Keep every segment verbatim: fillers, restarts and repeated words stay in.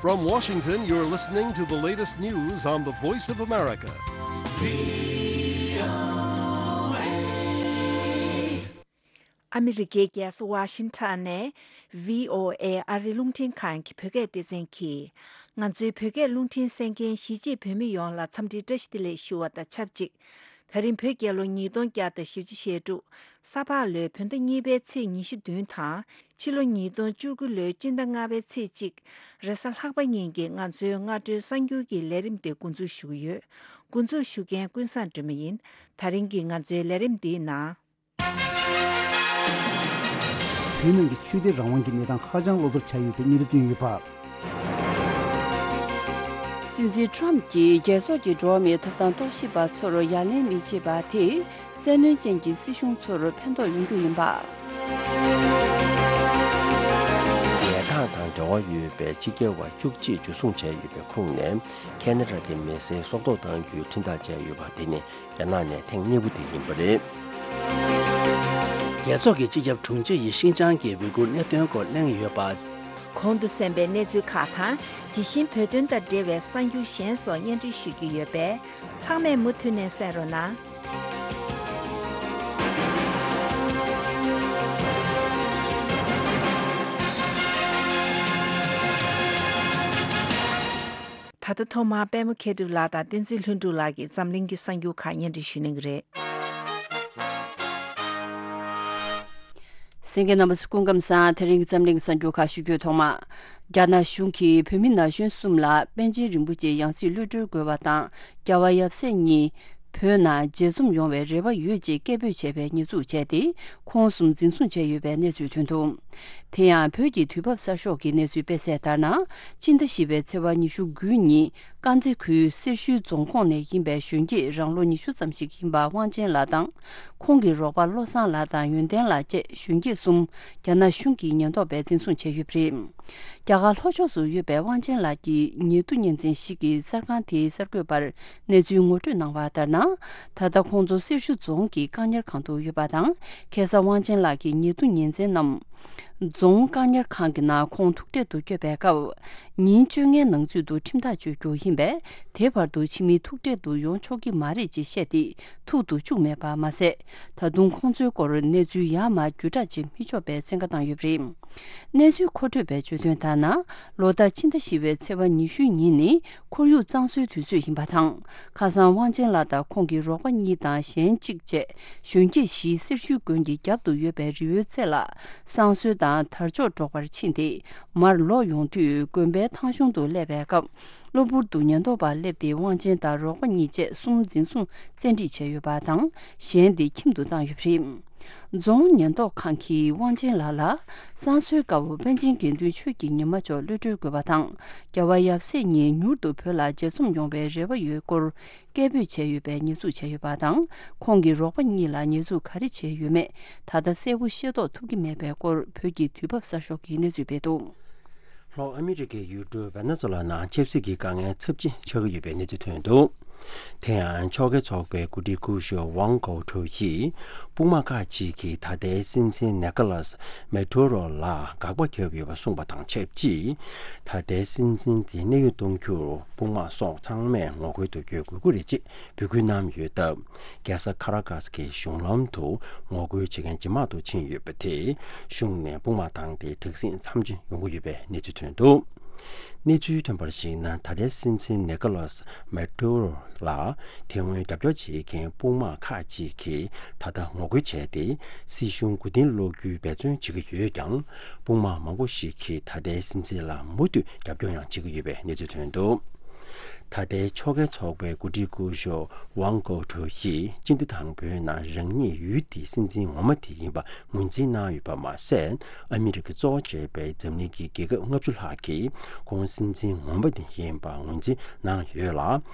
From Washington, you're listening to the latest news on the Voice of America. ཨ་མི་རི་ཀའི་རྒྱལ་ས་ཝ་ཤིང་ཊོན་ནས་བྷི་ཨོ་ཨེ་ཨ་རིའི་རླུང་འཕྲིན་ཁང་གི་བོད་སྐད་སྡེ་ཚན་གྱིས། ང་ཚོའི་བོད་སྐད་རླུང་འཕྲིན་གསན་མཁན་གཞིས་བྱེས་བོད་མི་ཡོངས་ལ་འཚམས་འདྲིའི་བཀྲ་ཤིས་བདེ་ལེགས་ཞུ་བ་དང་ཆབས་ཅིག། ད་རིང་བོད་རྒྱལ་ལོ་ཉིས་སྟོང་བརྒྱ་དང་བཞི་བཅུ་ཞེ་དྲུག། ས་ཕག་ལོའི་བོད་ཟླ་གཉིས་པའི་ཚེས་ཉི་ཤུ་བདུན་དང་། ཕྱི་ལོ་ཉིས་སྟོང་བཅུ་དགུ་ལོའི་སྤྱི་ཟླ་ལྔ་པའི་ཚེས་གཅིག། རེས་གཟའ་ལྷག་པ་ཉིན་གྱི་ང་ཚོའི་སྔ་དྲོའི་གསར་འགྱུར་གྱི་ལས་རིམ་དེ་འགོ་འཛུགས་ཞུ་གི་ཡོད། འགོ་འཛུགས་ཞུ་མཁན་ཀུན་བཟང་སྒྲོལ་མ་ཡིན། ད་རིང་གི་ང་ཚོའི་ལས་རིམ་འདིའི་ནང་། བོད་ནང་གི་ཆོས་དད་རང་དབང་གི་གནས་སྟངས་ཧ་ཅང་བློ་བཟང་ཆགས་ཡོད་པའི་སྙན་ཐོ་བཏོན་ཡོད་པ། སྲིད་འཛིན་ཊམ་གྱིས་རྒྱལ་ཚོགས་ཀྱི་འགྲོ་བ་མིའི་ཐོབ་ཐང་རྟོག་ཞིབ་པ་ཚོར་ཡ་ལན་མི་བྱེད་པ་དེས་བཙན་གནོན་ཅན་གྱི་སྲིད་གཞུང་ཚོར་ཕན་ཐོགས་ཡོང་རྒྱུ་ཡིན་པ། ཉལ་ཐང་དང་འབྲེལ་བ་ཡོད་པའི་ཕྱི་རྒྱལ་བ་བཅུ་གཅིག་འཇུ་བཟུང་བྱས་ཡོད་པའི་ཁོངས་ནས། ཁེ་ན་ཌ་གི་མི་སེར་སྲོག་ཐོག་བཏང་རྒྱུའི་ཁྲིམས་ཐག་བཅད་ཡོད་པ་དེ་ནི་རྒྱ་ནག་ནས་ཐེངས་གཉིས་པ་དེ་ཡིན་པ་རེད། རྒྱལ་ཚོགས་ཀྱི་སྤྱི་ཁྱབ་དྲུང་ཆེ་ཡིས་ཤིན་ཅང་གི་འོས་བསྡུའི་གནད་དོན་སྐོར་གླེང་ཡོད་པ། གོང་དུ་གསན་པའི་གནས་ཚུལ་ཁག་དང་། དེ་བཞིན་བོད་དོན་དང་འབྲེལ་བའི་གསར་འགྱུར་གཞན་སོགས་སྙན་སྒྲོན་ཞུ་རྒྱུ་ཡོད་པས། ཚང་མས་མུ་མཐུད་ནས་གསན་རོགས་གནང་། ད་ལྟ་ཐོག་མར་པད་མ་མཁས་གྲུབ་ལགས་དང་བསྟན་འཛིན་ལྷུན་གྲུབ་ལགས་ཀྱིས་འཛམ་གླིང་གི་གསར་འགྱུར་ཁག་སྙན་སྒྲོན་ཞུ་གནང་གི་རེད། གསན་མཁན་རྣམ་པ་ཚོ་སྐུ་ཁམས་བཟང་། དེ་རིང་གི་འཛམ་གླིང་གི་གསར་འགྱུར་ཁག་ཞུ་རྒྱུའི་ཐོག་མ། རྒྱ་ནག་གཞུང་གིས་བོད་མི་ན་གཞོན་གསུམ་ལ་པཎ་ཆེན་རིན་པོ་ཆེའི་ཡང་སྲིད་གློད་གྲོལ་དགོས་པ་དང་། རྒྱལ་བ་ཡབ་སྲས་གཉིས་བོད་ནང་མཇལ་འཛོམས་ཡོང་བའི་རེ་བ་ཡོད་ཅེས་སྐད་འབོད་བྱས་པའི་ཉེས་འཛུགས་བྱས་ཏེ། ཁོང་གསུམ་འཛིན་བཟུང་བྱས་ཡོད་པའི་གནས་ཚུལ་ཐོན་འདུག། དེ་ཡང་བོད་ཀྱི་དུས་བབ་གསར་ཤོག་གི་གནས་ཚུལ་སྤེལ་གསལ་ལྟར་ན། སྤྱི་ཟླ་བཞི་པའི་ཚེས་པ་ཉི་ཤུ་དགུ་ཉིན། དཀར་མཛེས་ཁུལ་སེར་ཤུལ་རྫོང་ཁོངས་ནས་ཡིན་པའི་གཞོན་སྐྱེས་རང་ལོ་ཉི་ཤུ་ཙམ་ཞིག་ཡིན་པ་དབང་ཆེན་ལགས་དང་། ཁོང་གི་རོགས་པ་བློ་བཟང་ལགས་དང་ཡོན་ཏན་ལགས་བཅས་གཞོན་སྐྱེས་གསུམ་རྒྱ་ནག་གཞུང་གིས་ཉེན་རྟོག་པས་འཛིན་བཟུང་བྱས་ཡོད་པ་རེད། རྒྱ་གར་ལྷོ་ཕྱོགས་སུ་ཡོད་པའི་དབང་ཆེན་ལགས་ཀྱི་ཉེ་དུ་གཉེན་ཚན་ཞིག་གིས་གསར་ཁང་དེའི་གསར་འགོད་པར་གནས་ཚུལ་ངོ་སྤྲོད་གནང་བ་ལྟར་ན། ད་ལྟ་ཁོང་ཚོ་སེར་ཤུལ་རྫོང་གི་བཀག་ཉར་ཁང་དུ་ཡོད་པ་དང་། ཁ་སང་དབང་ཆེན་ལགས་ཀྱི་ཉེ་དུ་ཉེ་ཚན་རྣམས་རྫོང་བཀག་ཉར་ཁང་གི་ནང་ཁོང་ཐུག་འཕྲད་དུ་བསྐྱོད་པའི་སྐབས། ཉིན་བཅོ་ལྔའི་ནང་ཚུད་དུ་ཁྲིམས་ཐག་གཅོད་རྒྱུ་ཡིན་པས། དེ་བར་དུ་ཕྱི་མི་ཐུག་འཕྲད་དུ་ཡོང་ཆོག་གི་མ་རེད་ཅེས་བཤད་དེ། ཐུག་ཏུ་བཅུག་མེད་པ་མ་ཟད། ད་དུང་ཁོང་ཚོའི་སྐོར་གནས་ཚུལ་ཡར་མར་བརྒྱུད་བསྒྲགས་བྱེད་མི་ཆོག་པའི་བཙན་བཀའ་བཏང་ཡོད་པ་རེད། གནས་ཚུལ་མཁོ་སྤྲོད་པས་བརྗོད་དོན་ལྟར་ན། ལོ་ལྟར་ཕྱི་ཟླ་བཞི་པའི་ཚེས་པ་ཉི་ཤུ་ཉིན་ནི་ཁོར་ཡུག་གཙང་བཟོའི་དུས་ཚོད་ཡིན་པ་དང་། ཁ་སང་དབང་ཆེན་ལགས་དང་ཁོང་གི་རོགས་པ་གཉིས་དང་གཞན་གཅིག་བཅས་གཞོན་སྐྱེས་བཞི་སེར་ཤུལ་དགོན་གྱི་རྒྱབ་ཏུ་ཡོད་པའི་རི་བོའི་རྩེ་ལ་བསང་གསོལ་དང་དར་ལྕོག་སྒྲོག་པར་ཕྱིན་ཏེ། མར་ལོག་ཡོང་དུས་དགོན་པའི་ཐང་གཞུང་དུ་སླེབས་པའི་སྐབས། གློ་བུར་དུ་ཉེན་རྟོག་པ་སླེབས་ཏེ་དབང་ཆེན་དང་རོགས་པ་གཉིས་བཅས་གསུམ་འཛིན་བཟུང་བཙན་ཁྲིད་བྱས་ཡོད་པ་དང་། གཞན་དེ་ཁྱིམ་དུ་བཏང་ཡོད་པ་རེད། རྫོང་ཉེན་རྟོག་ཁང་གིས་དབང་ཆེན་ལགས་ལ་བསང་གསོལ་སྐབས་པཎ་ཆེན་དགེ་འདུན་ཆོས་ཀྱི་ཉི་མ་མཆོག་གློད་གྲོལ་དགོས་པ་དང་། རྒྱལ་བ་ཡབ་སྲས་གཉིས་མྱུར་དུ་བོད་ལ་མཇལ་འཛོམས་ཡོང་བའི་རེ་བ་ཡོད་སྐོར་སྐད་འབོད་བྱས་ཡོད་པའི་ཉེས་འཛུགས་བྱས་ཡོད་པ་དང་། ཁོང་གི་རོགས་པ་གཉིས་ལ་ཉེས་འཛུགས་ག་རེ་བྱས་ཡོད་མེད་ད་ལྟ་གསལ་པོ་ཤེས་རྟོགས་ཐུབ་ཀྱི་མེད་པའི་སྐོར་བོད་ཀྱི་དུས་བབ་གསར་ཤོག་གིས་གནས་ཚུལ་སྤེལ་འདུག། ལྷོ་ཨ་མི་རི་ཀའི་ཡུལ་གྲུ་ཝེ་ནེ་ཛོ་ལ་ནང་ཆབ་སྲིད་ཀྱི་དཀའ་ངལ་ཚབས་ཆེན་ཆགས་ཀྱི་ཡོད་པའི་གནས་ཚུལ་ཐོན་འདུག། དེ་ཡང་ཕྱོགས་འགལ་ཚོགས་པའི་འགོ་ཁྲིད་སྐུ་ཞབས་ཝང་གོ་ཁྲོ་ཡིས་དཔུང་དམག་ཁག་ཅིག་གིས་ད་ལྟའི་སྲིད་འཛིན་ནེ་ཀོ་ལཱས་མེ་ཏུ་རོ་ལ་དགག་པ་བརྒྱབ་ཡོད་པ་གསུངས་པ་དང་ཆབས་ཅིག། ད་ལྟའི་སྲིད་འཛིན་དེ་གནས་དབྱུང་གཏོང་རྒྱུར་དཔུང་དམག་སོགས་ཚང་མས་ངོ་རྒོལ་དུ་བསྐྱོད་དགོས་ཀྱི་རེད་ཅེས་འབོད་སྐུལ་གནང་ཡོད་སྟབས། རྒྱལ་ས་ཁ་ར་ཀཱས་ཀྱི་གཞུང་ལམ་དུ་ངོ་རྒོལ་བྱེད་མཁན་ཇེ་མང་དུ་ཕྱིན་ཡོད་པ་དེས་གཞུང་ནས་དཔུང་དམག་བཏང་སྟེ་དྲག་ཟིང་མཚམས་ཆད་ཡོང་གི་ཡོད་པའི་གནས་ཚུལ་ཐོན་འདུག། གནས་ཚུལ་ཐོན་པར་གཞིགས་ན། ད་ལྟའི་སྲིད་འཛིན་ནེ་ཀོ་ལཱས་མེ་ཏུ་རོ་ལ་དེ་སྔོན་རྒྱབ་སྐྱོར་བྱེད་མཁན་དཔུང་དམག་ཁག་ཅིག་གིས་ད་ལྟ་ངོ་རྒོལ་བྱས་ཏེ། སྲིད་གཞུང་མགོ་རྟིང་སློག་རྒྱུའི་འབད་བརྩོན་བྱེད་ཀྱི་ཡོད་ཀྱང་། དཔུང་དམག་མང་པོ་ཞིག་གིས་ད་ལྟའི་སྲིད་འཛིན་ལ་མུ་མཐུད་རྒྱབ་སྐྱོར་ཡང་བྱེད་ཀྱི་ཡོད་པའི་གནས་ཚུལ་ཐོན་འདུག། ད་ལྟའི་ཕྱོགས་འགལ་ཚོགས་པའི་འགོ་ཁྲིད་སྐུ་ཞབས་ཝང་གོ་ཁྲོ་ཡིས་སྤྱི་ཟླ་དང་པོའི་ནང་རང་ཉིད་ཡུལ་དེའི་སྲིད་འཛིན་ངོ་མ་དེ་ཡིན་པ་ངོས་འཛིན་གནང་ཡོད་པ་མ་ཟད། ཨ་མི་རི་ཀ་གཙོ་བོ་བྱས་པའི་འཛམ་གླིང་གི་རྒྱལ་ཁབ་ལྔ་བཅུ་ལྷག་གིས་ཁོང་སྲིད་འཛིན་ངོ་མ་དེ་ཡིན་པ་ངོས་འཛིན་གནང་ཡོད་ལ།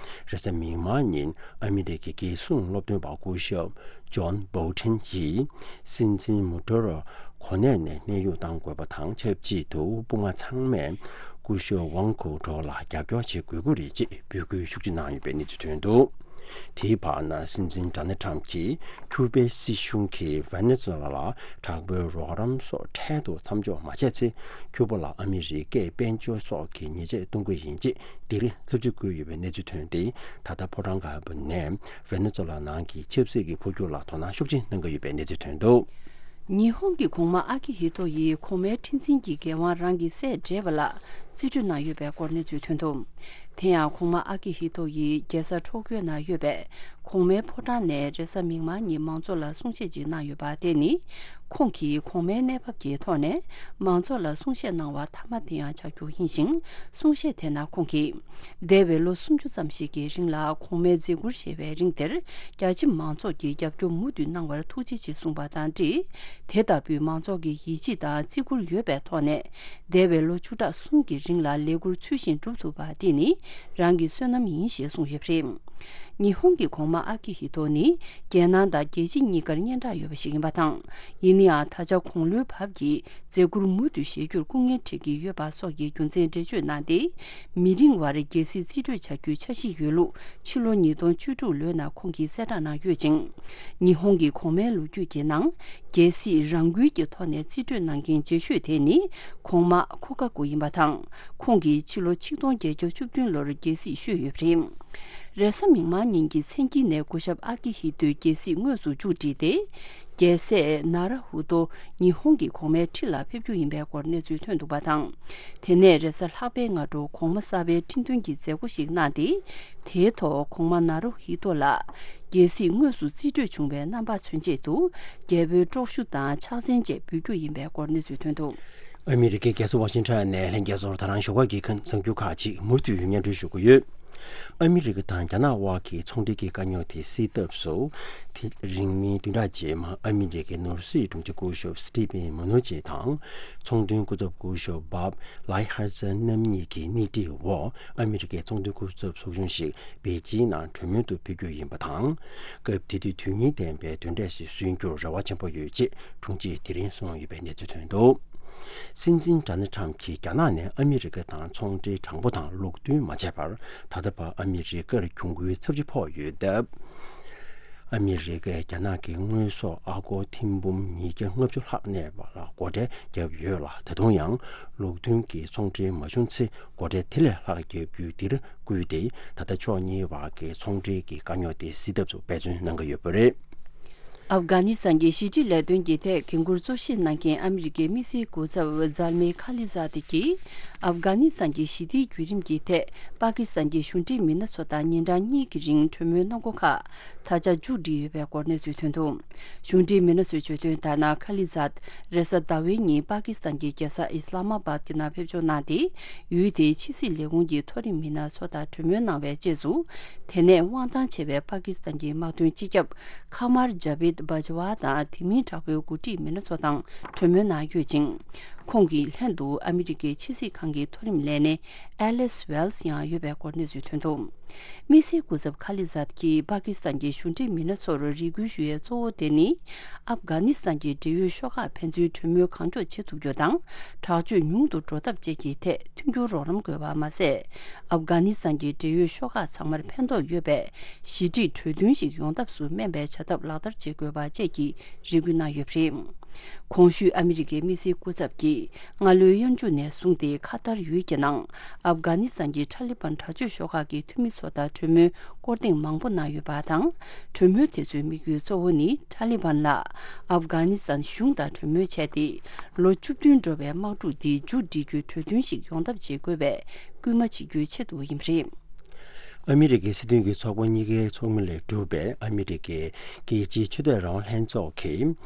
རེས་གཟའ་མིག་དམར་ཉིན་ཨ་མི་རི་ཀའི་རྒྱལ་སྲུང་སློབ་སྟོན་པ་སྐུ་ཞབས་ཇོན་བྷོལ་ཊོན་ཡིས་སྲིད་འཛིན་མུ་ཏུ་རོ་གོ་གནས་ནས་གནས་དབྱུང་གཏང་དགོས་པ་དང་ཆབས་ཅིག་ཏུ། དཔུང་དམག་ཚང་མས་སྐུ་ཞབས་ཝང་གོ་ཁྲོ་ལ་རྒྱབ་སྐྱོར་བྱེད་དགོས་ཀྱི་རེད་ཅེས་འབོད་སྐུལ་ཤུགས་ཆེ་གནང་ཡོད་པའི་གནས་ཚུལ་ཐོན་འདུག། དེའི་བར་ན་སྲིད་འཛིན་ཌོ་ནལ་ཊམ་གྱིས་ཁྱུ་པའི་སྲིད་གཞུང་གིས་ཝེ་ནེ་ཛུ་ཝེ་ལ་དྲག་པོའི་རོགས་རམ་སོགས་འཕྲལ་དུ་མཚམས་འཇོག་མ་བྱས་ཚེ། ཁྱུ་པ་ལ་ཨ་མི་རི་ཀས་དཔལ་འབྱོར་སོགས་ཀྱི་ཉེས་ཆད་གཏོང་གི་ཡིན་ཅེས་སྡིགས་ར་ཚབས་ཆེ་བསྐུལ་ཡོད་པའི་གནས་ཚུལ་ཐོན་ཏེ། ད་ལྟ་ཕོ་བྲང་དཀར་པོ་ནས་ཝེ་ནེ་ཛུ་ཝེ་ལ་ནང་གི་ཆབ་སྲིད་ཀྱི་འཕོ་འགྱུར་ལ་དོ་སྣང་ཤུགས་ཆེ་གནང་གི་ཡོད་པའི་གནས་ཚུལ་ཐོན་འདུག། ཉི་ཧོང་གི་གོང་མ་ཨ་ཀི་ཧི་ཏོ་ཡིས་གོང་མའི་ཁྲི་འཛིན་གྱི་འགན་དབང་རང་གི་སྲས་བགྲེས་པ་ལ་རྩིས་སྤྲོད་གནང་ཡོད་པའི་སྐོར་གནས་ཚུལ་ཐོན་འདུག། དེ་ཡང་གོང་མ་ཨ་ཀི་ཧི་ཏོ་ཡིས་རྒྱལ་ས་ཊོ་ཀྱོ་ན་ཡོད་པའི་གོང་མའི་ཕོ་བྲང་ནས་རེས་གཟའ་མིག་དམར་ཉིན་མང་ཚོགས་ལ་གསུང་བཤད་ཅིག་གནང་ཡོད་པ། དེ་ནི་ཁོང་གིས་གོང་མའི་གནས་བབ་ཀྱི་ཐོག་ནས་མང་ཚོགས་ལ་གསུང་བཤད་གནང་བ་མཐའ་མ་དེ་ཡང་ཆགས་རྒྱུ་ཡིན་ཞིང་། གསུང་བཤད་དེ་ནང་ཁོང་གིས། འདས་པའི་ལོ་སུམ་ཅུ་ཙམ་ཞིག་གི་རིང་ལ་གོང་མའི་མཛད་ཁུར་བཞེས་པའི་རིང་དེར་རྒྱ་ཆེ་མང་ཚོགས་ཀྱིས་རྒྱབ་སྐྱོར་མུ་མཐུད་གནང་བར་ཐུགས་རྗེ་ཆེ་གསུངས་པ་དང་འབྲེལ། དེ་ལྟ་བུའི་མང་ཚོགས་ཀྱི་ཡིད་ཆེས་དང་བརྩི་བཀུར་ཡོད་པའི་ཐོག་ནས། འདས་པའི་ལོ་བཅུ་ཕྲག་གསུམ་གྱི་རིང་ལ་ལས་འཁུར་ཚུལ་བཞིན་སྒྲུབ་ཐུབ་པ་དེ་ནི་རང་གི་བསོད་ནམས་ཡིན་ཞེས་གསུངས་ཡོད་པ་རེད། ཉི་ཧོང་གི་གོང་མ་ཨ་ཀི་ཧི་ཏོ་ནི་རྒྱལ་ནང་དང་རྒྱལ་ཕྱི་གཉིས་ཀར་སྙན་གྲགས་ཡོད་པ་ཞིག་ཡིན་པ་དང་། ཡིན་ན་ཡང་ད་ཆ་གོང་ལོའི་བབ་ཀྱིས། མཛད་ཁུར་མུ་མཐུད་བཞེས་རྒྱུར་སྐུ་ངལ་འཕྲད་ཀྱི་ཡོད་པ་སོགས་ཀྱི་རྒྱུ་མཚན་འགྲེལ་བརྗོད་གནང་སྟེ། མི་རིང་བར་རྒྱལ་སྲིད་རྩིས་སྤྲོད་བྱ་རྒྱུའི་འཆར་གཞི་ཡོད་ལུགས་ཕྱི་ལོ་ཉིས་སྟོང་བཅུ་དྲུག་ལོའི་ནང་ཁོང་གིས་གསལ་བསྒྲགས་གནང་ཡོད་ཅིང་། ཉི་ཧོང་གི་གོང་མའི་ལོ་རྒྱུས་ཀྱི་ནང་རྒྱལ་སྲིད་རང་འགུལ་གྱི་ཐོག་ནས་རྩིས་སྤྲོད་གནང་མཁན་རྗེས་ཤོས་དེ་ནི་གོང་མ་ཁོ་ཀ་ཀུ་ཡིན་པ་དང་། ཁོང་གིས་ཕྱི་ལོ་ཆིག་སྟོང་བརྒྱད་བརྒྱ་བཅུ་བདུན་ལོར་རྒྱལ་སྲིད་བཞེས་ཡོད་པ་རེད། རེས་གཟའ་མིག་དམར་ཉིན་གྱི་མཚན་དཀྱིལ་ནས་སྐུ་ཞབས་ཨ་ཀི་ཧི་ཏོས་རྒྱལ་སྲིད་དངོས་སུ་མཇུག་བསྒྲིལ་ཏེ། རྒྱལ་སྲས་ན་ར་ཧུ་ཏོ་ཉི་ཧོང་གི་གོང་མའི་ཁྲི་ལ་ཕེབས་རྒྱུ་ཡིན་པའི་སྐོར་གནས་ཚུལ་ཐོན་འདུག་པ་དང་། དེ་ནས་རེས་གཟའ་ལྷག་པའི་སྔ་དྲོ་གོང་མ་གསར་པའི་ཁྲི་འདོན་གྱི་མཛད་སྒོ་ཞིག་གནང་སྟེ། དེའི་ཐོག་གོང་མ་ན་རུ་ཧི་ཏོ་ལ་རྒྱལ་སྲིད་དངོས་སུ་རྩིས་སྤྲོད་བྱུང་བའི་རྣམ་པ་མཚོན་ཆེད་དུ། རྒྱལ་པོའི་པྲོག་ཞུ་དང་ཕྱག་མཚན་བཅས་འབུལ་རྒྱུ་ཡིན་པའི་སྐོར་གནས་ཚུལ་ཐོན་འདུག། ཨ་མི་རི་ཀའི་རྒྱལ་ས་ཝ་ཤིང་ཊོན་ནས་ལྷན་རྒྱས་ཚོར་ད་རང་ཞོགས་ཀ་གི་གསར་འགྱུར་ཁག་ཅིག་མུ་མཐུད་སྙན་སྒྲོན་ཞུ་གི་ཡོད། ཨ་མི་རི་ཀ་དང་རྒྱ་ནག་དབར་གྱི་ཚོང་འབྲེལ་གྱི་དཀའ་རྙོག་དེ་སེལ་ཐབས་སུ། དེ་རིང་མིན་བདུན་ཕྲག་རྗེས་མ་ཨ་མི་རི་ཀའི་ནོར་སྲིད་དྲུང་ཆེ་སྐུ་ཞབས་སི་ཊི་ཕེན་མུ་ནུ་ཆེ་དང་། ཚོང་དོན་སྐུ་ཚབ་སྐུ་ཞབས་བྷབ་ལའི་ཧར་ཙེ་རྣམ་གཉིས་ཀྱི་སྣེ་ཁྲིད་འོག་ཨ་མི་རི་ཀའི་ཚོང་དོན་སྐུ་ཚབ་ཚོགས་ཆུང་ཞིག་པེ་ཅིན་ནང་གྲོས་མོལ་དུ་ཕེབས་རྒྱུ་ཡིན་པ་དང་། སྐབས་དེ་དུས་དོན་སྙིང་ལྡན་པའི་དོན་འབྲས་ཤིག་སོན་རྒྱུར་རེ་བ་ཆེན་པོ་ཡོད་ཅེས་དྲུང་ཆེས་དེ་རིང་གསུངས་ཡོད་པའི་གནས་ཚུལ་ཐོན་འདུག། སྲིད་འཛིན་ཌོ་ནལ་ཊམ་གྱིས་རྒྱ་ནག་ནས་ཨ་མི་རི་ཀ་དང་ཚོང་འབྲེལ་དྲང་པོ་དང་ལུགས་མཐུན་མ་བྱས་པར། ད་ལྟ་བར་ཨ་མི་རི་ཀར་གྱོང་གུན་ཚབས་ཆེ་ཕོག་ཡོད་སྟབས། ཨ་མི་རི་ཀས་རྒྱ་ནག་གི་དངོས་ཟོག་ཨ་སྒོར་ཐེར་འབུམ་ཉིས་བརྒྱ་ལྔ་བཅུ་ལྷག་གནས་པ་ལ་སྒོ་ཁྲལ་བརྒྱབ་ཡོད་ལ། ད་དུང་ཡང་ལུགས་མཐུན་གྱི་ཚོང་འབྲེལ་མ་བྱུང་ཚེ། སྒོ་ཁྲལ་དེ་ལས་ལྷག་བརྒྱབ་རྒྱུ་འདིར་བསྐུལ་ཏེ། ད་ལྟ་ཕྱོགས་གཉིས་བར་གྱི་ཚོང་འབྲེལ་གྱི་དཀའ་རྙོག་དེ་སེལ་ཐབས་སུ་འབད་བརྩོན་གནང་གི་ཡོད་པ་རེད། ཨབ་གྷ་ནི་སི་ཐན་གྱི་ཞི་འགྲིག་ལས་དོན་གྱི་ཐད་འགན་འཁུར་གཙོ་བཞེས་གནང་མཁན་ཨ་མི་རི་ཀའི་དམིགས་བསལ་སྐུ་ཚབ་ཛལ་མེ་ཁ་ལི་ཛ་དི་གིས། ཨབ་གྷ་ནི་སི་ཐན་གྱི་ཞི་བདེའི་བརྒྱུད་རིམ་གྱི་ཐད་པ་ཀི་སི་ཐན་གྱི་གཞུང་འབྲེལ་མི་སྣ་ཚོ་དང་ཉིན་གྲངས་གཉིས་ཀྱི་རིང་གྲོས་མོལ་གནང་སྒོ་ཁག་ད་ཆ་མཇུག་སྒྲིལ་ཡོད་པའི་སྐོར་གནས་ཚུལ་ཐོན་འདུག། གཞུང་འབྲེལ་མི་སྣ་ཚོས་བརྗོད་དོན་ལྟར་ན། ཁ་ལི་ཛད་རེས་གཟའ་ཟླ་བའི་ཉིན་པ་ཀི་སི་ཐན་གྱི་རྒྱལ་ས་ཨི་སི་ལ་མ་བཱད་ཀྱི་ནང་ཕེབས་འབྱོར་གནང་སྟེ། ཡུལ་དེའི་ཕྱི་སྲིད་ལས་ཁུངས་ཀྱི་མཐོ་རིམ་མི་སྣ་ཚོ་དང་གྲོས་མོལ་གནང་བའི་རྗེས་སུ། དེ་ནས་དབང་ཐང་ཆེ་བའི་པ་ཀི་སི་ཐན་གྱི་དམག་དོན་སྤྱི་ཁྱབ་ཁ་མར་ཇ་བིད་བྷ་ཇ་ཝ་དང་དེ་མིན་དྲག་པོའི་འགོ་ཁྲིད་མི་སྣ་ཚོ་དང་གྲོས་མོལ་གནང་ཡོད་ཅིང་། ཁོང་གི་ལྷན་དུ་ཨ་མི་རི་ཀའི་ཕྱི་སྲིད་ཁང་གི་མཐོ་རིམ་ལས་སྣེ་ཨེ་ལིས་ཝེལ་སི་ཡང་ཡོད་པའི་སྐོར་གནས་ཚུལ་ཐོན་འདུག། དམིགས་བསལ་སྐུ་ཚབ་ཁ་ལི་ཛད་ཀྱིས་པ་ཀི་སི་ཐན་གྱི་གཞུང་འབྲེལ་མི་སྣ་ཚོར་རེ་སྐུལ་ཞུ་ཡས་གཙོ་བོ་དེ་ནི། ཨབ་གྷ་ནི་སི་ཐན་གྱི་འབྲེལ་ཡོད་ཤོག་ཁག་ཕན་ཚུན་གྲོས་མོལ་གང་མགྱོགས་བྱེད་ཐུབ་རྒྱུ་དང་། དྲག་སྤྱོད་ཉུང་དུ་འགྲོ་ཐབས་བཅས་ཀྱི་ཐད་མཐུན་འགྱུར་རོགས་རམ་དགོས་པ་མ་ཟད། ཨབ་གྷ་ནི་སི་ཐན་གྱི་འབྲེལ་ཡོད་ཤོག་ཁག་ཚང་མར་ཕན་ཐོགས་ཡོད་པའི་ཞི་འགྲིག་གྲོས་མཐུན་ཞིག་ཡོང་ཐབས་སུ་སྨན་པའི་བྱ་ཐབས་ལག་བསྟར་བྱེད་དགོས་པ་བཅས་ཀྱི་རེ་སྐུལ་གནང་ཡོད་པ་རེད། གོང་ཞུས་ཨ་མི་རི་ཀའི་དམིགས་བསལ་སྐུ་ཚབ་ཀྱིས་སྔ་ལོའི་དབྱར་མཇུག་ནས་བཟུང་སྟེ་ཁ་ཐར་ཡུལ་གྱི་ནང་ཨབ་གྷ་ནི་སི་ཐན་གྱི་ཐ་ལི་བན་དྲག་སྤྱོད་ཤོག་ཁག་གི་འཐུས་མི་ཚོ་དང་གྲོས་མོལ་སྐོར་ཐེངས་མང་པོ་གནང་ཡོད་པ་དང་། གྲོས་མོལ་དེ་ཚོའི་དམིགས་ཡུལ་གཙོ་བོ་ནི་ཐ་ལི་བན་ལ་ཨབ་གྷ་ནི་སི་ཐན་གཞུང་དང་གྲོས་མོལ་བྱས་ཏེ། ལོ་བཅུ་བདུན་འགྲོ་བའི་དམག་འཁྲུག་འདི་མཇུག་སྒྲིལ་རྒྱུའི་གྲོས་མཐུན་ཞིག་ཡོང་ཐབས་བྱེད་དགོས་པའི་སྐུལ་མ་བྱེད་རྒྱུའི་ཆེད་དུ་ཡིན་པ་རེད། ཨ་མི་རི་ཀའི་སྲིད་དོན་གྱི་ཚོགས་པ་གཉིས་ཀའི་ཚོགས་མི་ལས་གྲུབ་པའི་ཨ་མི་རི་ཀའི་རྒྱལ་སྤྱིའི་ཆོས་དད་རང་དབང་ལྷན་ཚོགས་ཀྱིས།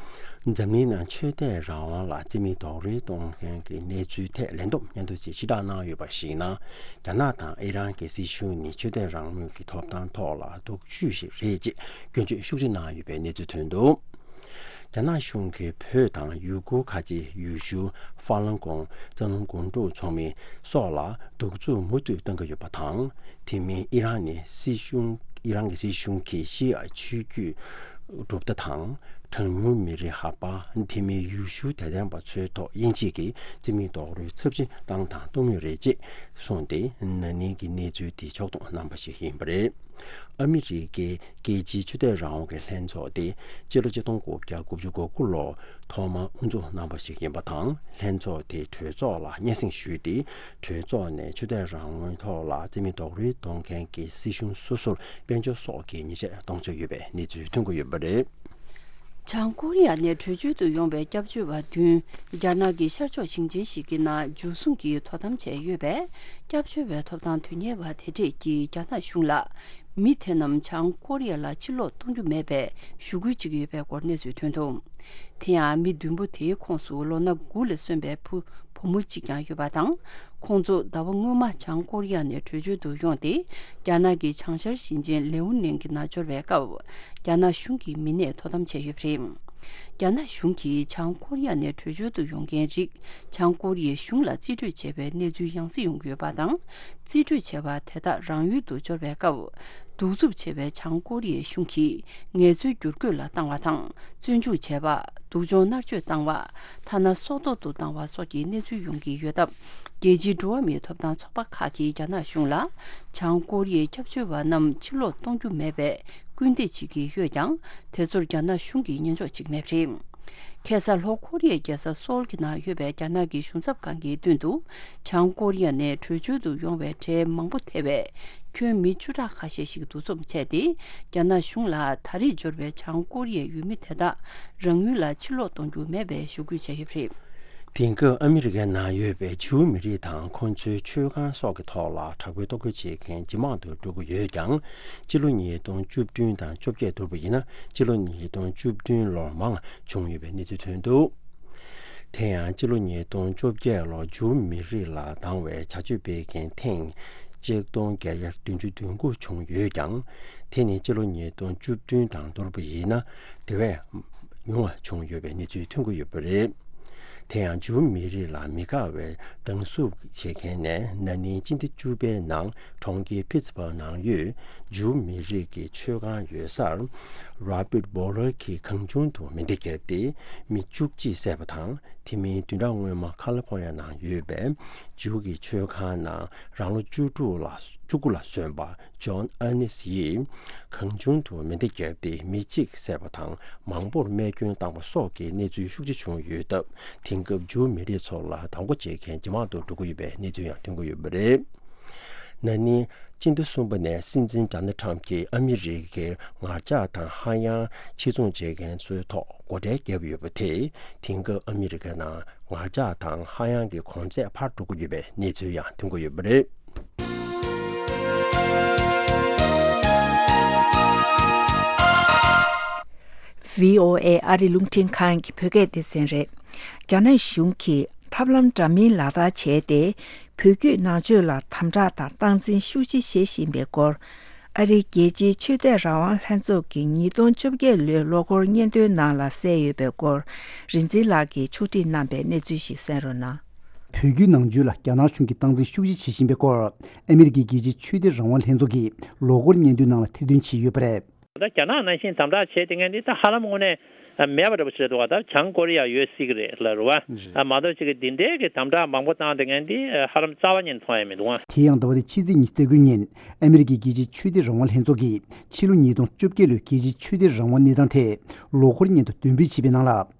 འཛམ་གླིང་ནང་ཆོས་དད་རང་དབང་ལ་རྩིས་མེད་རྡོག་རོལ་གཏོང་མཁན་གྱི་གནས་ཚུལ་ཐད་ལན་འདེབས་སྙན་ཐོ་ཞིག་ཕྱིར་བསྒྲགས་གནང་ཡོད་པར་གཞིགས་ན། རྒྱ་ནག་དང་ཨི་རན་གྱི་སྲིད་གཞུང་ནི་ཆོས་དད་རང་མོས་ཀྱི་ཐོབ་ཐང་ཐོག་ལ་སྡུག་ཤོས་ཤིག་རེད་ཅེས་སྐྱོན་བརྗོད་ཤུགས་ཆེ་གནང་ཡོད་པའི་གནས་ཚུལ་ཐོན་འདུག། རྒྱ་ནག་གཞུང་གིས་བོད་དང་ཡུ་གུར་ཁ་ཆེ་ཡུལ་ཤུལ་ཧྥ་ལང་ཀོང་། རྩ་ལུང་དགོན་གྲུབ་ཚོགས་མི་སོགས་ལ་གདུག་རྩུབ་མུ་མཐུད་བཏང་གི་ཡོད་པ་དང་། དེ་མིན་ཨི་རན་ནི་སྲིད་གཞུང་། ཨི་རན་གྱི་སྲིད་གཞུང་གིས་ཤི་ཡ་ཆོས་བརྒྱུད་གྲུབ་མཐའ་དང་། གྲངས་ཉུང་མི་རིགས་ཧ་པ། དེ་མིན་ཡུལ་ཤུལ་དད་ལྡན་པ་ཚོའི་ཐོག་དབྱེ་འབྱེད་ཀྱིས་རྩིས་མེད་རྡོག་རོལ་ཚབས་ཆེ་བཏང་དང་གཏོང་མུས་རེད་ཅེས་གསུངས་ཏེ། ན་ནིང་གི་གནས་ཚུལ་དེ་ཕྱོགས་བསྡོམས་གནང་པ་ཞིག་ཡིན་པ་རེད། ཨ་མི་རི་ཀའི་རྒྱལ་སྤྱིའི་ཆོས་དད་རང་དབང་གི་ལྷན་ཚོགས་དེ་སྤྱི་ལོ་ཆིག་སྟོང་དགུ་བརྒྱ་དགུ་བཅུ་གོ་དགུ་ལོར་ཐོག་མར་དབུ་འཛུགས་གནང་བ་ཞིག་ཡིན་པ་དང་། ལྷན་ཚོགས་དེའི་གྲོས་ཚོགས་ལ་སྙན་སེང་ཞུས་ཏེ། གྲོས་ཚོགས་ནས་ཆོས་དད་རང་དབང་ཐོག་ལ་རྩིས་མེད་རྡོག་རོལ་གཏོང་མཁན་གྱི་སྲིད་གཞུང་སོ་སོར་དཔལ་འབྱོར་སོགས་ཀྱི་ཉེས་ཆད་གཏོང་ཚོད་ཡོད་པའི་གནས་ཚུལ་ཐོན་གྱི་ཡོད་པ་རེད། བྱང་ཀོ་རི་ཡ་ནས་བྲོས་བྱོལ་དུ་ཡོང་བའི་སྐྱབས་བཅོལ་བ་བདུན། རྒྱ་ནག་གི་ཤར་ཕྱོགས་ཞིང་ཆེན་ཞིག་གི་ནང་འཇུ་བཟུང་གིས་དོ་དམ་བྱས་ཡོད་པས། སྐྱབས་བཅོལ་བའི་ཐོབ་ཐང་དོན་གཉེར་བ་དེ་གྲས་ཀྱིས་རྒྱ་ནག་གཞུང་ལ་མི་དེ་རྣམས་བྱང་ཀོ་རི་ཡ་ལ་ཕྱིར་ལོག་གཏོང་རྒྱུ་མེད་པའི་ཞུ་སྐུལ་བྱེད་ཀྱི་ཡོད་པའི་སྐོར་གནས་ཚུལ་ཐོན་འདུག་དེ་ཡང་མི་བདུན་པོ་དེའི་ཁོངས་སུ་ལོ་ན་དགུ་ལ་སོན་པའི་བུ་བུ་མོ་གཅིག་ཀྱང་ཡོད་པ་དང་། ཁོང་ཚོ་ཟླ་བ་སྔོན་མ་བྱང་ཀོ་རི་ཡ་ནས་བྲོས་བྱོལ་དུ་ཡོང་སྟེ། རྒྱ་ནག་གི་བྱང་ཤར་ཞིང་ཆེན་ལེའུ་ནན་གྱི་ནང་འབྱོར་བའི་སྐབས། རྒྱ་ནག་གཞུང་གིས་མི་སྣས་དོ་དམ་བྱས་ཡོད་པ་རེད། རྒྱ་ནག་གཞུང་གིས་བྱང་ཀོ་རི་ཡ་ནས་བྲོས་བྱོལ་དུ་ཡོང་མཁན་རིགས་བྱང་ཀོ་རི་ཡའི་གཞུང་ལ་རྩིས་སྤྲོད་བྱས་པའི་གནས་ཚུལ་ཡང་སེ་ཡོང་གི་ཡོད་པ་དང་། རྩིས་སྤྲོད་བྱས་པ་དེ་དག་རང་ཡུལ་དུ་འབྱོར་བའི་སྐབས། གདུག་རྩུབ་ཆེ་བའི་བྱང་ཀོ་རི་ཡའི་གཞུང་གིས་ངལ་རྩོལ་བསྒྱུར་བཀོད་ལ་བཏང་བ་དང་། བཙོན་འཇུག་བྱས་པ། སྡུག་སྦྱོང་མནར་གཅོད་བཏང་བ། ཐ་ན་སྲོག་ཐོག་ཏུ་བཏང་བ་སོགས་ཀྱི་གནས་ཚུལ་ཡོང་གི་ཡོད་སྟབས། རྒྱལ་སྤྱིའི་འགྲོ་བ་མིའི་ཐོབ་ཐང་ཚོགས་པ་ཁག་གིས་རྒྱ་ནག་གཞུང་ལ། བྱང་ཀོ་རི་ཡའི་སྐྱབས་བཅོལ་བ་རྣམས་ཕྱིར་ལོག་གཏོང་རྒྱུ་མེད་པའི་སྐུལ་འདེད་བྱེད་ཀྱི་ཡོད་ཀྱང་། དེ་ཚོར་རྒྱ་ནག་གཞུང་གིས་ཉན་འཇོག་བྱེད་ཀྱི་མེད་པ་རེད། ཁ་སང་ལྷོ་ཀོ་རི་ཡའི་རྒྱལ་ས་སོལ་གྱི་ནང་ཡོད་པའི་རྒྱ་ནག་གི་གཞུང་ཚབ་ཁང་གི་མདུན་དུ། བྱང་ཀོ་རི་ཡ་ནས་བྲོས་བྱོལ་དུ་ཡོང་བའི་གྲས་མང་པོ་ཐེ་བའི་ཁྱོན་མི་བཅུ་ཕྲག་ཁ་ཤས་ཤིག་འདུ་འཛོམས་བྱས་ཏེ། རྒྱ་ནག་གཞུང་ལ་ད་རེས་འབྱོར་བའི་བྱང་ཀོ་རི་ཡའི་ཡུལ་མི་དེ་དག་རང་ཡུལ་ལ་ཕྱིར་ལོག་གཏོང་རྒྱུ་མེད་པའི་ཞུ་སྐུལ་བྱས་ཡོད་པ་རེད། དེང་སྐབས་ཨ་མི་རི་ཀའི་ནང་ཡོད་པའི་ཇིའུ་མི་རིགས་དང་ཁོང་ཚོའི་ཆོས་ཁང་སོགས་ཀྱི་ཐོག་ལ་དྲག་པོའི་གཏོར་རྒོལ་བྱེད་མཁན་ཇེ་མང་དུ་འགྲོ་གི་ཡོད་ཀྱང་། སྤྱི་ལོ་ཉིས་སྟོང་བཅུ་བདུན་དང་བཅོ་བརྒྱད་བསྡུར་བ་ཡིན་ན། སྤྱི་ལོ་ཉིས་སྟོང་བཅུ་བདུན་ལོར་མང་བྱུང་ཡོད་པའི་གནས་ཚུལ་ཐོན་འདུག་དེ་ཡང་སྤྱི་ལོ་ཉིས་སྟོང་བཅོ་བརྒྱད་ལོར་ཇིའུ་མི་རིགས་ལ་སྡང་བའི་བྱ་སྤྱོད་སྤེལ་མཁན་ཐེངས་གཅིག་སྟོང་བརྒྱད་བརྒྱ་བདུན་ཅུ་དོན་དགུ་བྱུང་ཡོད་ཀྱང་། དེ་ནི་སྤྱི་ལོ་ཉིས་སྟོང་བཅུ་བདུན་དང་བསྡུར་བ་ཡིན་ན་དེ་བས་ཉུང་བ་བྱུང་ཡོད་པའི་གནས་ཚུལ་ཐོན་གྱི་ཡོད་པ་རེད། དེ་ཡང་ཇིའུ་མི་རིགས་ལ་མི་དགའ་བའི་སྡང་ཟུག་བྱེད་མཁན་ནས་ན་ནིང་སྤྱི་ཟླ་བཅུ་པའི་ནང་གྲོང་ཁྱེར་ཕིཊ་སྦར་ག་ནང་ཡོད་ཇིའུ་མི་རིགས་ཀྱི་ཆོས་ཁང་ཡོད་སར། རོ་བྷརྟ་བྷོ་ལར་གྱིས་གང་བྱུང་དུ་མེ་མདའ་བརྒྱབ་སྟེ་མི་བཅུ་གཅིག་བསད་པ་དང་། དེ་མིན་བདུན་ཕྲག་སྔོན་མ་ཁ་ལི་ཕོར་ནི་ཡ་ནང་ཡོད་པའི་ཇིའུ་གི་ཆོས་ཁང་ནང་རང་ལོ་བཅུ་དྲུག་ལ་བཅུ་དགུ་ལ་སོན་པ་ཇོན་ཨར་ནེ་སི་ཡིས་གང་བྱུང་དུ་མེ་མདའ་བརྒྱབ་སྟེ་མི་གཅིག་བསད་པ་དང་། མང་པོར་རྨས་སྐྱོན་བཏང་བ་སོགས་ཀྱི་གནས་ཚུལ་ཤུགས་ཆེ་བྱུང་ཡོད་སྟབས། དེང་སྐབས་ཇིའུ་མི་རིགས་ཚོ་ལ་སྡང་པོ་བྱེད་མཁན་ཇེ་མང་དུ་འགྲོ་གི་ཡོད་པའི་གནས་ཚུལ་ཡང་ཐོན་གྱི་ཡོད་པ་རེད། ན་ནིང་སྤྱི་ཟླ་གསུམ་པ་ནས་སྲིད་འཛིན་ཌོ་ནལ་ཊམ་གྱིས་ཨ་མི་རི་ཀའི་ངར་ལྕགས་དང་ཧ་ཡང་ཕྱིར་ཚོང་བྱེད་མཁན་ཚོའི་ཐོག་སྒོ་ཁྲལ་བརྒྱབ་ཡོད་པ་དེས། དེང་སྐབས་ཨ་མི་རི་ཀའི་ནང་ངར་ལྕགས་དང་ཧ་ཡང་གི་གོང་ཚད་འཕར་འགྲོ་གི་ཡོད་པའི་གནས་ཚུལ་ཡང་ཐོན་གྱི་ཡོད་པ་རེད། བྷི་ཨོ་ཨེ་ཨ་རི་རླུང་འཕྲིན་ཁང་གི་བོད་སྐད་སྡེ་ཚན་རེད། རྒྱ་ནག་གཞུང་གིས་ཐབས་ལམ་འདྲ་མིན་ལག་བསྟར་བྱས་ཏེ། བོད་བརྒྱུད་ནང་ཆོས་ལ་དམ་དྲག་དང་སྟངས་འཛིན་ཤུགས་ཆེ་བྱེད་བཞིན་པའི་སྐོར། ཨ་རིའི་རྒྱལ་སྤྱིའི་ཆོས་དད་རང་དབང་ལྷན་ཚོགས་ཀྱི་ཉིས་སྟོང་བཅོ་བརྒྱད་ལོའི་ལོ་འཁོར་སྙན་ཐོའི་ནང་ལ་གསལ་ཡོད་པའི་སྐོར། རིག་འཛིན་ལགས་ཀྱིས་ཕྱོགས་སྒྲིག་གནང་པའི་གནས་ཚུལ་ཞིག་གསན་རོགས་གནང་། བོད་བརྒྱུད་ནང་ཆོས་ལ་རྒྱ་ནག་གཞུང་གིས་སྟངས་འཛིན་ཤུགས་ཆེ་བྱེད་བཞིན་པའི་སྐོར། ཨ་མི་རི་ཀའི་རྒྱལ་སྤྱིའི་ཆོས་དད་རང་དབང་ལྷན་ཚོགས་ཀྱི་ལོ་འཁོར་སྙན་ཐོའི་ནང་ལ་ཐེར་འདོན་བྱས་ཡོད་པ་རེད། ད་རྒྱ་ནག་ནང་བཞིན་དམ་དྲག་བྱས་དེ་ངན་འདི་ད་ཧ་ལམ་དངོས་གནས་མེད་པ་འདྲ་པོ་ཞིག་རེད་འདུག་ག་ད་བྱང་ཀོ་རི་ཡ་ཡོད་སྲིད་ཀྱི་རེད་ལབ་རེད་བ། རེད། ཨ་མ་གཏོགས་ཅིག་གི་འདི་འདྲའི་གི་དམ་དྲག་མང་པོ་བཏང་དེ་ངན་འདི་ཧ་ལམ་རྩ་བ་ཉིད་མཐོང་ཡ་མི་འདུག་ག་དེ་ཡང་ཟླ་བ་འདིའི་ཕྱི་ཚེས་ཉི་ཤུ་རྩ་དགུ་ཉིན་ཨ་མི་རི་ཀའི་རྒྱལ་སྤྱིའི་ཆོས་དད་རང་དབང་ལྷན་ཚོགས་ཀྱིས་ཕྱི་ལོ་ཉིས་སྟོང་བཅོ་བརྒྱད་ལོའི་རྒྱལ་སྤྱིའི་ཆོས་དད་རང་དབང་གནས་སྟངས་ཐད་ལོ་འཁོར་སྙན་ཐོ་འདོན་སྤེལ་བྱས་པའི་ནང་ལ།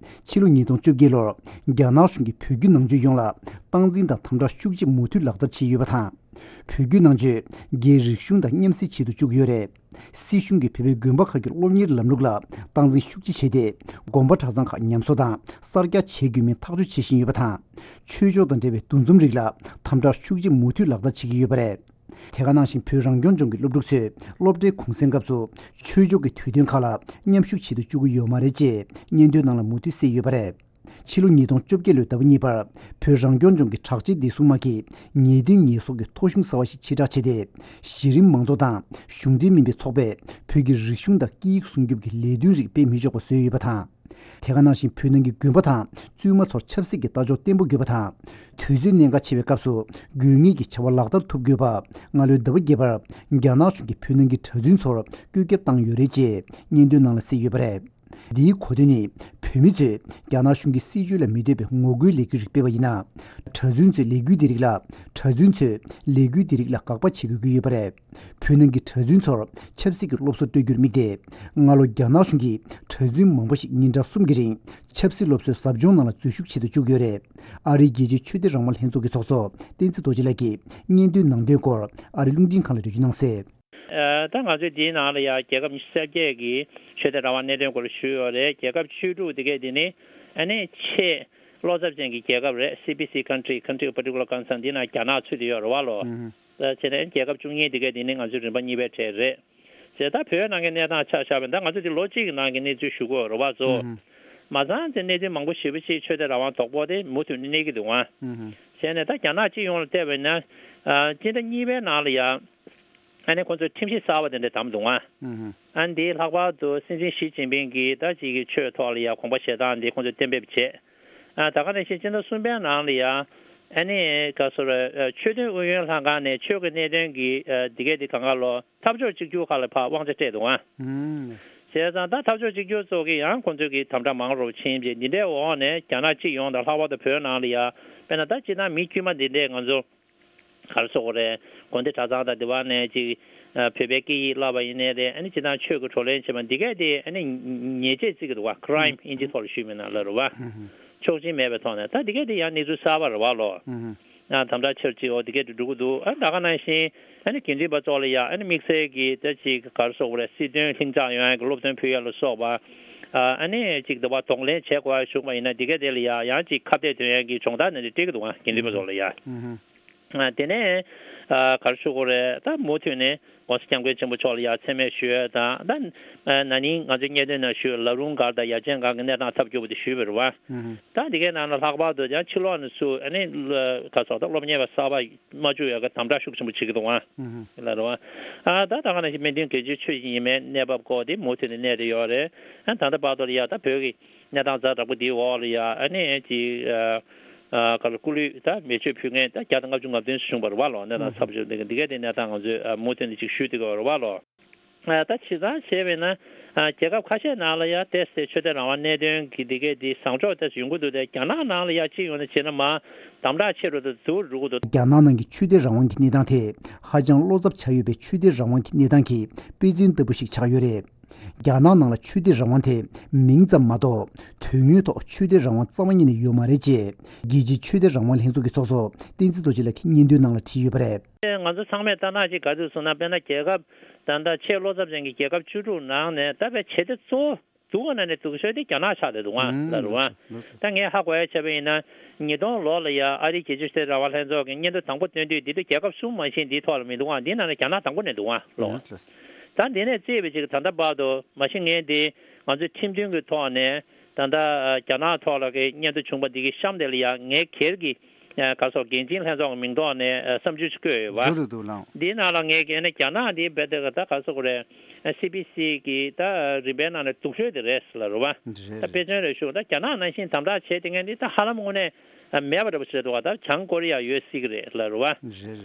ཕྱི་ལོ་ཉིས་སྟོང་བཅོ་བརྒྱད་ལོར་རྒྱ་ནག་གཞུང་གིས་བོད་བརྒྱུད་ནང་ཆོས་ཡོངས་ལ་སྟངས་འཛིན་དང་དམ་དྲག་ཤུགས་ཆེ་མུ་མཐུད་ལག་བསྟར་བྱས་ཡོད་པ་དང་། བོད་བརྒྱུད་ནང་ཆོས་རྒྱའི་རིག་གཞུང་དང་མཉམ་བསྲེས་བྱེད་དུ་བཅུག་ཡོད་རེད། སྲིད་གཞུང་གིས་བོད་པའི་དགོན་པ་ཁག་གི་སློབ་གཉེར་ལམ་ལུགས་ལ་སྟངས་འཛིན་ཤུགས་ཆེ་བྱས་ཏེ། དགོན་པ་གྲྭ་ཚང་ཁག་ཉམས་གསོ་དང་གསར་རྒྱག་བྱེད་དགོས་མིན་ཐག་གཅོད་བྱེད་བཞིན་ཡོད་པ་དང་། ཆོས་ཕྱོགས་དང་འབྲེལ་བའི་འདུ་འཛོམས་རིགས་ལ་དམ་དྲག་ཤུགས་ཆེ་མུ་མཐུད་ལག་བསྟར་བྱེད་ཀྱི་ཡོད་པ་རེད། དེ་ག་ནང་བཞིན་བོད་རང་སྐྱོང་ལྗོངས་ཀྱི་སློབ་ཕྲུག་ཚོས་སློབ་གྲྭའི་གུང་སེང་སྐབས་སུ་ཆོས་ཕྱོགས་ཀྱི་དུས་སྟོན་ཁག་ལ་མཉམ་ཞུགས་བྱེད་དུ་བཅུག་གི་ཡོད་མ་རེད་ཅེས་སྙན་ཐོའི་ནང་ལ་མུ་མཐུད་གསལ་ཡོད་པ་རེད། ཕྱི་ལོ་ཉིས་སྟོང་བཅོ་བརྒྱད་ལོའི་ཟླ་བ་གཉིས་པར་བོད་རང་སྐྱོང་ལྗོངས་ཀྱི་དྲག་ཆས་བདེ་སྲུང་དམག་གིས་ཉེས་དོན་ཉེས་གསོག་གི་ཐོ་གཞུང་གསར་བ་ཞིག་ཕྱིར་བསྒྲགས་བྱས་ཏེ། གཞི་རིམ་མང་ཚོགས་དང་གཞུང་འབྲེལ་མིན་པའི་ཚོགས་པས་བོད་ཀྱི་རིག་གཞུང་དང་སྐད་ཡིག་སྲུང་སྐྱོབ་ཀྱི་ལས་དོན་རིགས་སྤེལ་མི་ཆོག་པ་བཟོས་ཡོད་པ་དང་། དེ་ག་ནང་བཞིན་བོད་ནང་གི་དགོན་པ་དང་བཙུན་མ་ཚོར་ཆབ་སྲིད་ཀྱི་ལྟ་ཕྱོགས་བརྟན་པོ་དགོས་པ་དང་། དུས་ཚོད་གནད་འགག་ཆེ་བའི་སྐབས་སུ་དགོས་ངེས་ཀྱི་བྱ་བ་ལག་བསྟར་ཐུབ་དགོས་པ། སྔ་ལོའི་ཟླ་བ་བརྒྱད་པར་རྒྱ་ནག་གཞུང་གིས་བོད་ནང་གི་གྲྭ་བཙུན་ཚོར་བཀོད་ཁྱབ་བཏང་ཡོད་རེད་ཅེས་སྙན་ཐོའི་ནང་ལ་གསལ་ཡོད་པ་རེད། འདིའི་གོ་དོན་ནི། བོད་མི་ཚོས་རྒྱ་ནག་གཞུང་གི་སྲིད་བྱུས་ལ་མི་འདོད་པའི་ངོ་རྒོལ་ལས་འགུལ་ཞིག་སྤེལ་བ་ཡིན་ན། གྲྭ་བཙུན་ཚོས་ལས་འགུལ་འདི་རིགས་ལ། གྲྭ་བཙུན་ཚོས་ལས་འགུལ་འདི་རིགས་ལ་དགག་པ་བྱེད་དགོས་ཀྱི་ཡོད་པ་རེད། བོད་ནང་གི་གྲྭ་བཙུན་ཚོར་ཆབ་སྲིད་ཀྱི་སློབ་གསོ་སྤྲོད་རྒྱུར་དམིགས་ཏེ། སྔ་ལོ་རྒྱ་ནག་གཞུང་གིས་གྲྭ་བཙུན་མང་པོ་ཞིག་ཉིན་གྲངས་གསུམ་གྱི་རིང་ཆབ་སྲིད་སློབ་གསོའི་ཟབ་སྦྱོང་ནང་ལ་འཛུལ་ཞུགས་བྱེད་དུ་བཅུག་ཡོད་རེད། ཨ་རིའི་རྒྱལ་སྤྱིའི་ཆོས་དད་རང་དབང་ལྷན་ཚོགས་ཀྱི་ཚོགས་གཙོ་བསྟན་འཛིན་རྡོ་རྗེ་ལགས་ཀྱིས་སྙན་ཐོའི་ནང་དོན་སྐོར་ཨ་རིའི་རླུང་འཕྲིན་ཁང་ལ་འགྲེལ་བརྗོད་གནང་གསལ། ཨ། ད་ང་ཚོས་འདིའི་ནང་ལ་ཡང་རྒྱལ་ཁབ་ཉི་ཤུ་རྩ་བརྒྱད་ཀྱི་ཆོས་དད་རང་དབང་གནད་དོན་སྐོར་ཞུས་ཡོད་རེད། རྒྱལ་ཁབ་བཅུ་དྲུག་དེ་གས་དེ་ནི་ཨ་ནི་ཆེས་བློ་འཚབ་ཅན་གྱི་རྒྱལ་ཁབ་རེད། སི་པི་སི་country, country of particular concern འདི་ནང་རྒྱ་ནག་ཚུད་དེ་ཡོད་རེད་བ་ལོ། ཨ། བྱས་ནས་རྒྱལ་ཁབ་བཅུ་གཉིས་དེ་གས་དེ་ནི་ང་ཚོའི་རིམ་པ་གཉིས་པའི་གྲས་རེད། བྱས་ད་བོད་ནང་གི་གནས་སྟངས་ཆ་བཞག་པ་ཡིན་ན་ད་ང་ཚོ་འདི་ལོ་གཅིག་གི་ནང་གི་གནས་ཚུལ་ཞུ་དགོས་རེད་བ་ཚོ། མ་ཚང་དེ་གནས་ཚུལ་མང་པོ་ཞེ་པོ་ཅིག་ཆོས་དད་རང་དབང་དོག་པོ་དེ་མུ་མཐུད་ནས་གནས་ཀྱི་འདུག་ཨ། བྱས་ནས་ད་རྒྱ་ནག་སྤྱི་ཡོངས་ལ་བལྟས་པ་ཡིན་ན། ཨ། སྤྱི་ཟླ་གཉིས་པའི་ནང་ལ་ཡ། ཨ་ནི་ཁོང་ཚོས་ཁྲིམས་གཞི་གསར་པ་དེ་འདྲ་བདམས་འདུག་ཨ། ཨ་ནི་དེའི་ལྷག་པར་དུ་སྲིད་འཛིན་ཞི་ཅིན་ཕིང་གིས་ད་ཅིག་གི་ཆོས་ཐོག་ལ་ཡ་དགོངས་པ་བཞེས་སྟངས་འདི་ཁོང་ཚོས་གཏན་འབེབས་བྱས། ཨ། ད་ག་ནང་བཞིན་སྤྱི་ཟླ་གསུམ་པའི་ནང་ལ་ཡ། ཨ་ནི་ག་སོ་ར། ཨ། ཆོས་དོན་ཨུ་ཡོན་ལྷན་ཁང་ནས་ཆོས་ཀྱི་གནད་དོན་གྱི། ཨ། འདི་གས་འདི་གང་ག་ལོ་འཐབ་ཕྱོགས་གཅིག་གྱུར་ཁག་ལ་ཕར་དབང་ཆ་སྤྲད་འདུག་ཨ། བྱས་ཙང་ད་འཐབ་ཕྱོགས་གཅིག་གྱུར་ཚོ་གིས་ཡང་ཁོང་ཚོས་ཀྱི་དམ་དྲག་མང་རུ་ཕྱིན་རྗེས་འདི་འདྲའི་འོག་ནས་རྒྱ་ནག་སྤྱི་ཡོངས་དང་ལྷག་པར་དུ་བོད་ནང་ལ་ཡ། དཔེར་ན་ད་སྤྱིར་བཏང་མི་དཀྱུས་མ་འདི་འདྲས་ང་ཚོ། ག་རེ་ཟེར་དགོས་རེད། དགོན་སྡེ་གྲྭ་ཚང་དང་དེ་བ་ནས་ཅིག་ཨ། བོད་པའི་སྐད་ཡིག་བསླབ་པ་ཡིན་ནའི་རེད། ཨ་ནི་སྤྱིར་བཏང་ཆོས་ཀྱི་བགྲོ་གླེང་བྱེད་པ་འདི་གས་དེ་ཨ་ནི་ཉེས་ཆད་བརྩི་གི་འདུག་བ། crime ཨིན་ཇི་ཐོག་ལ་ཞུས་མིན་ན་ལ་རེད་བ། ཆོག་མཆན་མེད་པའི་ཐོག་ནས་ད་འདི་གས་དེ་ཡང་གནས་ཚུལ་གསར་པ་རེད་བ་ལོ། ཨ། དམ་དྲག་ཆེར་བྱེད་འོ་འདི་གས་དེ་འགྲོ་གི་འདུག་ཨ། ད་ག་ནང་བཞིན་ཨ་ནི་དགེ་འདུན་པ་ཚོ་ལ་ཡང་ཨ་ནི་དམིགས་བསལ་གྱི་ད་ཅིག་ག་རེ་ཟེར་དགོས་རེད། སྲིད་དོན་ལྷིང་འཇགས་ཡོང་ཡག་གི་སློབ་སྟོན་ཕུལ་ཡག་ལ་སོགས་པ། ཨ་ནི་ཅིག་འདི་བ་གདོང་ལེན་བྱེད་དགོས་ཡག་བྱུང་བ་ཡིན་ན་འདི་གས་དེ་ལ་ཡང་ཡང་ཅིག་ཁ་གཏད་དོན་ཡག་གི་སྦྱོང་བརྡར་ནང་དེ་སྤྲད་ཀྱི་འདུག་ཨ། དགེ་འདུན་པ་ཚོ་ལ་ཡང་། ཨ། དེ་ནས། ཨ། ག་རེ་ཞུ་དགོས་རེད། ད་མུ་མཐུད་ནས་༸གོང་ས་༸སྐྱབས་མགོན་ཆེན་པོ་མཆོག་ལ་ཡང་མཚན་སྨད་ཞུ་ཡས་དང་ད། ཨ། ན་ནིང་ང་ཚོའི་སྙན་ཐོའི་ནང་ཞུས་ལ་རུང་སྒར་དང་ཡ་ཆེན་སྒར་གྱི་གནས་སྟངས་ཐབས་སྐྱོ་པོ་དེ་ཞུས་པ་རེད་བ། ད་འདི་གའི་ནང་ལ་ལྷག་པར་དུ་ཡང་ཕྱི་ལོགས་ནས་ཚུར་ཨ་ནི་ག་ཚོད་ད་སློབ་གཉེར་བ་གསར་པ་མ་བཅུག་ཡག་གི་དམ་དྲག་ཤུགས་ཆེན་པོ་བྱེད་ཀྱི་འདུག་ཨ། ལ་རེད་བ། ཨ། ད་ད་ག་ནང་བཞིན་སྨན་དོན་གལ་ཆེའི་ཆོས་ཤིག་ཡིན་མིན་གནས་བབ་སྐོར་དེ་མུ་མཐུད་ནས་གནས་བསྡད་ཡོད་རེད། ཨ། ད་ལྟ་བར་དུ་ལ་ཡ་ད་བོད་ཀྱི་གནས་སྟངས་ཛ་དྲག་པོ་འདིའི་འོག་ལ་ཡ་ཨ་ནི་ཅིག་ཨ། ཨ། ག་ལ་སྐུ་ལུས་ད་མེ་མཆོད་ཕུལ་མཁན་ད་བརྒྱ་དང་ལྔ་བཅུ་ང་བདུན་བྱུང་བ་རེད་བ་ལོ། གནས་སྟངས་ཚབས་ཆེ་འདི་ག་འདི་ག་དེ་གནས་སྟངས་ང་ཚོས་ཨ། མུ་མཐུད་ནས་ཅིག་ཞུ་བསྡད་ཀྱི་ཡོད་རེད་བ་ལོ། ཨ། ད་བྱས་ཙང་བྱས་པས་ན་ཨ། རྒྱལ་ཁབ་ཁ་ཤས་ནང་ལ་ཡ་ཏོག་ཙམ་ཆོས་དད་རང་དབང་གནད་དོན་གྱི་འདི་ག་འདི་བཟང་ཕྱོགས་ཏོག་ཙམ་ཡོང་གི་འདུག་སྟེ་རྒྱ་ནག་ནང་ལ་ཡ་སྤྱི་ཡོངས་ནས་བྱས་ན་མ་དམ་དྲག་ཆེ་རུ་དང་འཛུལ་རུ་གི་འདུག་རྒྱ་ནག་ནང་གི་ཆོས་དད་རང་དབང་གི་གནས་སྟངས་དེ་ཧ་ཅང་བློ་འཚབ་ཆགས་ཡོད་པའི་ཆོས་དད་རང་དབང་གི་གནས་སྟངས་ཀྱི་དཔེ་མཚོན་ལྟ་བུ་ཞིག་ཆགས་ཡོད་རེད། རྒྱ་ནག་ནང་ལ་ཆོས་དད་རང་དབང་དེ་མིང་ཙམ་མ་གཏོགས་དོན་དངོས་ཐོག་ཆོས་དད་རང་དབང་རྩ་བ་ཉིད་ནས་ཡོད་མ་རེད་ཅེས་རྒྱལ་སྤྱིའི་ཆོས་དད་རང་དབང་ལྷན་ཚོགས་ཀྱི་ཚོགས་གཙོ་བསྟན་འཛིན་རྡོ་རྗེ་ལགས་ཀྱིས་སྙན་ཐོའི་ནང་ལ་བྲིས་ཡོད་པ་རེད། ང་ཚོ་ཚང་མས་ལྟ་ན་ཅིག་ག་ཚོད་སོང་ན་དཔེར་ན་རྒྱལ་ཁབ་ད་ལྟ་ཆེས་བློ་འཚབ་ཅན་གྱི་རྒྱལ་ཁབ་བཅུ་དྲུག་ནང་ནས་ད་དཔེ་བྱེད་དེ་གཙོ་བོ་སྡུག་ག་ན་ནས་སྡུག་ཤོས་དེ་རྒྱ་ནག་ཆགས་བསྡད་འདུག་ཨང་ལ་རུ་ཨང་། ད་ངས་ཧ་གོ་ཡ་བྱས་པ་ཡིན་ན་ཉིས་སྟོང་ལོ་ལ་ཡ་ཨ་རིའི་རྒྱལ་སྤྱིའི་ཆོས་དད་རང་དབང་ལྷན་ཚོགས་ཀྱི་སྙན་ཐོ་དང་པོ་བཏོན་དུས་འདི་ལྟ་རྒྱལ་ཁབ་གསུམ་མ་གཏོགས་འདིའི་ཐོག་ལ་མི་འདུག་ཨང་། འདི་ནང་ནས་རྒྱ་ནག་དང་པོ་ནས་འདུག་ཨང་ལོ། ད་འདི་ནས་བརྩིས་པའི་ཅིག་ད་ལྟ་བར་དུ་མ་གཞི་ངས་འདི་ང་ཚོའི་ཁྲིམས་མཐུན་གྱི་ཐོག་ནས་ད་ལྟ་རྒྱ་ནག་ཐོག་ལ་གི་སྙན་ཐོ་བྱུང་པ་འདི་གི་གཤམ་དེ་ལ་ཡ་ངས་སྒེར་གྱི་ག་སོགས་འགན་འཛིན་ལྷན་ཚོགས་ཀྱི་མིང་ཐོག་ནས་བསམ་ཚུལ་ཞིག་བཀོད་ཡོད་པ། འདུག་འདུག་འདུག་ལགས། འདིའི་ནང་ལ་ངས་ཀྱི་ཨ་ནི་རྒྱ་ནག་འདི་རྦད་དེ་ད་ག་སོགས་རེད། སི་པི་སི་གི་ད་རིམ་པའི་ནང་ནས་སྡུག་ཤོས་དེ་རེད་ལ་རུ་བ། རེད། ད་དཔེ་མཚོན་རེ་ཞུ་ད་རྒྱ་ནག་ནང་བཞིན་དམ་དྲག་བྱས་དེ་ངས་འདི་ད་ཧ་ལམ་དངོས་གནས་མེད་པ་འདྲ་པོ་ཞིག་རེད་འདུག་བ། ད་བྱང་ཀོ་རི་ཡ་ཡོད་སྲིད་ཀྱི་རེད་ལ་རུ་བ། རེད་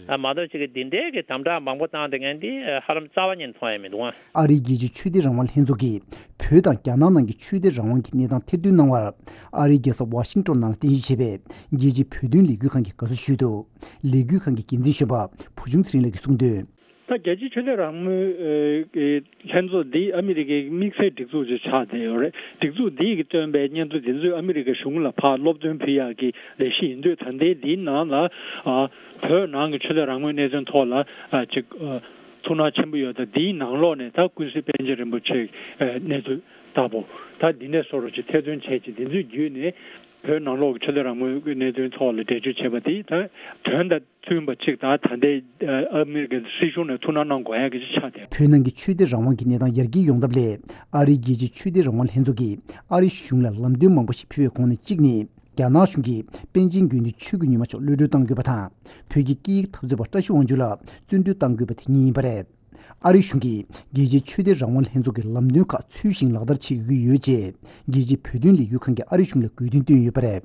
རེད། མ་གཏོགས་ཅིག་གི་འདི་འདྲའི་གི་དམ་དྲག་མང་པོ་བཏང་དེ་ངས་འདི་ཧ་ལམ་རྩ་བ་ཉིད་ནས་མཐོང་ཡ་མི་འདུག་བ། ཨ་རིའི་རྒྱལ་སྤྱིའི་ཆོས་དད་རང་དབང་ལྷན་ཚོགས་ཀྱིས་བོད་དང་རྒྱ་ནག་ནང་གི་ཆོས་དད་རང་དབང་གི་གནས་སྟངས་ཐེར་འདོན་གནང་བར། ཨ་རིའི་རྒྱལ་ས་ཝ་ཤིང་ཏོན་ནང་ལ་རྟེན་གཞི་བྱས་པའི་རྒྱལ་སྤྱིའི་བོད་དོན་ལས་འགུལ་ཁང་གིས་དགའ་བསུ་ཞུས་འདུག་ལས་འགུལ་ཁང་གི་འགན་འཛིན་གཞོན་པ་བུ་ཆུང་ཚེ་རིང་ལགས་ཀྱིས་གསུངས་དོན། ད་རྒྱལ་སྤྱིའི་ཆོས་དད་རང་མོས་ལྷན་ཚོགས་འདི་ཨ་མི་རི་ཀའི་དམིགས་བསལ་སྒྲིག་འཛུགས་ཅིག་ཆགས་བསྡད་ཡོད་རེད། སྒྲིག་འཛུགས་འདིས་ཀྱིས་བཏོན་པའི་སྙན་ཐོ་འདི་ཚོས་ཨ་མི་རི་ཀའི་གཞུང་ལ་ཕར་སློབ་སྟོན་ཕུལ་ཡག་གི་ལས་གཞི་ཡིན་དུས་ད་ལྟའི་འདིའི་ནང་ལ་ཨ་བོད་ནང་གི་ཆོས་དད་རང་མོས་གནད་དོན་ཐོག་ལ་ཨ་ཅིག་ཨ་ཐུགས་སྣང་ཆེན་པོ་ཡོད། ད་འདིའི་ནང་ལོགས་ནས་ད་ཀུན་གཟིགས་པཎ་ཆེན་རིན་པོ་ཆེའི་ཨ་གནས་ཚུལ་ལྟ་བུ་ད་འདི་ནས་བཟོ་འདྲ་ཅིག་ཐེར་འདོན་བྱས་ཅིག་འདི་ཚོའི་བརྒྱུད་ནས་བོད་ནང་ལོགས་ཀྱི་ཆོས་དད་རང་མོས་ཀྱི་གནད་དོན་ཐོག་ལ་འགྲེལ་བརྗོད་བྱས་པ་དེ་ད་དོན་དང་བསྟུན་པ་ཅིག་དང་ད་ལྟའི་ཨ་མི་རི་ཀའི་སྲིད་གཞུང་ནས་ཐུགས་སྣང་གནང་དགོས་ཡ་གི་ཅིག་ཆགས་བསྡད། བོད་ནང་གི་ཆོས་དད་རང་དབང་གི་གནས་སྟངས་ཡར་རྒྱས་ཡོང་ཐབས་སླད་ཨ་རིའི་རྒྱལ་སྤྱིའི་ཆོས་དད་རང་དབང་ལྷན་ཚོགས་ཀྱིས་ཨ་རི་གཞུང་ལ་ལམ་སྟོན་མང་པོ་ཞིག་ཕུལ་བའི་ཁོངས་ནས་གཅིག་ནི། རྒྱ་ནག་གཞུང་གིས་པཎ་ཆེན་དགེ་འདུན་ཆོས་ཀྱི་ཉི་མ་མཆོག་གློད་གྲོལ་གཏང་དགོས་པ་དང་། བོད་ཀྱི་སྐད་ཡིག་འཐབ་རྩོད་པ་བཀྲ་ཤིས་དབང་ཕྱུག་ལགས་བཙོན་གྲོལ་གཏང་དགོས་པ་དེ་གཉིས་ཡིན་པ་རེད། ཨ་རི་གཞུང་གིས་རྒྱལ་སྤྱིའི་ཆོས་དད་རང་དབང་ལྷན་ཚོགས་ཀྱི་ལམ་སྟོན་ཁག་ཚུལ་བཞིན་ལག་བསྟར་བྱེད་དགོས་ཀྱི་ཡོད་ཅེས་རྒྱལ་སྤྱིའི་བོད་དོན་ལས་འགུལ་ཁང་གིས་ཨ་རི་གཞུང་ལ་དགོས་འདུན་བཏོན་ཡོད་པ་རེད།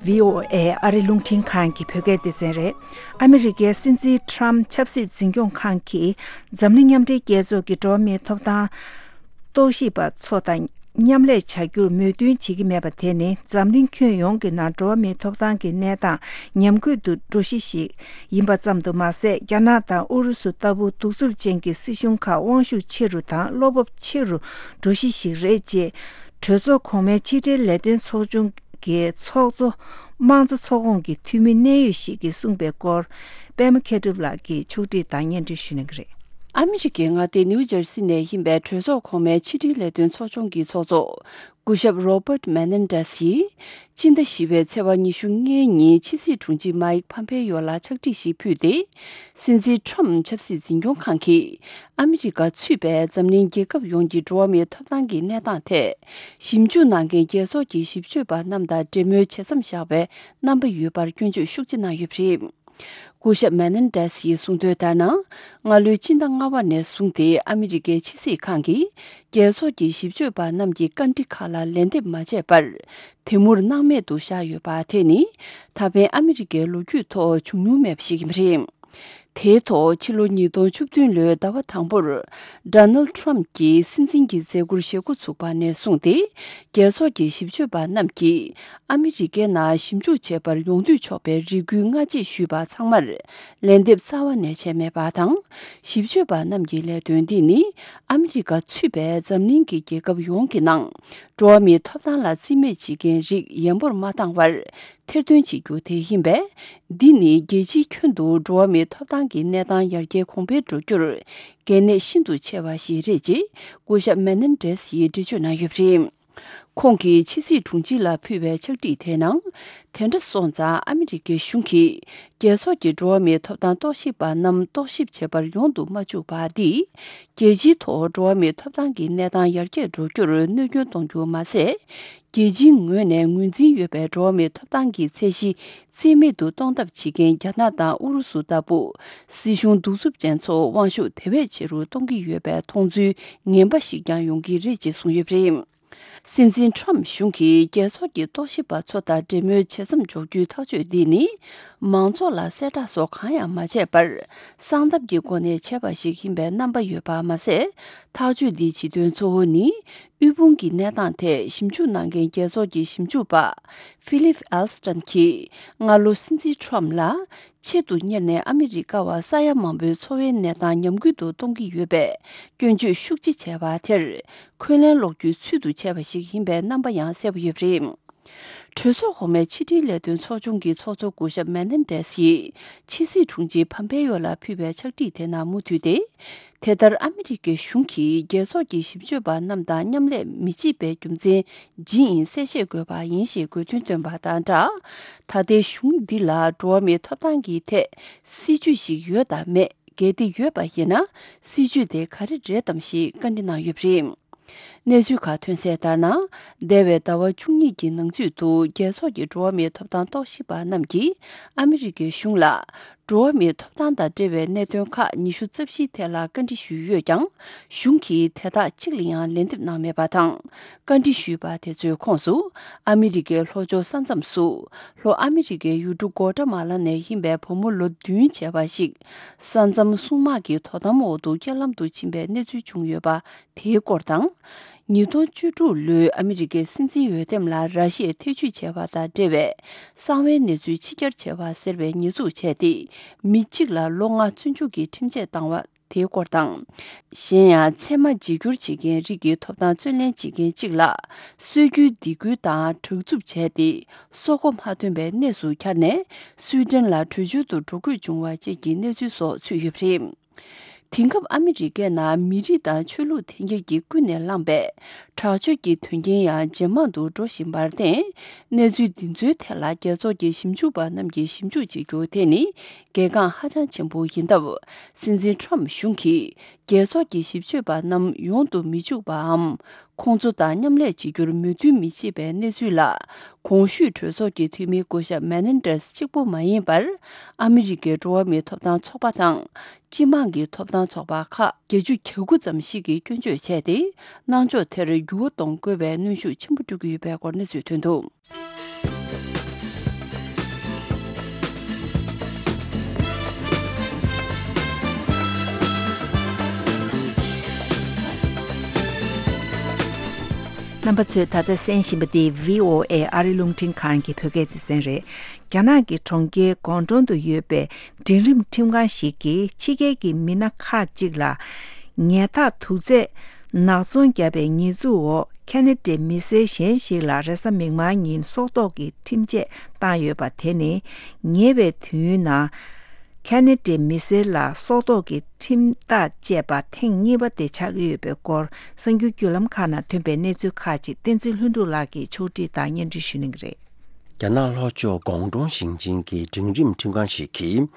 བྷི་ཨོ་ཨེ་ཨ་རི་རླུང་འཕྲིན་ཁང་གི་བོད་སྐད་སྡེ་ཚན་རེད། ཨ་མི་རི་ཀའི་སྲིད་འཛིན་ཊམ་ཆབ་སྲིད་འཛིན་སྐྱོང་ཁང་གིས་འཛམ་གླིང་མཉམ་འབྲེལ་རྒྱལ་ཚོགས་ཀྱི་འགྲོ་བ་མིའི་ཐོབ་ཐང་རྟོག་ཞིབ་པ་ཚོ་དང་མཉམ་ལས་བྱ་རྒྱུར་མོས་མཐུན་བྱེད་ཀྱི་མེད་པ་དེ་ནི་འཛམ་གླིང་ཁྱོན་ཡོངས་ཀྱི་ནང་འགྲོ་བ་མིའི་ཐོབ་ཐང་གི་གནས་སྟངས་ཉམས་རྒུད་དུ་འགྲོ་གཞི་ཞིག་ཡིན་པ་ཙམ་དུ་མ་ཟད། རྒྱ་ནག་དང་ཨུ་རུ་སུ་ལྟ་བུ་གདུག་རྩུབ་ཅན་གྱི་སྲིད་གཞུང་ཁག་དབང་ཤུགས་ཆེ་རུ་དང་བློ་སྤོབས་ཆེ་རུ་འགྲོ་གཞི་ཞིག་རེད་ཅེས། གྲོས་ཚོགས་གོང་མའི་ཕྱི་འབྲེལ་ལས་དོན་ཚོགས་ཆུང་གི་ཚོགས་གཙོ་དམངས་གཙོ་ཚོགས་ཁོངས་ཀྱི་འཐུས་མི་གནད་ཡོད་ཞིག་གིས་གསུངས་པའི་སྐོར། པད་མ་མཁས་གྲུབ་ལགས་ཀྱིས་ཕྱོགས་སྒྲིག་དང་སྙན་སྒྲོན་ཞུ་གནང་གི་རེད། ཨ་མི་རི་ཀའི་མངའ་སྡེ་ནིའུ་ཇར་སི་ནས་ཡིན་པའི་གྲོས་ཚོགས་གོང་མའི་ཕྱི་འབྲེལ་ལས་དོན་ཚོགས་ཆུང་གི་ཚོགས་གཙོ་སྐུ་ཞབས་Robert Menendez་ཡིས་སྤྱི་ཟླ་བཞི་པའི་ཚེས་པ་ཉི་ཤུ་ལྔའི་ཉིན་ཕྱི་སྲིད་དྲུང་ཆེ་Mike Pompeo་ལ་ཕྱག་བྲིས་ཤིག་ཕུལ་ཏེ། སྲིད་འཛིན་ཊམ་ཆབ་སྲིད་འཛིན་སྐྱོང་ཁང་གིས་ཨ་མི་རི་ཀ་ཚུད་པའི་འཛམ་གླིང་རྒྱལ་ཁབ་ཡོངས་ཀྱི་འགྲོ་བ་མིའི་ཐོབ་ཐང་གི་གནས་སྟངས་ཐད། ཞིབ་འཇུག་གནང་མཁན་རྒྱལ་ཚོགས་ཀྱི་ཞིབ་དཔྱོད་པ་རྣམས་དང་འབྲེལ་མོལ་བྱེད་མཚམས་བཞག་པའི་རྣམ་པ་ཡོད་པར་སྐྱོན་བརྗོད་ཤུགས་ཆེ་གནང་ཡོད་པ་རེད། སྐུ་ཞབས་Menendez་ཡིས་གསུངས་དོན་ལྟར་ན། སྔ་ལོའི་སྤྱི་ཟླ་ལྔ་པ་ནས་བཟུང་སྟེ་ཨ་མི་རི་ཀའི་ཕྱི་སྲིད་ཁང་གིས་རྒྱལ་ཚོགས་ཀྱི་ཞིབ་དཔྱོད་པ་རྣམས་ཀྱི་བཀའ་འདྲི་ཁག་ལ་ལན་འདེབས་མ་བྱས་པར། དེ་མུར་སྣང་མེད་དུ་བཞག་ཡོད་པ་དེ་ནི། ད་ཕན་ཨ་མི་རི་ཀའི་ལོ་རྒྱུས་ཐོག་བྱུང་མྱོང་མེད་པ་ཞིག་ཡིན་པ་རེད། དེའི་ཐོག་ཕྱི་ལོ་ཉིས་སྟོང་བཅུ་བདུན་ལོའི་ཟླ་བ་དང་པོར། Donald Trump་གྱིས་སྲིད་འཛིན་གྱི་མཛད་ཁུར་བཞེས་འགོ་ཚུགས་པ་ནས་བཟུང་སྟེ། རྒྱལ་ཚོགས་ཀྱི་ཞིབ་དཔྱོད་པ་རྣམས་ཀྱིས་ཨ་མི་རི་ཀའི་ནང་ཞིབ་འཇུག་བྱེད་པར་ཡོང་འདོད་ཆོག་པའི་རེ་སྐུལ་སྔ་རྗེས་ཞུས་པ་ཚང་མར་ལན་འདེབས་རྩ་བ་ནས་བྱས་མེད་པ་དང་། ཞིབ་དཔྱོད་པ་རྣམས་ཀྱི་ལས་དོན་འདི་ནི་ཨ་མི་རི་ཀ་ཚུད་པའི་འཛམ་གླིང་གི་རྒྱལ་ཁབ་ཡོངས་ཀྱི་ནང་འགྲོ་བ་མིའི་ཐོབ་ཐང་ལ་རྩིས་མེད་བྱེད་མཁན་རིགས་ཡན་པོར་མ་བཏང་བར། ཐེར་འདོན་བྱེད་རྒྱུ་དེ་ཡིན་པས། འདི་ནི་རྒྱལ་སྤྱིའི་ཁྱོན་དུ་འགྲོ་བ་མིའི་ཐོབ་ཐང་གི་གནས་སྟངས་ཡར་རྒྱས་གོང་འཕེལ་འགྲོ་རྒྱུར་གལ་གནད་ཤིན་ཏུ་ཆེ་བ་ཞིག་རེད་ཅེས་སྐུ་ཞབས་Menendez་ཡིས་འགྲེལ་བརྗོད་གནང་ཡོད་པ་རེད། ཁོང་གིས་ཕྱི་སྲིད་དྲུང་ཆེ་ལ་ཕུལ་བའི་ཕྱག་བྲིས་དེའི་ནང་། དེ་འདྲ་སོང་ཙང་ཨ་མི་རི་ཀའི་གཞུང་གིས་རྒྱལ་ཚོགས་ཀྱི་འགྲོ་བ་མིའི་ཐོབ་ཐང་རྟོག་ཞིབ་པ་རྣམས་རྟོག་ཞིབ་བྱེད་པར་ཡོང་དུ་མ་བཅུག་པ་འདིས། རྒྱལ་སྤྱིའི་ཐོག་འགྲོ་བ་མིའི་ཐོབ་ཐང་གི་གནས་སྟངས་ཡར་རྒྱས་འགྲོ་རྒྱུར་གནོད་སྐྱོན་གཏོང་རྒྱུ་མ་ཟད། རྒྱལ་སྤྱིའི་ངོས་ནས་ངོས་འཛིན་ཡོད་པའི་འགྲོ་བ་མིའི་ཐོབ་ཐང་གི་ཚད་གཞི་རྩིས་མེད་དུ་གཏོང་ཐབས་བྱེད་མཁན་རྒྱ་ནག་དང་ཨུ་རུ་སུ་ལྟ་བུ་སྲིད་གཞུང་གདུག་རྩུབ་ཅན་ཚོ་དབང་ཤུགས་དེ་བས་ཆེ་རུ་གཏོང་གི་ཡོད་པའི་མཐོང་ཚུལ་ངན་པ་ཞིག་ཀྱང་ཡོང་གི་རེད་ཅེས་གསུངས་ཡོད་པ་རེད། སྲིད་འཛིན་ཁྲོམ་གཞུང་གིས་རྒྱལ་ཚོགས་ཀྱི་རྟོག་ཞིབ་པ་ཚོ་དང་འབྲེལ་མོལ་བྱེད་མཚམས་འཇོག་རྒྱུའི་ཐག་གཅོད་འདི་ནི། མང་ཚོགས་ལ་གསལ་བསྒྲགས་སོགས་གང་ཡང་མ་བྱས་པར། གསང་ཐབས་ཀྱི་སྒོ་ནས་བྱས་པ་ཞིག་ཡིན་པའི་རྣམ་པ་ཡོད་པ་མ་ཟད། ཐག་གཅོད་འདིའི་བྱེད་དོན་གཙོ་བོ་ནི། དབུལ་ཕོངས་ཀྱི་གནས་སྟངས་ཐད་ཞིབ་འཇུག་གནང་མཁན་རྒྱལ་ཚོགས་ཀྱི་ཞིབ་འཇུག་པ། Philip Alston་གྱིས། སྔ་ལོ་སྲིད་འཛིན་ཁྲོམ་ལ། ཆེད་དུ་གཉེར་ནས་ཨ་མི་རི་ཀ་བ་ས་ཡ་མང་པོའི་འཚོ་བའི་གནས་སྟངས་ཉམས་རྒུད་དུ་གཏོང་གི་ཡོད་པས། སྐྱོན་བརྗོད་ཤུགས་ཆེ་བྱས་པ་དེར། འཁོན་ལན་སློག་རྒྱུའི་ཚུལ་དུ་བྱས་པ་ཞིག་ཡིན་པའི་རྣམ་པ་ཡང་གསལ་པོ་ཡོད་པ་རེད། གྲོས་ཚོགས་གོང་མའི་ཕྱི་དྲིལ་ལས་དོན་ཚོགས་ཆུང་གི་ཚོགས་གཙོ་སྐུ་ཞབས་མེ་ནན་ཌེས་ཡིས་ཕྱི་སྲིད་དྲུང་ཆེ་ཕམ་པེ་ཡོ་ལ་ཕུལ་བའི་ཕྱག་བྲིས་དེ་ནང་མུ་མཐུད་དེ། དེ་ལྟར་ཨ་མི་རི་ཀའི་གཞུང་གིས་རྒྱལ་ཚོགས་ཀྱི་ཞིབ་དཔྱོད་པ་རྣམས་དང་མཉམ་ལས་མི་བྱེད་པའི་རྒྱུ་མཚན་ཇི་ཡིན་གསལ་བཤད་དགོས་པ་ཡིན་ཞེས་དགོས་འདུན་བཏོན་པ་དང་སྦྲགས། ད་ལྟའི་གཞུང་འདི་ལ་འགྲོ་བ་མིའི་ཐོབ་ཐང་གི་ཐད་སྲིད་ཇུས་ཤིག་ཡོད་དམ་མེད། གལ་ཏེ་ཡོད་པ་ཡིན་ན། སྲིད་ཇུས་དེ་ག་རེ་རེད་དམ་ཞེས་བཀའ་འདྲི་གནང་ཡོད་པ་རེད། གནས་ཚུལ་ཁག་ཐོན་གསལ་ལྟར་ན། འདས་པའི་ཟླ་བ་བཅུ་གཉིས་ཀྱི་ནང་ཚུད་དུ་རྒྱལ་ཚོགས་ཀྱི་འགྲོ་བ་མིའི་ཐོབ་ཐང་རྟོག་ཞིབ་པ་རྣམས་ཀྱིས་ཨ་མི་རི་ཀའི་གཞུང་ལ། འགྲོ་བ་མིའི་ཐོབ་ཐང་དང་འབྲེལ་བའི་གནད་དོན་ཁག་ཉི་ཤུ་རྩ་བཞིའི་ཐད་ལ་བཀའ་འདྲི་ཞུས་ཡོད་ཀྱང་། གཞུང་གིས་དེ་དག་གཅིག་ལ་ཡང་ལན་འདེབས་གནང་མེད་པ་དང་། བཀའ་འདྲི་ཞུས་པ་དེ་ཚོའི་ཁོངས་སུ། ཨ་མི་རི་ཀའི་ལྷོ་ཕྱོགས་ས་མཚམས་སུ། ལྷོ་ཨ་མི་རི་ཀའི་ཡུལ་གྲུ་གོ་ཏྲ་མ་ལ་ནས་ཡིན་པའི་བུ་མོ་ལོ་བདུན་བྱས་པ་ཞིག་ས་མཚམས་སྲུང་དམག་གི་དོ་དམ་འོག་ཏུ་རྐྱེན་ལམ་དུ་ཕྱིན་པའི་གནས་ཚུལ་བྱུང་ཡོད་པ། དེའི་སྐོར་དང་། ཉིས་སྟོང་བཅུ་དྲུག་ལོའི་ཨ་མི་རི་ཀའི་སྲིད་འཛིན་འོས་འདེམས་ལ་ར་ཤི་ཡས་ཐེ་བྱུས་བྱས་པ་དང་འབྲེལ་བའི་གསང་བའི་གནས་ཚུལ་ཕྱི་གྱར་བྱས་པ་ཟེར་བའི་ཉེས་འཛུགས་བྱས་ཏེ། མི་གཅིག་ལ་ལོ་ལྔ་བཙོན་འཇུག་གི་ཁྲིམས་ཆད་བཏང་བ་དེའི་སྐོར་དང་། གཞན་ཡང་ཚད་མ་བརྗེ་བསྒྱུར་བྱེད་མཁན་རིགས་ཀྱི་ཐོབ་ཐང་རྩོད་ལེན་བྱེད་མཁན་གཅིག་ལ་སྲོལ་རྒྱུན་སྡིགས་སྐུལ་དང་དྲག་རྩུབ་བྱས་ཏེ། སྲོག་གོ་མ་ཐོན་པའི་གནས་སུ་གྱར་ནས་སུའི་ཌེན་ལ་བྲོས་བྱོལ་དུ་འགྲོ་དགོས་བྱུང་བ་བཅས་ཀྱི་གནས་ཚུལ་སོགས་ཚུད་ཡོད་པ་རེད། དེང་སྐབས་ཨ་མི་རི་ཀའི་ནང་མི་རིགས་དང་ཆོས་ལུགས་འཐེན་འཁྱེར་གྱིས་ཀུན་ནས་བསླངས་པའི་དྲག་སྤྱོད་ཀྱི་དོན་རྐྱེན་ཡང་ཇེ་མང་དུ་འགྲོ་བཞིན་པར་བརྟེན། གནས་ཚུལ་འདི་ཚོའི་ཐད་ལ་རྒྱལ་ཚོགས་ཀྱི་ཞིབ་འཇུག་པ་རྣམས་ཀྱིས་ཞིབ་འཇུག་བྱེད་རྒྱུ་དེ་ནི་གལ་འགངས་ཧ་ཅང་ཆེན་པོ་ཡིན་སྟབས། སྲིད་འཛིན་ཁྲོམ་གཞུང་གིས་རྒྱལ་ཚོགས་ཀྱི་ཞིབ་དཔྱོད་པ་རྣམས་ཡོང་དུ་མི་འཇུག་པའམ། ཁོང་ཚོ་དང་མཉམ་ལས་བྱེད་རྒྱུར་མོས་མཐུན་མི་བྱེད་པའི་གནས་ཚུལ་ལ། གོང་ཞུས་གྲོས་ཚོགས་ཀྱི་འཐུས་མི་སྐུ་ཞབས་མེ་ནན་ཌེས་གཅིག་པུ་མ་ཡིན་པར། ཨ་མི་རི་ཀའི་འགྲོ་བ་མིའི་ཐོབ་ཐང་ཚོགས་པ་དང་། སྤྱི་དམངས་ཀྱི་ཐོབ་ཐང་ཚོགས་པ་ཁག་བརྒྱད་ཅུ་གྱ་དགུ་ཙམ་ཞིག་གིས་སྐྱོན་བརྗོད་བྱས་ཏེ། གནང་ཕྱོགས་དེར་འགྱུར་བ་གཏོང་དགོས་པའི་གནོན་ཤུགས་ཆེན་པོ་སྤྲོད་ཀྱི་ཡོད་པའི་སྐོར་གནས་ཚུལ་ཐོན་འདུག། རྣམ་པ་ཚོས་ད་ལྟ་གསན་བཞིན་པ་འདི་བྷི་ཨོ་ཨེ་ཨ་རི་རླུང་འཕྲིན་ཁང་གི་བོད་སྐད་སྡེ་ཚན་རེད། རྒྱ་ནག་གི་གྲོང་ཁྱེར་ཀོང་ཀྲོང་དུ་ཡོད་པའི་འབྲིང་རིམ་ཁྲིམས་ཁང་ཞིག་གིས་ཕྱི་རྒྱལ་གྱི་མི་སྣ་ཁག་ཅིག་ལ་ཉལ་ཐག་དུག་རྫས་ནག་ཚོང་བརྒྱབ་པའི་ཉེས་འཛུགས་འོག་ཁ་ན་ཌའི་མི་སེར་གཞན་ཞིག་ལ་རེས་གཟའ་མིག་དམར་ཉིན་སྲོག་ཐོག་གི་ཁྲིམས་ཆད་བཏང་ཡོད་པ། དེ་ནི་ཉེ་བའི་དུས་ཡུན་ནང་ཁ་ན་ཌའི་མི་སེར་ལ་སྲོག་ཐོག་གི་ཁྲིམས་ཐག་བཅད་པ་ཐེངས་གཉིས་པ་དེ་ཆགས་ཀྱི་ཡོད་པའི་སྐོར། གསར་འགྱུར་བརྒྱུད་ལམ་ཁག་ནང་ཐོན་པའི་གནས་ཚུལ་ཁག་ཅིག་བསྟན་འཛིན་ལྷུན་གྲུབ་ལགས་ཀྱིས་ཕྱོགས་སྒྲིག་དང་སྙན་སྒྲོན་ཞུ་གནང་གི་རེད། རྒྱ་ནག་ལྷོ་ཕྱོགས་ཀོང་ཀྲོང་ཞིང་ཆེན་གྱི་འབྲིང་རིམ་ཁྲིམས་ཁང་ཞིག་གིས།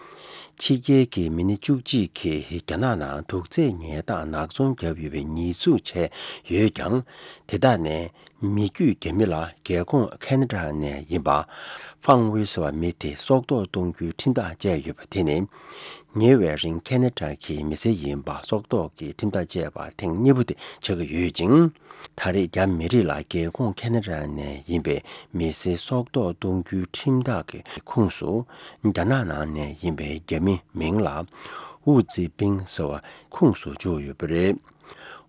ཕྱི་རྒྱལ་གྱི་མི་སྣ་བཅུ་གཅིག་གིས་རྒྱ་ནག་ནང་དུག་རྫས་ཉལ་ཐག་ནག་ཚོང་བརྒྱབ་ཡོད་པའི་ཉེས་འཛུགས་བྱས་ཡོད་ཀྱང་། དེ་དག་ནས་མི་རྒྱུད་རྒྱ་མི་ལ་རྒྱལ་ཁོངས་ཁ་ན་ཌ་ནས་ཡིན་པ་ཧྥང་ཝེ་ཟེར་བ་མི་དེ་སྲོག་ཐོག་གཏོང་རྒྱུའི་ཁྲིམས་ཐག་བཅད་ཡོད་པ་དེ་ནི། ཉེ་བའི་རིང་ཁ་ན་ཌ་གི་མི་སེར་ཡིན་པ་སྲོག་ཐོག་གི་ཁྲིམས་ཐག་བཅད་པ་ཐེངས་གཉིས་པ་དེ་ཆགས་ཀྱི་ཡོད་ཅིང་། ད་རེས་རྒྱ་མི་རིགས་ལ་རྒྱལ་ཁོངས་ཁ་ན་ཌ་ནས་ཡིན་པའི་མི་སེར་སྲོག་ཐོག་གཏོང་རྒྱུའི་ཁྲིམས་ཐག་གི་ཁོངས་སུ། རྒྱ་ནག་ནང་ནས་ཡིན་པའི་རྒྱ་མི་མིང་ལ་ཝུ་ཙི་པིང་ཟེར་བ་ཁོངས་སུ་བཅུག་ཡོད་པ་རེད།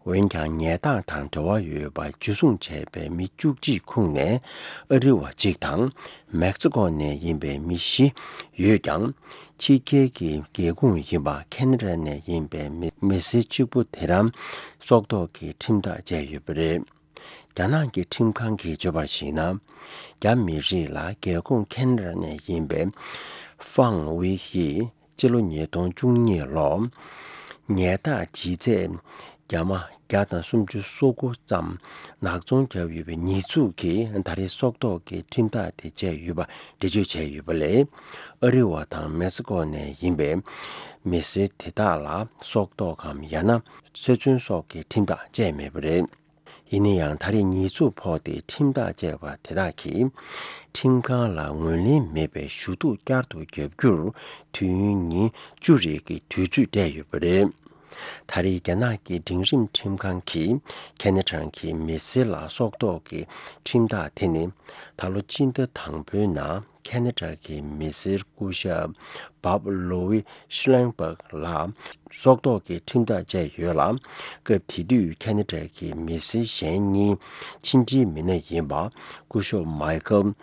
འོན་ཀྱང་ཉལ་ཐག་དང་འབྲེལ་བ་ཡོད་པ་འཇུ་བཟུང་བྱས་པའི་མི་བཅུ་གཅིག་ཁོངས་ནས་ཨ་རི་བ་གཅིག་དང་མེག་སི་ཀོ་ནས་ཡིན་པའི་མི་བཞི་ཡོད་ཀྱང་། ཕྱི་རྒྱལ་གྱི་རྒྱལ་ཁོངས་ཡིན་པ་ཁ་ན་ཌ་ནས་ཡིན་པའི་མི་མི་སེར་གཅིག་པུ་དེ་རང་སྲོག་ཐོག་གི་ཁྲིམས་ཐག་བཅད་ཡོད་པ་རེད། རྒྱ་ནག་གི་ཁྲིམས་ཁང་གིས་བརྗོད་པར་གཞིགས་ན། རྒྱ་མི་རིགས་ལ་རྒྱལ་ཁོངས་ཁ་ན་ཌ་ནས་ཡིན་པའི་ཧྥང་ཝེ་ཡིས་སྤྱི་ལོ་ཉིས་སྟོང་བཅུ་གཉིས་ལོར་ཉལ་ཐག་ལྗིད་ཚད་རྒྱ་མ་བརྒྱ་དང་སུམ་ཅུ་སོ་དགུ་ཙམ་ནག་ཚོང་བརྒྱབ་ཡོད་པའི་ཉེས་འཛུགས་ཀྱིས་ད་རེས་སྲོག་ཐོག་གི་ཁྲིམས་ཐག་དེ་བཅད་ཡོད་པ་འགྲེལ་བརྗོད་བྱས་ཡོད་པ་ལས། ཨ་རི་བ་དང་མེག་སི་ཀོ་ནས་ཡིན་པའི་མི་སེར་དེ་དག་ལ་སྲོག་ཐོག་གམ་ཡང་ན་ཚེ་བཙོན་སོགས་ཀྱི་ཁྲིམས་ཐག་བཅད་མེད་པ་རེད། ཡིན་ན་ཡང་ད་རེས་ཉེས་འཛུགས་ཕོག་སྟེ་ཁྲིམས་ཐག་བཅད་པ་དེ་དག་གིས་ཁྲིམས་ཁང་ལ་ངོས་ལེན་མེད་པའི་ཞུ་གཏུག་བསྐྱར་དུ་བརྒྱབ་རྒྱུར་དུས་ཡུན་ཉིན་བཅུ་རེ་གི་དུས་ཚོད་སྤྲད་ཡོད་པ་རེད། ད་རེས་རྒྱ་ནག་གི་འབྲིང་རིམ་ཁྲིམས་ཁང་གིས་ཁ་ན་ཌ་གི་མི་སེར་ལ་སྲོག་ཐོག་གི་ཁྲིམས་ཐག་དེ་ནི་ད་ལོ་སྤྱི་ཟླ་དང་པོའི་ནང་ཁ་ན་ཌ་གི་མི་སེར་སྐུ་ཞབས་བྷབ་ལོ་ཝི་ཤི་ལན་སྦག་ལ་སྲོག་ཐོག་གི་ཁྲིམས་ཐག་བཅད་ཡོད་ལ། སྐབས་དེ་དུས་ཁ་ན་ཌ་གི་མི་སེར་གཞན་གཉིས་ཕྱི་འབྲེལ་མི་སྣ་ཡིན་པ་སྐུ་ཞབས་མའི་ཁལ་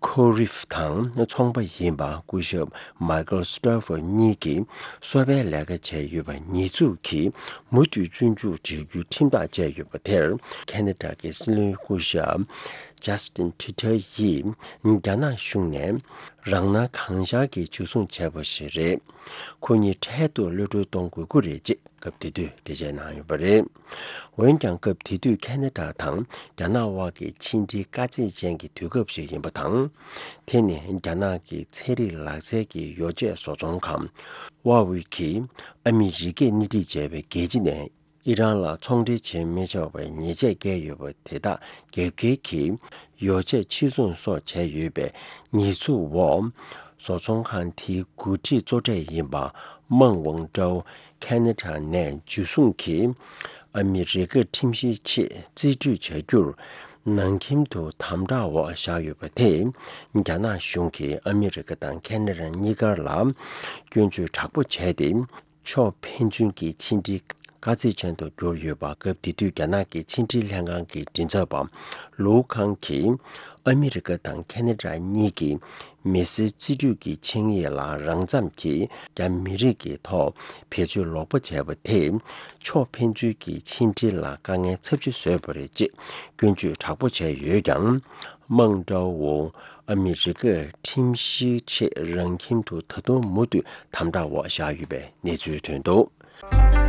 ཁོ་རིབ་དང་ཚོང་པ་ཡིན་པ་སྐུ་ཞབས་མའི་ཁལ་སི་ཏྲོ་ཕར་གཉིས་ཀྱིས་སོ་པའི་ལས་ཀ་བྱས་ཡོད་པ་ཉེས་འཛུགས་ཀྱིས་མུ་མཐུད་བཙོན་འཇུག་བྱེད་རྒྱུའི་ཁྲིམས་ཐག་བཅད་ཡོད་པ་དེར་ཁ་ན་ཌ་གི་སྲིད་བློན་སྐུ་ཞབས་ཇཱ་སི་ཏིན་ཁྲི་ཐར་ཡིས་རྒྱ་ནག་གཞུང་ནས་རང་སྣང་གང་ཤར་གྱིས་འཇུ་བཟུང་བྱས་པ་ཞིག་རེད། ཁོ་གཉིས་འཕྲལ་དུ་གློད་གྲོལ་གཏོང་དགོས་ཀྱི་རེད་ཅེས་སྐབས་དེ་དུས་འགྲེལ་བཤད་གནང་ཡོད་པ་རེད། འོན་ཀྱང་སྐབས་དེ་དུས་ཁ་ན་ཌ་དང་རྒྱ་ནག་དབར་གྱི་ཕྱི་འབྲེལ་དཀའ་ཚེགས་ཅན་གྱི་དུས་སྐབས་ཤིག་ཡིན་པ་དང་། དེ་ནི་རྒྱ་ནག་གི་ཚན་རིག་ལག་རྩལ་གྱི་ཡོ་བྱད་བཟོ་ཚོང་ཁང་ཧྭ་ཝེ་གིས་ཨ་མི་རི་ཀས་སྣེ་ཁྲིད་བྱས་པའི་རྒྱལ་སྤྱི་ནས་ཨི་རན་ལ་ཚོང་འབྲེལ་བྱེད་མི་ཆོག་པའི་ཉེས་ཆད་བཀལ་ཡོད་པ་དེ་དག་རྒྱབ་འགལ་གྱིས་ཡོ་བྱད་ཕྱིར་ཚོང་སོགས་བྱས་ཡོད་པའི་ཉེས་འཛུགས་འོག་བཟོ་ཚོང་ཁང་དེའི་འགོ་ཁྲིད་གཙོ་གྲས་ཡིན་པ་མང་ཝང་ཀྲའོ་ཁ་ན་ཌ་ནས་འཇུ་བཟུང་གིས་ཨ་མི་རི་ཀར་ཁྲིམས་བཤེར་ཆེད་རྩིས་སྤྲོད་བྱ་རྒྱུར་ནང་ཁྱིམ་དུ་དམ་དྲག་འོག་བཞག་ཡོད་པ་དེས་རྒྱ་ནག་གཞུང་གིས་ཨ་མི་རི་ཀ་དང་ཁ་ན་ཌ་གཉིས་ཀར་ལ་སྐྱོན་བརྗོད་དྲག་པོ་བྱས་ཏེ། ཕྱོགས་ཕན་ཚུན་གྱི་ཕྱི་འབྲེལ་དཀའ་ཚེགས་ཅན་དུ་གྱུར་ཡོད་པ། སྐབས་དེ་དུས་རྒྱ་ནག་གི་ཕྱི་འབྲེལ་ལྷན་ཁང་གི་མགྲིན་ཚབ་པ་ལུའུ་ཁང་གིས་ཨ་མི་རི་ཀ་དང་ཁ་ན་ཌ་གཉིས་ཀྱིས་མི་སེར་རྩིས་སྤྲོད་ཀྱི་ཆིངས་ཡིག་ལ་རང་འཚམ་གྱིས་རྒྱ་མི་རིགས་ཀྱི་ཐོག་བེད་སྤྱོད་ལོག་པ་བྱས་པ་དེས་ཕྱོགས་ཕན་ཚུན་གྱི་ཕྱི་འབྲེལ་ལ་དཀའ་ངལ་ཚབས་ཆེ་བཟོས་པ་རེད་ཅེས་སྐྱོན་བརྗོད་དྲག་པོ་བྱས་ཡོད་ཀྱང་། མང་ཀྲའོ་ཨ་མི་རི་ཀར་ཁྲིམས་བཤེར་ཆེད་རང་ཁྱིམ་དུ་ད་དུང་མུ་མཐུད་དམ་དྲག་འོག་བཞག་ཡོད་པའི་གནས་ཚུལ་ཐོན་འདུག།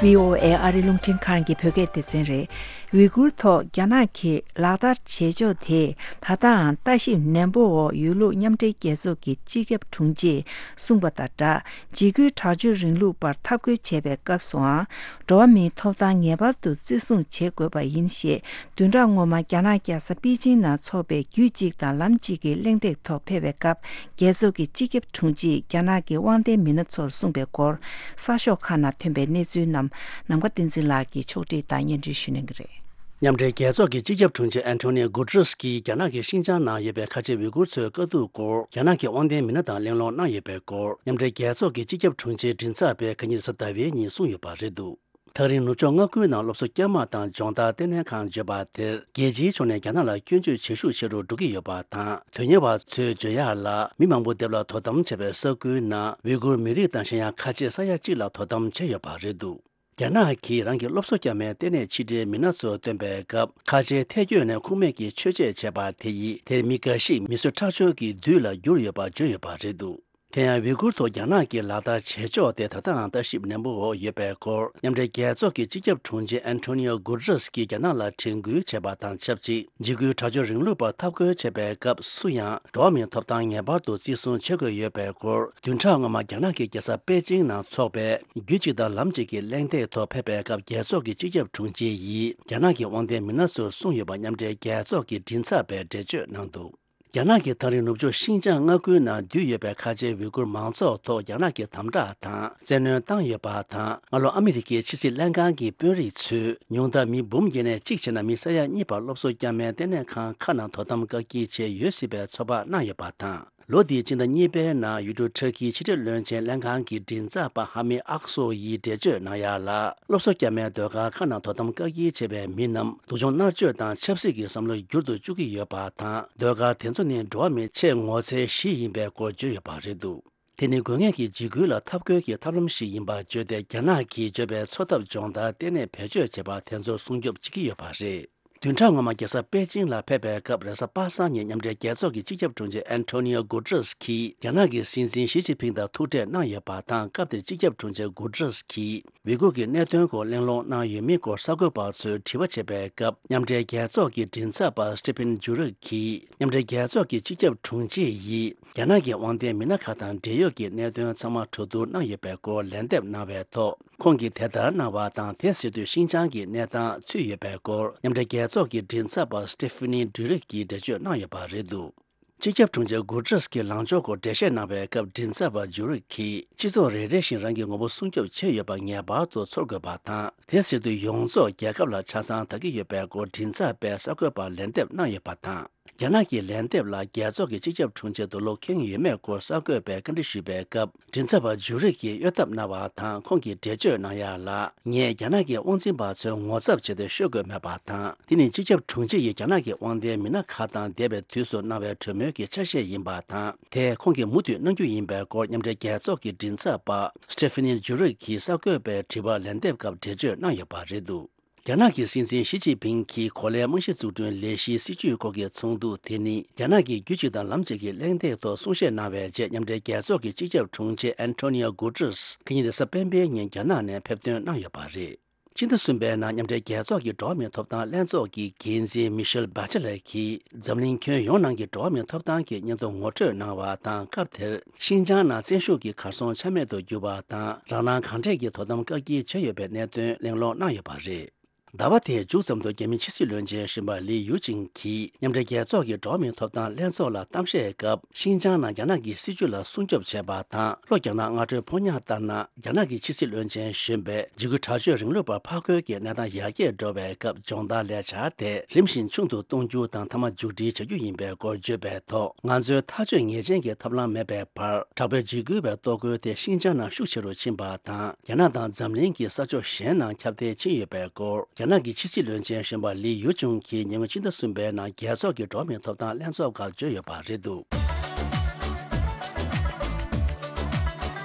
བྷི་ཨོ་ཨེ་ཨ་རི་རླུང་འཕྲིན་ཁང་གི་བོད་སྐད་སྡེ་ཚན་རེད། ཝི་གུར་ཐོག་རྒྱ་ནག་གིས་ལག་བསྟར་བྱེད་ཕྱོགས་དེས་ད་ལྟའང་ལྟ་ཞིབ་ནན་པོ་འོག་ཡོད་ལུགས་མཉམ་འབྲེལ་རྒྱལ་ཚོགས་ཀྱི་སྤྱི་ཁྱབ་དྲུང་ཆེས་གསུངས་པ་དང་སྦྲགས། འཇིགས་སྐུལ་དྲག་སྤྱོད་རིང་ལུགས་པར་འཐབ་རྒོལ་བྱེད་པའི་སྐབས་སུའང་འགྲོ་བ་མིའི་ཐོབ་ཐང་ངེས་པར་དུ་བརྩི་སྲུང་བྱེད་དགོས་པ་ཡིན་ཞེས། བདུན་ཕྲག་སྔོན་མ་རྒྱ་ནག་རྒྱལ་ས་པེ་ཅིང་ནང་འཚོགས་པའི་རྒྱུད་གཅིག་དང་ལམ་གཅིག་གི་གླེང་སྟེགས་ཐོག་ཕེབས་པའི་སྐབས། རྒྱལ་ཚོགས་ཀྱི་སྤྱི་ཁྱབ་དྲུང་ཆེས་རྒྱ་ནག་གི་དབང་ལྡན་མི་སྣ་ཚོར་གསུངས་པའི་སྐོར། གསར་ཤོག་ཁག་ནང་ཐོན་པའི་གནས་ཚུལ་རྣམས་ནམ་མཁའ་བསྟན་འཛིན་ལགས་ཀྱིས་ཕྱོགས་སྒྲིག་དང་སྙན་སྒྲོན་ཞུ་གནང་གི་རེད། མཉམ་འབྲེལ་རྒྱལ་ཚོགས་ཀྱི་སྤྱི་ཁྱབ་དྲུང་ཆེ་ཨན་ཐོ་ནིའོ་གུ་ཏྲེས་ཀྱིས་རྒྱ་ནག་གི་ཤིན་ཅང་ནང་ཡོད་པའི་ཁ་ཆེ་ཝི་གུར་ཚོའི་དཀའ་སྡུག་སྐོར་རྒྱ་ནག་གི་དབང་ལྡན་མི་སྣ་དང་གླེང་སློང་གནང་ཡོད་པའི་སྐོར། མཉམ་འབྲེལ་རྒྱལ་ཚོགས་ཀྱི་སྤྱི་ཁྱབ་དྲུང་ཆེའི་མགྲིན་ཚབ་པས་ཁ་ཉིན་རེས་གཟའ་ཟླ་བའི་ཉིན་གསུངས་ཡོད་པ་རེད་འདུག་ཐག་རིང་ནུབ་ཕྱོགས་མངའ་ཁུལ་ནང་སློབ་གསོ་བསྐྱར་མ་དང་སྦྱོང་བརྡར་ལྟེ་གནས་ཁང་བརྗོད་པ་དེར། རྒྱལ་སྤྱིའི་ཕྱོགས་ནས་རྒྱ་ནག་ལ་སྐྱོན་བརྗོད་བྱེད་ཤུགས་ཆེ་རུ་འགྲོ་གི་ཡོད་པ་དང་། དོན་གཉེར་བ་ཚོས་བརྗོད་ཡག་ལ། མི་མང་པོ་སྡེབ་ལ་དོ་དམ་བྱས་པའི་ས་ཁུལ་ནང་ཝི་གུར་མི་རིགས་དང་གཞན་ཡང་ཁ་ཆེ་ས་ཡ་གཅིག་ལ་དོ་དམ་བྱས་ཡོད་པ་རེད་འདུག་རྒྱ་ནག་གིས་རང་གི་སློབ་གསོ་བསྐྱར་མའི་ལྟེ་གནས་ཕྱི་འབྲེལ་མི་སྣ་ཚོར་བཏོན་པའི་སྐབས། ཁ་ཆེའི་ཐལ་སྐྱོད་ནས་ཁུངས་མེད་ཀྱི་ཆོས་བྱེད་བྱས་པ་དེ་ཡིས། དེར་མི་འགའ་ཞིག་མི་གསོད་ཁྲག་སྦྱོར་གྱི་བདུད་ལ་གྱུར་ཡོད་པ་བརྗོད་ཡོད་པ་རེད་འདུག་དེ་ཡང་ཝི་གུར་ཐོག་རྒྱ་ནག་གིས་ལག་བསྟར་བྱེད་ཕྱོགས་དེ་ད་ལྟའང་ལྟ་ཞིབ་ནན་པོའི་འོག་ཡོད་པའི་སྐོར། མཉམ་འབྲེལ་རྒྱལ་ཚོགས་ཀྱི་སྤྱི་ཁྱབ་དྲུང་ཆེ་ཨན་ཐོ་ནིའོ་གུ་ཏྲེས་ཀྱིས་རྒྱ་ནག་ལ་དྲན་སྐུལ་བྱས་པ་དང་ཆབས་ཅིག་འཇིགས་སྐུལ་དྲག་སྤྱོད་རིང་ལུགས་པར་འཐབ་རྒོལ་བྱེད་པའི་སྐབས། སུ་ཡང་འགྲོ་བ་མིའི་ཐོབ་ཐང་ངེས་པར་དུ་བརྩི་སྲུང་བྱེད་དགོས་ཡོད་པའི་སྐོར། བདུན་ཕྲག་སྔོན་མ་རྒྱ་ནག་གི་རྒྱལ་ས་པེ་ཅིང་ནང་འཚོགས་པའི་རྒྱུད་གཅིག་དང་ལམ་གཅིག་གི་གླེང་སྟེགས་ཐོག་ཕེབས་པའི་སྐབས། རྒྱལ་ཚོགས་ཀྱི་སྤྱི་ཁྱབ་དྲུང་ཆེ་ཡིས་རྒྱ་ནག་གི་དབང་ལྡན་མི་སྣ་ཚོར་གསུངས་ཡོད་པ་མཉམ་འབྲེལ་རྒྱལ་ཚོགས་ཀྱི་མགྲིན་ཚབ་པས་འགྲེལ་བརྗོད་གནང་འདུག་རྒྱ་ནག་གིས་ཐག་རིང་ནུབ་ཕྱོགས་ཤིན་ཅང་མངའ་ཁུལ་ནང་འདུས་ཡོད་པའི་ཁ་ཆེའི་ཝི་གུར་མང་ཚོགས་ཐོག་རྒྱ་ནག་གིས་དམ་དྲག་དང་བཙན་གནོན་བཏང་ཡོད་པ་དང་། སྔ་ལོ་ཨ་མི་རི་ཀའི་ཕྱི་སྲིད་ལྷན་ཁང་གི་དཔོན་རིགས་ཚོས་ཉུང་མཐར་མི་འབུམ་བརྒྱད་ནས་གཅིག་བྱས་ན་མི་ས་ཡ་གཉིས་བར་སློབ་གསོ་བསྐྱར་མའི་ལྟེ་གནས་ཁང་ཁག་ནང་དོ་དམ་བཀག་སྐྱིལ་བྱས་ཡོད་སྲིད་པའི་ཚོད་དཔག་གནང་ཡོད་པ་དང་། ལོ་འདིའི་སྤྱི་ཟླ་གཉིས་པའི་ནང་ཡུལ་གྲུ་ཊར་ཀིའི་ཕྱི་འབྲེལ་བློན་ཆེན་ལྷན་ཁང་གི་མགྲིན་ཚབ་པ་ཧ་མི་ཨག་སོ་ཡིས་འགྲེལ་བརྗོད་གནང་ཡག་ལ། སློབ་གསོ་བསྐྱར་མའི་ཟློས་གར་ཁག་ནང་དོ་དམ་བཀག་སྐྱིལ་བྱས་པའི་མི་རྣམས་སྡུག་སྦྱོང་མནར་གཅོད་དང་ཆབ་སྲིད་ཀྱི་བསམ་བློ་འགྱུར་དུ་བཅུག་གི་ཡོད་པ་དང་། ཟློས་གར་དེ་ཚོ་ནི་འགྲོ་བ་མིའི་ཆེས་ངོ་ཚའི་གཞི་ཡིན་པའི་སྐོར་བརྗོད་ཡོད་པ་རེད་འདུག་དེ་ནི་དགོས་ངེས་ཀྱི་འཇིགས་སྐུལ་ལ་འཐབ་རྒོལ་གྱི་ཐབས་ལམ་ཞིག་ཡིན་པ་བརྗོད་དེ། རྒྱ་ནག་གིས་བརྗོད་པའི་འཚོ་ཐབས་སྦྱོང་བརྡར་ལྟེ་གནས་བེད་སྤྱོད་བྱས་པ་དེ་ཚོར་སྲུང་སྐྱོབ་བྱེད་ཀྱི་ཡོད་པ་རེད། བདུན་ཕྲག་སྔོན་མ་རྒྱལ་ས་པེ་ཅིང་ལ་ཕེབས་པའི་སྐབས། རེས་གཟའ་པ་སངས་ཉིན་མཉམ་འབྲེལ་རྒྱལ་ཚོགས་ཀྱི་སྤྱི་ཁྱབ་དྲུང་ཆེ་ཨན་ཐོ་ནིའོ་གུ་ཏྲེས་ཀྱིས་རྒྱ་ནག་གི་སྲིད་འཛིན་ཞི་ཅིན་ཕིང་དང་ཐུག་འཕྲད་གནང་ཡོད་པ་དང་། སྐབས་དེར་སྤྱི་ཁྱབ་དྲུང་ཆེ་གུ་ཏྲེས་ཀྱིས་ཝི་གུར་གྱི་གནད་དོན་སྐོར་གླེང་སློང་གནང་ཡོད་མེད་སྐོར་གསར་འགོད་པ་ཚོས་དྲི་བ་བྱས་པའི་སྐབས། མཉམ་འབྲེལ་རྒྱལ་ཚོགས་ཀྱི་མགྲིན་ཚབ་པ་སི་ཏི་ཕིན་ཇུ་རིག་གིས། མཉམ་འབྲེལ་རྒྱལ་ཚོགས་ཀྱི་སྤྱི་ཁྱབ་དྲུང་ཆེ་ཡིས་རྒྱ་ནག་གི་དབང་ལྡན་མི་སྣ་ཁག་དང་འབྲེལ་ཡོད་ཀྱི་གནད་དོན་ཚང་མ་གྲོས་བསྡུར་གནང་ཡོད་པའི་སྐོར་ལན་འདེབས་གནང་བའི་ཐོག་ཁོང་གིས་དེ་ལྟར་གནང་བ་དང་། དེ་ཟེར་དུས་ཤིན་ཅང་གི་གནས་སྟངས་ཚུད་ཡོད་པའི་སྐོར། མཉམ་འབྲེལ་རྒྱལ་ཚོགས་ཀྱི་མགྲིན་ཚབ་པ་སི་ཏི་ཕི་ནི་ཌུ་རིག་གིས་འགྲེལ་བརྗོད་གནང་ཡོད་པ་རེད་འདུག་སྤྱི་ཁྱབ་དྲུང་ཆེ་གུ་ཏྲེས་ཀྱི་ལངས་ཕྱོགས་སྐོར་འགྲེལ་བཤད་གནང་བའི་སྐབས། མགྲིན་ཚབ་པ་ཇུ་རིག་གིས། སྤྱི་ཚོགས་རེ་རེ་བཞིན་རང་གི་ངོ་བོ་སྲུང་སྐྱོབ་བྱས་ཡོད་པ་ངེས་པར་དུ་ཚོར་དགོས་པ་དང་། དེ་ཟེར་དུས་ཡོངས་རྫོགས་རྒྱལ་ཁབ་ལ་ཆ་ཚང་ལྟ་གི་ཡོད་པའི་སྐོར་མགྲིན་ཚབ་པས་གསར་འགོད་པར་ལན་འདེབས་གནང་ཡོད་པ་དང་། རྒྱ་ནག་གི་ལན་འདེབས་ལ་རྒྱལ་ཚོགས་ཀྱི་སྤྱི་ཁྱབ་དྲུང་ཆེ་དུ་བློ་ཁེངས་ཡོད་མེད་སྐོར་གསར་འགོད་པས་བཀའ་འདྲི་ཞུས་པའི་སྐབས། མགྲིན་ཚབ་པ་ཇུ་རིག་གིས་གཡོལ་ཐབས་གནང་བ་དང་། ཁོང་གིས་འགྲེལ་བརྗོད་གནང་ཡག་ལ། ངས་རྒྱ་ནག་གི་དབང་འཛིན་པ་ཚོའི་ངོ་ཚབ་བྱས་ཏེ་ཤོད་དགོས་མེད་པ་དང་། དེ་ནི་སྤྱི་ཁྱབ་དྲུང་ཆེ་ཡིས་རྒྱ་ནག་གི་དབང་ལྡན་མི་སྣ་ཁག་དང་འདས་པའི་དུས་སུ་གནང་བའི་གྲོས་མོལ་གྱི་ཆ་ཤས་ཡིན་པ་དང་། དེ་ཁོང་གིས་མུ་མཐུད་གནང་རྒྱུ་ཡིན་པའི་སྐོར། མཉམ་འབྲེལ་རྒྱལ་ཚོགས་ཀྱི་མགྲིན་ཚབ་པ་སི་ཏི་ཕི་ནི་ཇུ་རིག་གིས་གསར་འགོད་པའི་དྲི་བར་ལན་འདེབས་སྐབས་འགྲེལ་བརྗོད་གནང་ཡོད་པ་རེད་འདུག་རྒྱ་ནག་གི་སྲིད་འཛིན་ཞི་ཅིན་ཕིང་གིས་གོ་ལའི་རྨང་གཞི་འཛུགས་སྐྲུན་ལས་གཞིའི་སྲིད་ཇུས་སྐོར་གྱི་ཚོགས་འདུ་དེ་ནི། རྒྱ་ནག་གིས་རྒྱུད་གཅིག་དང་ལམ་གཅིག་གི་གླེང་སྟེགས་ཐོག་གསུང་བཤད་གནང་བའི་རྗེས། མཉམ་འབྲེལ་རྒྱལ་ཚོགས་ཀྱི་སྤྱི་ཁྱབ་དྲུང་ཆེ་ཨན་ཐོ་ནི་ཨོ་གུ་ཏྲེས་ཁ་ཉིན་རེས་གཟའ་སྤེན་པའི་ཉིན་རྒྱ་ནག་ནས་ཕེབས་ཐོན་གནང་ཡོད་པ་རེད། ཕྱི་ཟླ་གསུམ་པའི་ནང་མཉམ་འབྲེལ་རྒྱལ་ཚོགས་ཀྱི་འགྲོ་བ་མིའི་ཐོབ་ཐང་ལྷན་ཚོགས་ཀྱི་འགན་འཛིན་མི་ཤེལ་བྷ་ཆེ་ལེ་གིས། འཛམ་གླིང་ཁྱོན་ཡོངས་ནང་གི་འགྲོ་བ་མིའི་ཐོབ་ཐང་གི་སྙན་ཐོ་ངོ་སྤྲོད་གནང་བ་དང་། སྐབས་དེར་ཤིན་ཅང་ནང་བཙན་ཤུགས་ཀྱིས་གར་སོང་ཆ་མེད་དུ་གྱུར་བ་དང་། རང་སྣང་གང་དྲག་གིས་དོ་དམ་བཀག་སྐྱིལ་བྱས་ཡོད་པའི་གནད་དོན་གླེང་སློང་གནང་ཡོད་པ་རེད། ཟླ་བ་དེའི་མཇུག་ཙམ་དུ་རྒྱ་མི་ཕྱི་སྲིད་བློན་ཆེན་གཞོན་པ་ལི་ཡུ་ཅིང་གིས་མཉམ་འབྲེལ་རྒྱལ་ཚོགས་ཀྱི་འགྲོ་བ་མིའི་ཐོབ་ཐང་ལྷན་ཚོགས་ལ་གཏམ་བཤད་སྐབས། ཤིན་ཅང་ནང་རྒྱ་ནག་གི་སྲིད་བྱུས་ལ་སྲུང་སྐྱོབ་བྱས་པ་དང་། ལྷོ་རྒྱ་ནག་སྔ་དྲོའི་ཕོ་ཉ་ལྟར་ན། རྒྱ་ནག་གི་ཕྱི་སྲིད་བློན་ཆེན་གཞོན་པས་འཇིགས་སྐུལ་དྲག་སྤྱོད་རིང་ལུགས་པར་ཕར་རྒོལ་གྱི་གནས་སྟངས་ཡར་རྒྱས་འགྲོ་བའི་སྐབས། སྦྱོང་བརྡར་ལས་འཆར་དེ་རིམ་བཞིན་ཆུང་དུ་གཏོང་རྒྱུ་དང་། མཐའ་མ་མཇུག་སྒྲིལ་བྱ་རྒྱུ་ཡིན་པའི་སྐོར་བརྗོད་པའི་ཐོག་ང་ཚོའི་ཐག་གཅོད་ངེས་ཅན་གྱི་ཐབས་ལམ་མེད་པའི་བར། དྲག་པོའི་འཇིགས་སྐུལ་བའི་གཏོར་རྒོལ་དེ་ཤིན་ཅང་ནང་ཤུགས་ཆེ་རུ་ཕྱིན་པ་དང་། རྒྱ་ནག་དང་འཛམ་གླིང་གི་ས་ཕྱོགས་གཞན་ནང་ཁྱབ་གདལ་ཕྱིན་ཡོད་པའི་སྐོར། རྒྱ་ནག་གི་ཕྱི་སྲིད་བློན་ཆེན་གཞོན་པ་ལི་ཡུ་ཅུང་གིས་ཉེ་སྔོན་ཕྱི་ཟླ་གསུམ་པའི་ནང་རྒྱལ་ཚོགས་ཀྱི་འགྲོ་བ་མིའི་ཐོབ་ཐང་ལྷན་ཚོགས་སྐབས་བརྗོད་ཡོད་པ་རེད་འདུག་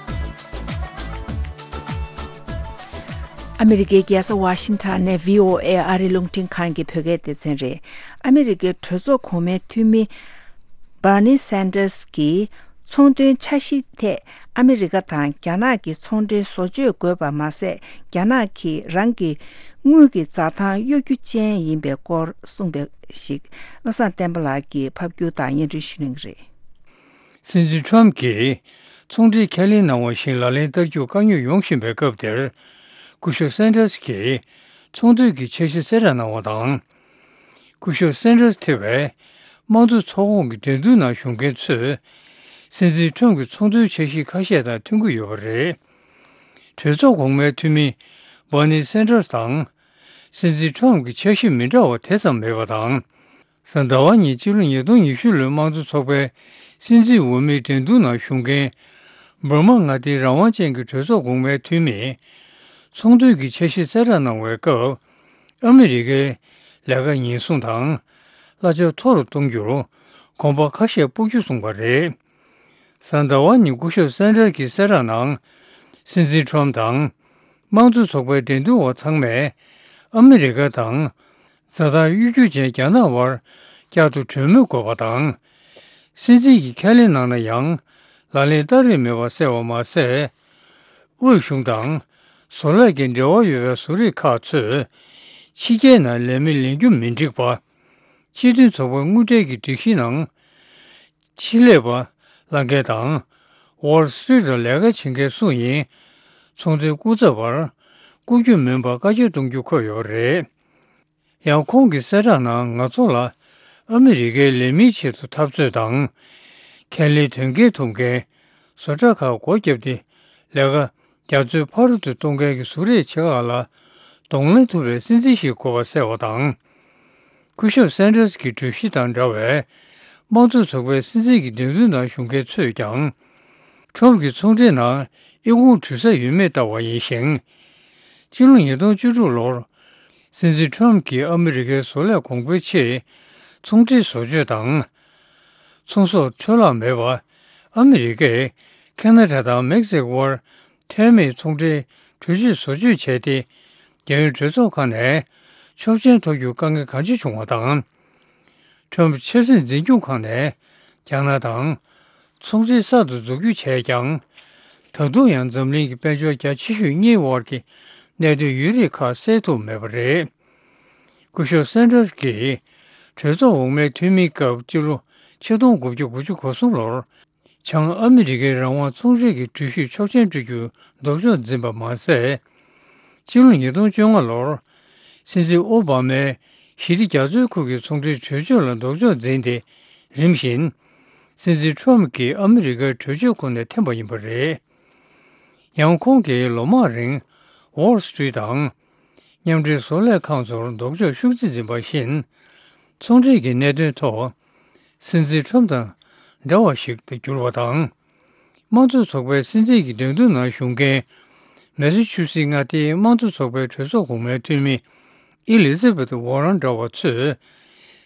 ཨ་མི་རི་ཀའི་རྒྱལ་ས་ཝ་ཤིང་ཊོན་ནས་བྷི་ཨོ་ཨེ་ཨ་རིའི་རླུང་འཕྲིན་ཁང་གི་བོད་སྐད་སྡེ་ཚན་རེད། ཨ་མི་རི་ཀའི་གྲོས་ཚོགས་གོང་མའི་འཐུས་མི་བྷར་ནི་སན་ཏར་སི་གིས་ཚོང་དོན་འཆར་གཞིའི་ཐད་ཨ་མི་རི་ཀ་དང་རྒྱ་ནག་གི་ཚོང་འབྲེལ་བཟོ་བཅོས་དགོས་པ་མ་ཟད། རྒྱ་ནག་གིས་རང་གི་དངུལ་གྱི་འཛའ་ཐང་གཡོ་སྒྱུ་ཅན་ཡིན་པའི་སྐོར་གསུངས་པ་ཞིག་བློ་བཟང་བསྟན་པ་ལགས་ཀྱིས་ཕབ་སྒྱུར་དང་སྙན་སྒྲོན་ཞུ་གནང་གི་རེད། སྲིད་འཛིན་ཁྲོམ་གྱིས་ཚོང་འབྲེལ་ཁས་ལེན་གནང་བ་བཞིན་ལག་ལེན་བསྟར་རྒྱུ་དཀའ་རྙོག་ཡོང་བཞིན་པའི་སྐབས་དེར། སྐུ་ཞབས་སན་ཏར་སི་གིས་ཚོང་དོན་གྱི་འཆར་གཞི་གསལ་བསྒྲགས་གནང་བ་དང་། སྐུ་ཞབས་སན་ཏར་སི་ཐེ་བའི་དམངས་གཙོ་ཚོགས་ཁོངས་ཀྱི་འགྲན་བསྡུར་ནང་ཞུགས་མཁན་ཚོས་སྲིད་འཛིན་ཁྲོམ་གྱི་ཚོང་དོན་འཆར་གཞི་ཁ་ཤས་དང་མཐུན་གྱི་ཡོད་པ་རེད། གྲོས་ཚོགས་གོང་མའི་འཐུས་མི་བྷར་ནི་སན་ཏར་སི་དང་། སྲིད་འཛིན་ཁྲོམ་གྱི་འཆར་གཞི་མི་འདྲ་བ་དེ་ཙམ་མེད་པ་དང་། གཟའ་ཟླ་བ་ཉིན་སྤྱི་ལོ་ཉིས་སྟོང་ཉི་ཤུ་ལོའི་དམངས་གཙོ་ཚོགས་པའི་སྲིད་འཛིན་འོས་མིའི་འགྲན་བསྡུར་ནང་ཞུགས་མཁན། འབར་མ་མངའ་སྡེའི་རང་དབང་ཅན་གྱི་གྲོས་ཚོགས་གོང་མའི་འཐུས་མིས། ཚོང་དོན་གྱི་འཆར་གཞི་གསལ་བསྒྲགས་གནང་བའི་སྐབས། ཨ་མི་རི་ཀའི་ལས་ཀ་ཉེན་སྲུང་དང་། གླ་ཆ་མཐོ་རུ་གཏོང་རྒྱུར་གོམ་པ་ཁ་ཤས་སྤོ་རྒྱུ་གསུངས་པ་རེད། གཟའ་ཟླ་བ་ཉིན་སྐུ་ཞབས་སན་ཏྲར་གྱིས་གསལ་བསྒྲགས་ནང་། སྲིད་འཛིན་ཁྲོམ་དང་། དམངས་གཙོ་ཚོགས་པའི་འགྲན་བསྡུར་བ་ཚང་མས། ཨ་མི་རི་ཀ་དང་། རྩྭ་ཐང་གཡོ་སྒྱུ་ཅན་རྒྱ་ནག་བར་བསྐྱར་དུ་གྲོས་མོལ་དགོས་པ་དང་། སྲིད་འཛིན་གྱིས་ཁས་ལེན་གནང་ན་ཡང་། ལག་ལེན་བསྟར་རེས་མེད་པ་གསལ་བ་མ་ཟད། དབུས་གཞུང་དང་། བཟོ་ལས་ཀྱི་འབྲེལ་བ་ཡོད་པའི་བཟོ་རིག་ཁག་ཚོས། ཕྱི་རྒྱལ་ནང་ལས་མི་ལེན་རྒྱུ་མི་འགྲིག་པ། སྤྱི་མཐུན་ཚོགས་པའི་དངུལ་འབྲེལ་གྱི་སྒྲིག་གཞི་ནང་། ཆེད་ལས་པ་ལྷན་རྒྱས་དང་། Wall Street ལ་ལས་ཀ་བྱེད་མཁན་སུ་ཡིན། ཚོང་འབྲེལ་སྐུ་ཚབ་པར་བསྐོ་རྒྱུ་མིན་པར་བཀག་ཆ་གཏོང་རྒྱུ་འཁོད་ཡོད་པ་རེད། ཡང་ཁོང་གིས་གསལ་བསྒྲགས་ནང་ང་ཚོ་ལ་ཨ་མི་རི་ཀའི་ལས་མིའི་ཆེད་དུ་འཐབ་རྩོད་དང་། ཁས་ལེན་དོན་འཁྱོལ་ཐུབ་མཁན་བཟོ་གྲྭ་ཁག་སྒོ་བརྒྱབ་སྟེ་ལས་ཀ་རྒྱ་མཚོའི་ཕ་རོལ་ཏུ་གཏོང་མཁན་གྱི་གཟུགས་རིས་ཆེ་ཁག་ལ་གདོང་ལེན་ཐུབ་པའི་སྲིད་འཛིན་ཞིག་དགོས་པ་གསལ་བ་དང་། སྐུ་ཞབས་སན་ཏྲར་གྱི་གྲོས་གཞི་དང་འདྲ་བའི་དམངས་གཙོ་ཚོགས་པའི་སྲིད་འཛིན་གྱི་འགྲན་བསྡུར་ནང་ཞུགས་མཁན་ཚོས་ཀྱང་། ཁྲོམ་གྱི་ཚོང་འབྲེལ་ནང་ཨི་ཁུང་འགྲུལ་ས་ཡོད་མེད་ལྟ་བ་ཡིན་ཞིང་། སྤྱི་ལོ་ཉིས་སྟོང་བཅུ་དྲུག་ལོར་སྲིད་འཛིན་ཁྲོམ་གྱིས་ཨ་མི་རི་ཀའི་བཟོ་ལས་གོང་འཕེལ་ཆེད་ཚོང་འབྲེལ་བཟོ་བཅོས་དང་། ཚོང་ཟོག་འཕྲོ་བརླག་མེད་པ། ཨ་མི་རི་ཀས་ཁེ་ན་ཌ་དང་མེག་སི་ཀོ་བར་ཐད་མེད་ཚོང་འབྲེལ་གྲོས་ཆོད་བཟོ་བཅོས་བྱས་ཏེ། རྒྱལ་ཡོངས་གྲོས་ཚོགས་ཁག་ནས་ཆོག་མཆན་ཐོབ་རྒྱུར་དཀའ་ངལ་གང་ཆེ་བྱུང་བ་དང་། ཁྲོམ་ཆབ་སྲིད་འཛིན་སྐྱོང་ཁང་ནས་རྒྱ་ནག་དང་ཚོང་འབྲེལ་གསར་དུ་འཛུགས་རྒྱུ་བྱས་ཀྱང་། ད་དུང་ཡང་འཛམ་གླིང་གི་དཔལ་འབྱོར་རྒྱ་ཆེ་ཤོས་གཉིས་དབར་གྱི་གནད་དོན་ཡོད་རིགས་ཁག་སེལ་ཐུབ་མེད་པ་རེད། སྐུ་ཞབས་སན་ཏྲར་གྱིས་གྲོས་ཚོགས་འོག་མའི་འཐུས་མིའི་སྐབས་སྤྱི་ལོ་ཆིག་སྟོང་དགུ་བརྒྱ་དགུ་བཅུ་གོ་གསུམ་ལོར། བྱང་ཨ་མི་རི་ཀའི་རང་དབང་ཚོང་འབྲེལ་གྱི་གྲོས་གཞིར་ཆོག་མཆན་སྤྲོད་རྒྱུར་ལྡོག་ཕྱོགས་འཛིན་པ་མ་ཟད། སྤྱི་ལོ་ཉིས་སྟོང་བཅོ་ལྔ་ལོར། སྲིད་འཛིན་ཨོ་བྷ་མའི་ཞི་བདེ་རྒྱ་མཚོའི་ཁུལ་གྱི་ཚོང་འབྲེལ་གྲོས་ཆོད་ལ་ལྡོག་ཕྱོགས་འཛིན་ཏེ། རིམ་བཞིན། སྲིད་འཛིན་ཁྲོམ་གྱིས་ཨ་མི་རི་ཀའི་གྲོས་ཆོད་ཁོངས་ནས་འཐེན་པ་ཡིན་པ་རེད། ཡང་ཁོང་གིས་ལོ་མང་རིང་། Wall Street དང་། མཉམ་འབྲེལ་བཟོ་ལས་ཁང་ཚོར་ལྡོག་ཕྱོགས་ཤུགས་ཆེ་འཛིན་པ་བཞིན། ཚོང་འབྲེལ་གྱི་གནད་དོན་ཐོག་སྲིད་འཛིན་ཁྲོམ་དང་འདྲ་བ་ཞིག་ཏུ་གྱུར་བ་དང་། དམངས་གཙོ་ཚོགས་པའི་སྲིད་འཛིན་གྱི་འགྲན་བསྡུར་ནང་ཞུགས་མཁན། མེ་སི་ཆུ་སི་མངའ་སྡེའི་དམངས་གཙོ་ཚོགས་པའི་གྲོས་ཚོགས་གོང་མའི་འཐུས་མི། ཨེ་ལི་ཛ་བེཐ་ཝོ་རན་འདྲ་བ་ཚོས།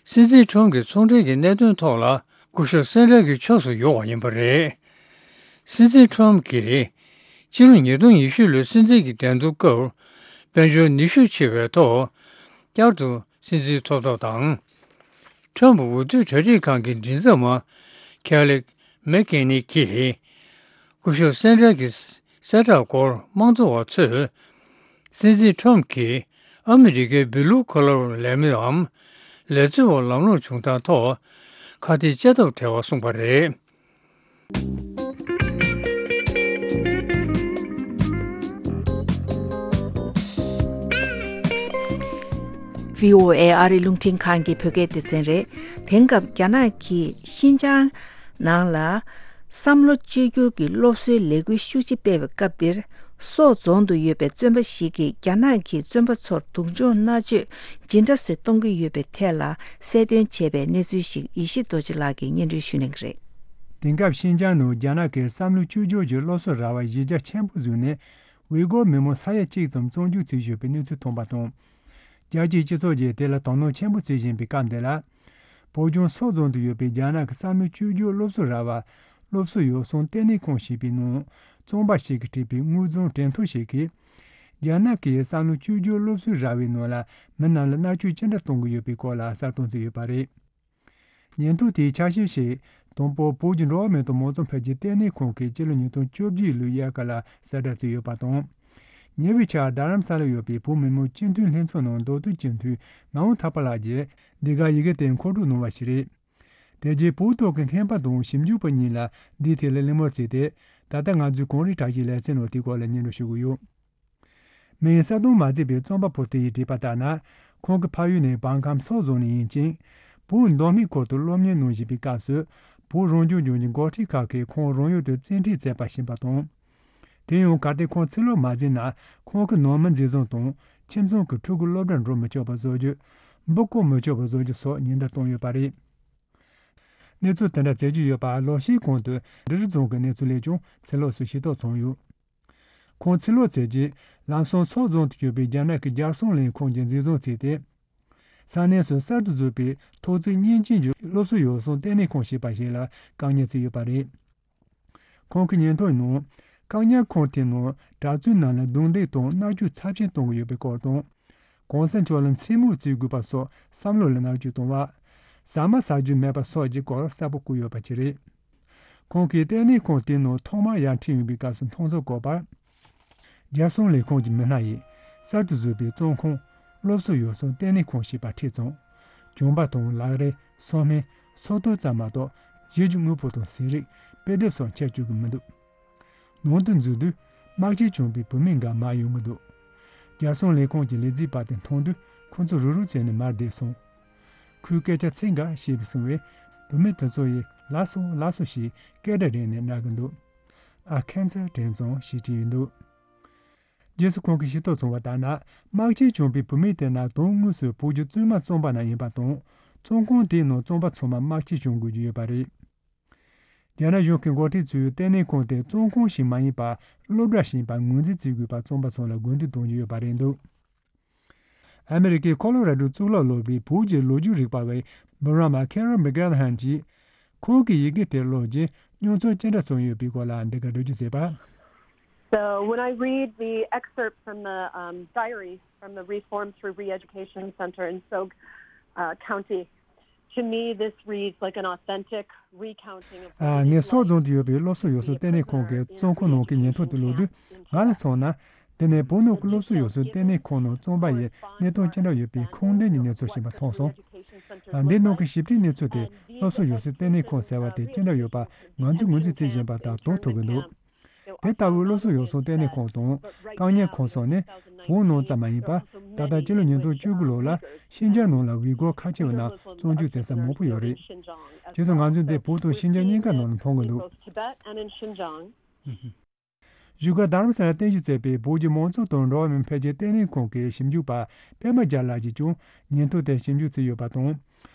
སྲིད་འཛིན་ཁྲོམ་གྱི་ཚོང་འབྲེལ་གྱི་གནད་དོན་ཐོག་ལ་སྐུ་ཞབས་སན་ཏྲར་གྱི་ཕྱོགས་སུ་ཡོང་བ་ཡིན་པ་རེད། སྲིད་འཛིན་ཁྲོམ་གྱིས། སྤྱི་ལོ་ཉིས་སྟོང་ཉི་ཤུ་ལོའི་སྲིད་འཛིན་གྱི་འགྲན་བསྡུར་སྐབས། དཔལ་འབྱོར་ནུས་ཤུགས་ཆེ་བའི་ཐོག་བསྐྱར་དུ་སྲིད་འཛིན་ཐོབ་ཐབས་དང་། ཁྲོམ་འོས་བསྡུ་གྲ་སྒྲིག་ཁང་གི་མགྲིན་ཚབ་མ། ཁེ་ལིག་མེག་ཀེ་ནི་གིས། སྐུ་ཞབས་སན་ཏྲར་གྱི་གསལ་བསྒྲགས་སྐོར་དམངས་གཙོ་བ་ཚོས། སྲིད་འཛིན་ཁྲོམ་གྱིས་ཨ་མི་རི་ཀའི་བྷི་ལུ་ཁོ་ལར་ལས་མིའམ། ལས་བཟོ་བ་ལམ་ལྷོང་བྱུང་སྟངས་ཐོག་ཁ་གཏད་བཅའ་ཐབས་བྲལ་བ་གསུངས་པ་རེད། བྷི་ཨོ་ཨེ་ཨ་རིའི་རླུང་འཕྲིན་ཁང་གི་བོད་སྐད་སྡེ་ཚན་རེད། དེང་སྐབས་རྒྱ་ནག་གིས་ཤིན་ཅང་ནང་ལ་བསམ་བློ་བཅོས་བསྒྱུར་གྱི་སློབ་གསོའི་ལས་འགུལ་ཤུགས་ཆེ་སྤེལ་བའི་སྐབས་འདིར། སོག་རྫོང་དུ་ཡོད་པའི་བཙོན་པ་ཞིག་གིས་རྒྱ་ནག་གིས་བཙོན་པ་ཚོར་སྡུག་སྦྱོང་མནར་གཅོད་ཇི་འདྲ་སེ་གཏོང་གི་ཡོད་པའི་ཐད་ལ་གསལ་སྟོན་བྱས་པའི་གནས་ཚུལ་ཞིག་ཡེ་ཤེས་རྡོ་རྗེ་ལགས་ཀྱིས་སྙན་སྒྲོན་ཞུ་གནང་གི་རེད། དེང་སྐབས་ཤིན་ཅང་ནང་རྒྱ་ནག་གིས་བསམ་བློ་བཅོས་བསྒྱུར་གྱི་སློབ་གསོ་ར་བ་གཞི་རྒྱ་ཆེན་པོ་བཟུང་ནས། ཝི་གོར་མི་མང་ས་ཡ་གཅིག་ཙམ་བཙོན་འཇུག་བྱས་ཡོད་པའི་གནས་ཚུལ་ཐོན་པ་དང་། རྒྱལ་སྤྱིའི་སྤྱི་ཚོགས་ཀྱིས་དེ་ལ་དོ་སྣང་ཆེན་པོ་བྱེད་བཞིན་པའི་སྐབས་འདི་ལ། བོད་ལྗོངས་སོག་རྫོང་དུ་ཡོད་པའི་རྒྱ་ནག་གི་བསམ་བློ་བཅོས་བསྒྱུར་སློབ་གསོ་ར་བར་སློབ་གསོ་ཡོ་བསྲང་ལྟེ་གནས་ཁང་ཞེས་པའི་ནང་བཙོན་པ་ཞིག་གིས་བྲིས་པའི་དངོས་རྫུན་དྲན་ཐོ་ཞིག་གིས། རྒྱ་ནག་གིས་བསམ་བློ་བཅོས་བསྒྱུར་སློབ་གསོའི་ར་བའི་ནང་ལ་མི་རྣམས་ལ་མནར་གཅོད་ཅི་འདྲ་གཏོང་གི་ཡོད་པའི་སྐོར་ལ་གསལ་སྟོན་བྱས་ཡོད་པ་རེད། ཉིན་ཐོ་དེའི་ཆ་ཤས་ཤིག་དང་པོ་བོད་ཀྱི་འགྲོ་བ་མིའི་ཐོག་མང་གཙོ་འཕེལ་རྒྱས་ལྟེ་གནས་ཁང་གིས་སྤྱི་ལོ་ཉིས་སྟོང་བཅོ་བརྒྱད་ལོའི་དབྱར་ཁ་ལ་གསལ་བསྒྲགས་བྱས་ཡོད་པ་དང་། ཉེ་བའི་ཆར་རྡ་རམ་ས་ལར་ཡོད་པའི་བོད་མི་མང་སྤྱི་འཐུས་ལྷན་ཚོགས་ནང་མདོ་སྟོད་སྤྱི་འཐུས་ངག་དབང་ཐར་པ་ལགས་ཀྱིས་འདི་ག་ཡི་གེ་དེ་མཁོ་སྒྲུབ་གནང་བ་ཞིག་རེད། དེ་རྗེས་བོད་ཐོག་གི་མཁས་པ་དང་ཞིབ་འཇུག་པ་གཉིས་ལ་འདིའི་ཐད་ལ་གླེང་མོལ་བྱས་ཏེ། ད་ལྟ་ང་ཚོས་གངས་རིའི་བཀྲ་ཤིས་ལེ་ཚན་ནང་དེའི་སྐོར་ལ་སྙན་སྒྲོན་ཞུ་གི་ཡོད། མིང་གསལ་སྟོན་མ་བྱས་པའི་བཙོན་པ་བུ་དེ་ཡིས་བྲིས་པ་ལྟར་ན། ཁོང་གི་ཕ་ཡུལ་ནི་བང་ཁམས་སོག་རྫོང་ནས་ཡིན་ཅིང་། བོད་མདོ་སྨད་ཁུལ་དུ་སློབ་གཉེར་གནང་བཞིན་པའི་སྐབས་སུ། བོད་རང་སྐྱོང་ལྗོངས་ཀྱི་འགོ་ཁྲིད་ཁག་གིས་ཁོང་རང་ཡུལ་དུ་བཙན་ཁྲིད་བྱས་པ་ཤེས་པ་དང་། དེ་ཡང་གལ་ཏེ་ཁོང་ཕྱིར་ལོག་མ་མཛད་ན། ཁོང་གི་ནང་མི་འཛིན་བཟུང་དང་ ཁྱིམ་ཚང་གི་ཕྲུ་གུ་སློབ་གྲྭར་འགྲོ་མི་ཆོག་པ་བཟོ་རྒྱུ། འབུ་བརྐོ་མི་ཆོག་པ་བཟོ་རྒྱུ་སོགས་ཉེན་བརྡ་བཏང་ཡོད་པ་རེད། གནས་ཚུལ་དེ་འདྲ་བཙལ་རྒྱུ་ཡོད་པ་ལོ་ཤས་གོང་དུ་འབྲི་རུ་རྫོང་གི་གནས་ཚུལ་ལས་ཀྱང་ཚེ་ལོགས་སུ་ཤེས་རྟོགས་བྱུང་ཡོད། ཁོང་ཚེ་ལོག་བྱས་རྗེས་ལམ་སང་སོག་རྫོང་དུ་ཡོད་པའི་རྒྱ་ནག་གི་རྒྱལ་སྲུང་ལས་ཁུངས་ཀྱི་མཛེས་བཟོ་བྱས་ཏེ། ས་གནས་སུ་གསར་དུ་བཟོས་པའི་ཐོག་བརྩེགས་མཉེན་ཆས་ཀྱི་སློབ་གསོ་ཡོ་བསྲང་ལྟེ་གནས་ཁང་ཞེས་པ་ཞིག་ལ་བཀག་ཉར་བྱས་ཡོད་པ་རེད། ཁོང་གི་ཉིན་ཐོ་ནང་བཀག་ཉར་ཁང་དེའི་ནང་གྲྭ་བཙུན་རྣམས་ལ་རྡུང་རྡེག་དང་མནར་གཅོད་ཚབས་ཆེན་གཏོང་གི་ཡོད་པའི་སྐོར་དང་། གོང་ས་མཆོག་ལ་མཚན་སྨོད་བྱེད་དགོས་པ་སོགས་བསམ་བློ་ལ་མནར་གཅོད་གཏོང་བ། ཟ་མ་ཟ་རྒྱུ་མེད་པ་སོགས་ཀྱི་སྐོར་གསལ་པོ་བཀོད་ཡོད་པ་ཞིག་རེད། ཁོང་གིས་ལྟེ་གནས་ཁང་དེའི་ནང་ཐོག་མར་ཡར་ཁྲིད་ཡོང་བའི་སྐབས་སུ་མཐོང་ཚོར་བཀོད་པར། རྒྱལ་སྲུང་ལས་ཁུངས་ཀྱི་མི་སྣ་ཡིས་གསར་དུ་བཟོས་པའི་བཙོན་ཁང་སློབ་གསོ་ཡོ་བསྲང་ལྟེ་གནས་ཁང་ཞེས་པ་ཁྲིད་ཙང་། གྱོན་པ་དང་ལག་རས་སོ་སྨན་སོ་ཐར་ཙམ་མ་གཏོགས་གཞས་ཀྱི་དངོས་པོ་དང་ཟས་རིགས་དཔེ་དེབ་སོགས་འཁྱེར་བཅུག་གི་མི་འདུག་ནང་དུ་འཛུལ་དུས་དམག་ཆས་གྱོན་པའི་བུད་མེད་འགའ་མར་ཡོང་གི་འདུག་རྒྱལ་སྲུང་ལས་ཁུངས་ཀྱི་ལས་བྱེད་པ་དེ་མཐོང་དུས་ཁོ་ཚོ་རུབ་རུབ་བྱས་ནས་མར་བསྡད་སོང་། ཁོས་སྐད་ཆ་ཚིག་འགའ་བཤད་པ་སོང་བས་བུད་མེད་དེ་ཚོ་ཡིས་ལགས་སོ་ལགས་སོ་ཞེས་སྐད་སྒྲ་རེག་ནས་སྨྲ་གི་འདུག་ཨ་ཁན་སར་དྲན་སོང་ཞེས་བྲིས་ཡོད་འདུག་རྗེས་སུ་ཁོང་གིས་ཤེས་རྟོགས་བྱུང་བ་ལྟར་ན། དམག་ཆས་གྱོན་པའི་བུད་མེད་དེ་ནི་དོན་དངོས་སུ་བོད་ཀྱི་བཙུན་མ་བཙོན་པ་རྣམས་ཡིན་པ་དང་། བཙོན་ཁང་དེའི་ནང་བཙོན་པ་ཚང་མ་དམག་ཆས་གྱོན་དགོས་ཀྱི་ཡོད་པ་རེད། རྒྱ་ནག་གཞུང་གི་འགོ་ཁྲིད་ཚོས་ལྟེ་གནས་ཁང་དེ་བཙོན་ཁང་ཞིག་མ་ཡིན་པར་སློབ་གྲྭ་ཞིག་ཡིན་པ་ངོས་འཛིན་བྱེད་དགོས་པར་བཙོན་པ་ཚོ་ལ་དགོས་འདུན་གཏོང་གི་ཡོད་པ་རེད་འདུག་ཨ་མི་རི་ཀའི་ཁོ་ལོ་ར་ཌོ་གཙུག་ལག་སློབ་གྲྭའི་བོད་ཀྱི་ལོ་རྒྱུས་རིག་པ་བའི་འབུམ་རམས་པ་ཁེ་རོལ་མེག་གྷེལ་ཧན་གྱིས། ཁོང་གིས་ཡི་གེ་དེ་ཀློག་རྗེས་མྱོང་ཚོར་ཅི་འདྲ་བྱུང་ཡོད་པའི་སྐོར་ལ་འདི་ག་འགྲེལ་བརྗོད་བྱས་པ། So when I read the excerpt from the um, diary from the Reform Through Re-Education Center in Sok uh, County, to me this reads like an authentic recounting of ཨ། ངས་སོག་རྫོང་དུ་ཡོད་པའི་སློབ་གསོ་ཡོ་བསྲང་ལྟེ་གནས་ཁང་གི་བཙོན་ཁང་ནང་གི་ཉིན་ཐོ་དེ་ཀློག་དུས་ང་ལ་མཚོན་ན། དེ་ནི་བོད་ནང་གི་སློབ་གསོ་ཡོ་བསྲང་ལྟེ་གནས་ཁང་ནང་བཙོན་པ་ཡི་གནས་སྟངས་ཅི་འདྲ་ཡོད་པའི་ཁུངས་ལྡན་གྱི་གནས་ཚུལ་ཞིག་མཐོང་སོང་། ཨ། འདིའི་ནང་གི་ཞིབ་ཕྲའི་གནས་ཚུལ་དེ་སློབ་གསོ་ཡོ་བསྲང་ལྟེ་གནས་ཁང་ཟེར་བ་དེ་ཅི་འདྲ་ཡོད་པ་ང་ཚོས་ངོས་འཛིན་བྱེད་བཞིན་པ་དང་དོན་ཐུབ་ཀྱི་འདུག་དེ་ལྟ་བུའི་སློབ་གསོ་ཡོ་བསྲང་ལྟེ་གནས་ཁང་དང་བཀག་ཉར་ཁང་སོགས་ནི་བོད་ནང་ཙམ་མ་ཡིན་པར་ད་ལྟ་སྤྱི་ལོ་ཉིས་སྟོང་བཅུ་དགུ་ལོ་ལ་ཤིན་ཅང་ནང་ལ་ཝི་གོར་ཁ་ཆེ་བ་རྣམས་བཙོན་འཇུག་བྱེད་ས་མང་པོ་ཡོད་རེད། བྱས་ཙང་ང་ཚོས་འདི་བོད་དང་ཤིན་ཅང་གཉིས་ཀ་ནང་ལ་མཐོང་གི་འདུག་བཞུགས་སྒར་རྡ་རམ་ས་ལར་རྟེན་གཞི་བྱས་པའི་བོད་ཀྱི་མང་གཙོ་དང་འགྲོ་བ་མིའི་འཕེལ་རྒྱས་ལྟེ་གནས་ཁང་གི་ཞིབ་འཇུག་པ་པད་མ་རྒྱལ་ལགས་ཀྱིས་ཀྱང་ཉིན་ཐོ་དེར་ཞིབ་འཇུག་བྱས་ཡོད་པ་དང་།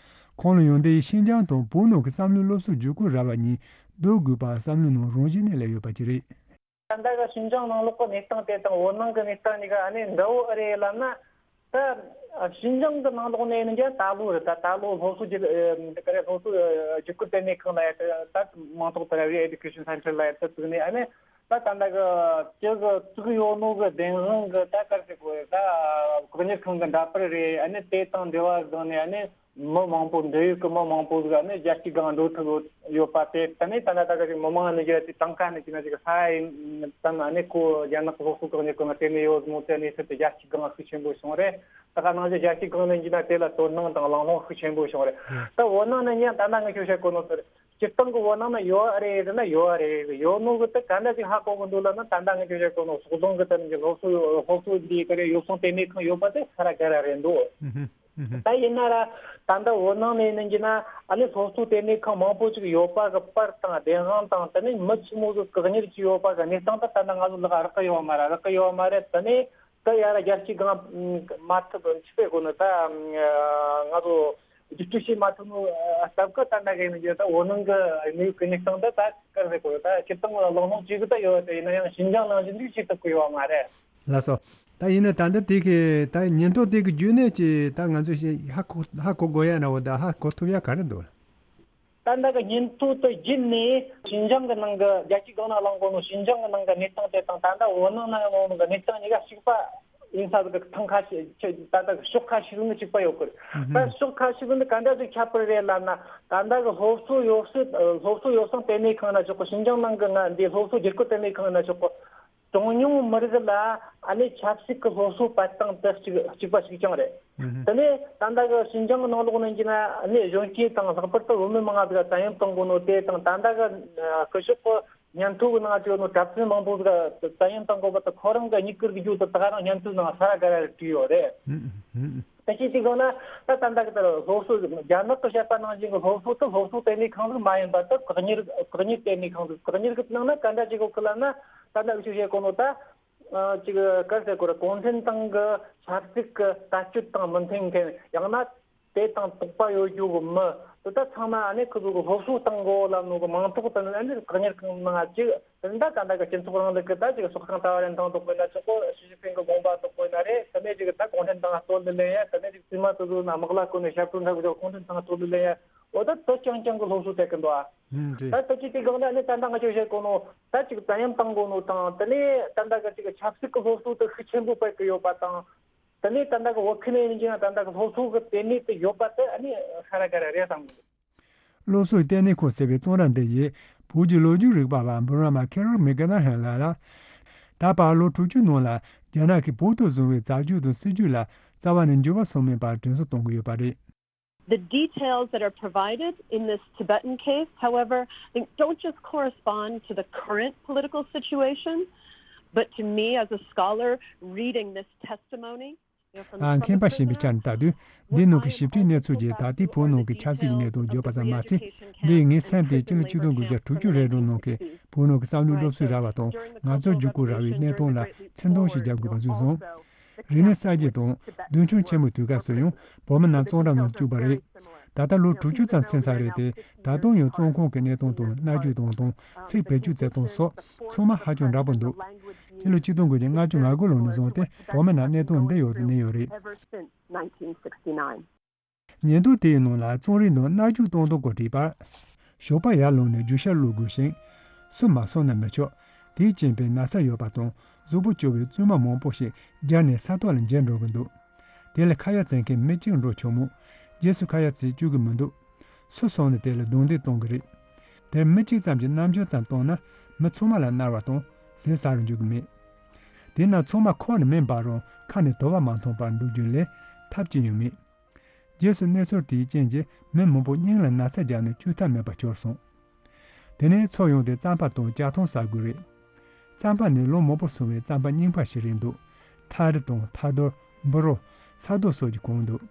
ཁོང་ལ་ཡོང་འདི་ཡིས་ཤིན་ཅང་དང་བོད་ནང་གི་བསམ་བློའི་སློབ་གསོའི་བརྒྱུད་སྐུལ་ར་བ་གཉིས་བསྡུར་དགོས་པ་བསམ་བློའི་ནང་རང་བཞིན་ནས་སླེབས་ཡོད་པ་ཅིག་རེད། ད་ལྟ་གི་ཤིན་ཅང་ནང་ལོགས་ཀྱི་གནས་སྟངས་དེ་དང་བོད་ནང་གི་གནས་སྟངས་གཉིས་ཀ་ཨ་ནི་འདྲ་བོ་ཨེ་རེད་ལབ་ན། ད་ཤིན་ཅང་གི་ནང་ལོགས་ནས་ཡིན་ཀྱང་ད་ལོ་རེད། ད་ད་ལོ་སློབ་གསོ་རྒྱུད་ཨེ་ག་རེ་སློབ་གསོ་ཨེ་རྒྱུད་སྐུལ་ལྟེ་གནས་ཁང་ལ་ཡ་ད་མིང་ཐོགས་ད་ར་རི་ཨེ་ཌུ་ཀེ་ཤན་སེན་ཊར་ལ་ཡ་ད་བཙུགས་ནས་ཨ་ནི་ད་ད་ལྟ་གི་ཅི་གི་བཙུགས་ཡོད་ནོ་གི་བདེན་དཔང་གི་ད་ག་རེ་ཟེར་དགོས་རེད། ད་བཀག་ཉར་ཁང་གི་འདྲ་པར་རེད། ཨ་ནི་དེ་དང་འབྲེལ་བ་བཟུང་ནས་ཨ་ནི་མི་མང་པོ་འབྲེལ་ཡོད་ཀྱི་མི་མང་པོ་ཟིག་ཨ་ནི་རྒྱལ་སྤྱིའི་སྒང་འགྲོ་ཐུབ་ཡོད་པ་དེ་ད་ནི་ད་ལྟ་ད་ག་ཅིག་མི་མང་ནི་ཅིག་ཅིག་གྲངས་ཀ་ནི་ཅིག་ན་ཅིག་ས་ཡིན་ཙམ་ཨ་ནི་ཁོ་རྒྱ་ནག་གི་སློབ་གསོ་བཀག་ཉར་ཁང་ང་དེ་ནས་ཡོད་མོད་དེ་གནས་ཚུལ་དེ་རྒྱལ་སྤྱིའི་སྒང་ཤུགས་ཆེན་པོ་བྱུང་རེད། ད་ག་ནང་བཞིན་རྒྱལ་སྤྱིའི་སྒང་ནས་ཡིན་ན་དེ་ལ་དོ་སྣང་དང་གླེང་སློང་ཤུགས་ཆེན་པོ་བྱུང་རེད། ད་འོ་ན་ནི་ཉན་ད་ན་ངས་ཁྱོད་བཤད་གོ་ནོ་ཟེར། སྤྱིར་བཏང་གི་འོ་ན་ནི་ཡོད་རེད་ཟེར་ན་ཡོད་རེད། ཡོད་ནོ་གི་ད་ག་འདྲ་ཅིག་ཧ་གོ་གི་འདུག་ལབ་ན་ད་ལྟ་ངས་ཁྱོད་བཤད་གོ་ནོ་སོག་རྫོང་གི་ད་ནི་སློབ་གསོ་སློབ་གསོ་འདི་ག་རེ་ཡོ་བསྲང་ལྟེ་གནས་ཁང་ཡོད་པ་དེ་ས་ར་ག་ར་རེད་འདུག་ད་ཡིན་ན་ར་ད་ལྟ་འོ་ནང་ནས་ཡིན་གྱི་ན་ཨ་ནི་སློབ་གསོ་ལྟེ་གནས་ཁང་མང་པོ་ཅིག་ཡོད་པ་གི་པར་དང་བདེན་དཔང་དང་དེ་ནས་མི་ཆི་མོ་ཟིག་བཀག་ཉར་གྱི་ཡོད་པ་གི་གནས་སྟངས་ད་ད་ལྟ་ང་ཚོ་ལག་རག་གི་ཡོད་མ་རེད། རག་གི་ཡོད་མ་རེད། དེ་ནས་ད་ཡ་ར་རྒྱལ་སྤྱིའི་སྒང་མ་ཐུབ་ཆི་པའི་སྒོ་ནས་ད་ང་ཚོ་བསྒྱུར་བཅོས་བྱེད་མ་ཐུབ་ནོ་སྟབས་ཀྱིས་ད་ལྟ་གི་ཡིན་གྱི་ད་འོ་ནང་གི་གནས་ཡུལ་གི་གནས་སྟངས་ད་ད་ག་རེ་ཟེར་དགོས་རེད། ད་སྤྱིར་བཏང་ལ་གླེང་སློང་བྱེད་གི་ད་ཡོད་དེ་ཡིན་ན་ཡང་ཤིན་ཅང་ནང་བཞིན་འདུག་བྱེད་ཐུབ་གི་ཡོད་མ་རེད། ལགས་སོ། ད་ཡིན་ན་ད་འདི་དེ་གི་ད་ཉིན་ཐོ་དེ་གི་བརྒྱུད་ནས་ཀྱི་ད་ང་ཚོ་ཞིག་ཧ་གོ་ཧ་གོ་དགོས་ཡ་འདྲ་བོ་ད་ཧ་གོ་ཐུབ་ཡ་ག་རེ་འདུག་ད་ལྟ་གི་ཉིན་ཐོ་དེ་བརྒྱུད་ནས་ཤིན་ཅང་གི་ནང་གི་རྒྱལ་སྤྱིའི་སྒང་ན་གླེང་གོ་ནོ་ཤིན་ཅང་གི་ནང་གི་གནས་སྟངས་དེ་དང་ད་ལྟ་འོ་ནང་ན་གླེང་གོ་ནོ་གི་གནས་སྟངས་གཉིས་ཀ་གཅིག་པ་ཡིན་ས་གི་ཐང་ཁ་ཤས་ད་ལྟ་གི་ཕྱོགས་ཁ་ཤས་ནི་གཅིག་པ་ཡོད་གི་རེད། ད་ཕྱོགས་ཁ་ཤས་ནི་ག་འདྲ་ཞིག་ཁྱད་པར་རེད་ལབ་ན་ད་ལྟ་གི་སློབ་གསོ་ཡོ་བསྲང་སློབ་གསོ་ཡོ་བསྲང་ལྟེ་གནས་ཁང་ན་ཆོག་གི། ཤིན་ཅང་ནང་གི་ང་འདི་སློབ་གསོ་བསྒྱུར་བཀོད་ལྟེ་གནས་ཁང་ན་ཆོག་གི། གྲངས་ཉུང་མི་རིགས་ལ་ཨ་ནི་ཆབ་སྲིད་ཀྱི་སློབ་གསོ་སྤེལ་སྟངས་དེ་གཅིག་གཅིག་པ་གཅིག་རྐྱང་རེད། དེ་ནས་ད་ལྟ་གི་ཤིན་ཅང་གི་ནང་ལོགས་ནས་ཡིན་ན་ཨ་ནི་གཞོན་སྐྱེས་དང་ལྷག་པར་དུ་བུད་མེད་མང་ང་ཟིག་བཙན་གཡེམ་གཏོང་གོ་ནོ་དེ་དང་ད་ལྟ་གི་སྐུ་ཞབས་ཀྱི་སྙན་ཐོ་གི་ནང་བྲིས་ཡོད་ནོ་གྲྭ་བཙུན་མང་པོ་ཟིག་བཙན་གཡེམ་གཏོང་གོ་བ་དང་ཁོ་རང་གི་མྱིག་ཀིར་གི་རྒྱུད་དུ་ད་ག་རང་སྙན་ཐོའི་ནང་ས་ར་ག་ར་རེ་བྲིས་ཡོད་རེད། ད་ཅི་ཅིག་ཡོང་ན་ད་ད་ལྟ་གི་ད་སློབ་གསོ་རྒྱ་ནག་གི་བཤད་པ་ནང་བཞིན་གི་སློབ་གསོ་དེ་སློབ་གསོ་ལྟེ་གནས་ཁང་ཟིག་མ་ཡིན་པ་དེ་བཀག་ཉར་བཀག་ཉར་ལྟེ་གནས་ཁང་ཟིག་བཀག་ཉར་གི་ནང་ན་ག་འདྲ་ཅིག་གོ་གི་ལབ་ན་ད་ལྟ་འུ་ཆོས་བཤད་གོ་ནོ་ད། ཨ་ཅིག་ག་རེ་ཟེར་དགོས་རེད། གུང་ཁྲན་ཏང་གི་ཆབ་སྲིད་ཀྱི་ལྟ་སྤྱོད་དང་མི་མཐུན་མཁན། ཡང་ན་དེ་དང་དོགས་པ་ཡོད་རྒྱུ་གི་མི་དེ་དག་ཚང་མ་ཨ་ནི་ཁོ་ཚོ་གི་སློབ་གསོ་གཏོང་དགོས་ལབ་ནོ་གི་མིང་ཐོག་ཏུ་ཨ་ནི་བཀག་ཉར་གང་གནང་ཅིག་དེ་འདྲ་ད་ལྟ་གི་སྤྱི་ཚོགས་རིང་ལུགས་ཀྱི་ད་ཅིག་སྲོག་ཤིང་ད་བ་རིན་ཐང་དོག་པོ་ཡིན་ན་ཆོག་གོ། ཞི་ཅིན་ཕིང་གི་དགོངས་པ་དོག་པོ་ཡིན་ན་རེད། དེ་ནས་ཅིག་ད་གུང་ཁྲན་ཏང་གཏོར་ལེན་ཡ། དེ་ནས་ཅིག་བཙུན་མ་དེ་ཚོ་ན་དམག་ལ་བཀོལ་ནས་ཞབས་བྲོ་འཁྲབ་གི་གུང་ཁྲན་ཏང་གཏོར་ལེན་ཡ། འོ་ད་དེ་རྐྱང་རྐྱང་གི་སློབ་གསོ་སྤྲད་གི་འདུག་ཨ། ཨུམ། རེད། ད་དེ་ཅིག་དེ་སྒང་ལ་ནི་ད་ལྟ་ང་ཚོས་བཤད་གོ་ནོ་ད་ཅིག་བཙན་གཡེམ་བཏང་གོ་ནོ་དང་། དེ་ནས་ད་ལྟ་གི་ཅིག་ཆབ་སྲིད་ཀྱི་སློབ་གསོ་དེ་ཤུགས་ཆེན་པོ་སྤེལ་གི་ཡོད་པ་དང་། དེ་ནས་ད་ལྟ་གི་བོད་ཁུལ་ནས་ཡིན་ཀྱང་ད་ལྟ་གི་སློབ་གསོ་གི་ལྟེ་གནས་དེ་ཡོད་པ་དེ་ཨ་ནི་ཧ་ར་ག་ར་རེད་བསམ་གི་འདུག་སློབ་གསོའི་ལྟེ་གནས་ཁང་ཟེར་བའི་གཙང་ར་འདི་ཡིས་བོད་ཀྱི་ལོ་རྒྱུས་རིག་པ་བ་འབུམ་རམས་པ་ཁེ་རོལ་མེག་ཀེ་ནར་ཧན་ལགས་ལ། ད་བར་ལོ་དྲུག་ཅུ་ནང་ལ་རྒྱ་ནག་གིས་བོད་དུ་བཟུང་བའི་བཙག་འཇུག་དང་སྲིད་ཇུས་ལ་རྩ་བ་ནས་འགྱུར་བ་སོང་མེད་པར་དྲན་གསོ་གཏོང་གི་ཡོད་པ་རེད། The details that are provided in this Tibetan case, however, I think don't just correspond to the current political situation, but to me as a scholar reading this testimony, you know, from the ཨ། མཁས་པ་former གཞན་པའི་ཆ་ནས་ལྟ་དུས། འདི་ནང་གི་ཞིབ་ཕྲའི་གནས་ཚུལ་གྱིས་ད་ལྟའི་བོད་ནང་གི་ཆབ་སྲིད་ཀྱི་གནས་སྟངས་བརྗོད་པ་ཙམ་མ་ཟད། འདིས་ངའི་སེམས་དེ་སྤྱི་ལོ་ཆིག་སྟོང་དགུ་བརྒྱ་དྲུག་ཅུ་རེ་དྲུག་ནང་གི་བོད་ནང་གི་བསམ་བློའི་སློབ་གསོའི་ར་བ་དང་ང་ཚོར་བརྒྱུད་སྐུལ་ར་བའི་གནས་སྟངས་ལ་ཚིག་འདོན་ཞིག་རྒྱག་དགོས་པ་བཟོས་སོང་། རིག་གནས་གསར་བརྗེ་དང་རྡུལ་ཕྲན་ཆེན་མོའི་དུས་སྐབས་སུ་ཡང་བོད་མི་རྣམས་གཙང་སྦྲ་ནང་བཅུག་པ་རེད། ད་ལྟ་ལོ་དྲུག་ཅུ་ཙམ་ཕྱིན་ཚར་རེད་དེ། ད་དུང་ཡང་བཙོན་ཁང་གི་གནས་སྟངས་དང་མནར་གཅོད་གཏོང་སྟངས། ཚིག་བེད་སྤྱོད་བྱེད་སྟངས་སོགས་ཚང་མ་ཧ་ཅང་འདྲ་པོ་འདུག་སྤྱི་ལོ་ཆིག་སྟོང་དགུ་བརྒྱ་ལྔ་བཅུ་ང་དགུ་ལོ་ནས་བཟུང་སྟེ་བོད་མི་རྣམས་གནས་སྟངས་འདི་ཡོད་དུ་གནས་ཡོད་རེད། ཉིན་ཐོ་དེའི་ནང་ལ་བཙོན་རའི་ནང་མནར་གཅོད་གཏོང་སྟངས་སྐོར་བྲིས་པར། ཞོགས་པ་ཡར་ལངས་ནས་རྒྱུ་ཤ་བླུག་དགོས་ཤིང་། སོ་མ་སོས་ན་མི་ཆོག་དེའི་རྐྱེན་པས་ན་ཚ་ཡོད་པ་དང་གཟུགས་པོ་སྐྱོ་བའི་བཙུན་མ་མང་པོ་ཞིག་འབྱར་ནས་ས་ཐོག་ལ་འགྱེལ་འགྲོ་གི་འདུག་དེ་ལ་ཁ་ཡ་བྱེད་མཁན་མི་གཅིག་འགྲོ་ཆོག་མོད། རྗེས་སུ་ཁ་ཡ་བྱེད་བཅུག་གི་མི་འདུག་སུ་སོང་ནས་དེ་ལ་རྡུང་རྡེག་གཏོང་གི་རེད། དེར་མི་གཅིག་ཙམ་གྱིས་རྣམ་འགྱུར་ཙམ་བཏང་ན་མི་ཚང་མ་ལ་མནར་བ་དང་ཟས་ཟ་རུ་འཇུག་གི་མེད། དེས་ན་ཚང་མ་ཁོག་ནས་མེ་འབར་རུང་ཁ་ནས་དུ་བ་མ་འཐོན་པར་འདུག་རྒྱུ་ལས་ཐབས་ཅི་ཡང་མེད། རྗེས་སུ་གནས་ཚུལ་དེའི་རྐྱེན་གྱིས་མི་མང་པོ་སྙིང་ལ་ན་ཚ་བརྒྱབ་ནས་བཅོས་ཐབས་མེད་པར་གྱུར་སོང་། དེ་ནས་འཚོ་ཡོང་དུས་རྩམ་པ་དང་ལྕགས་ཐང་ཟ་དགོས་རེད། རྩམ་པ་ནི་ལོ་མང་པོ་སོང་བའི་རྩམ་པ་རྙིང་པ་ཞིག་རེད་འདུག་ཐ་རི་དང་ཐ་རྡོར། འབུ་རོ། ས་རྡོ་སོགས་ཀྱིས་གང་འདུག་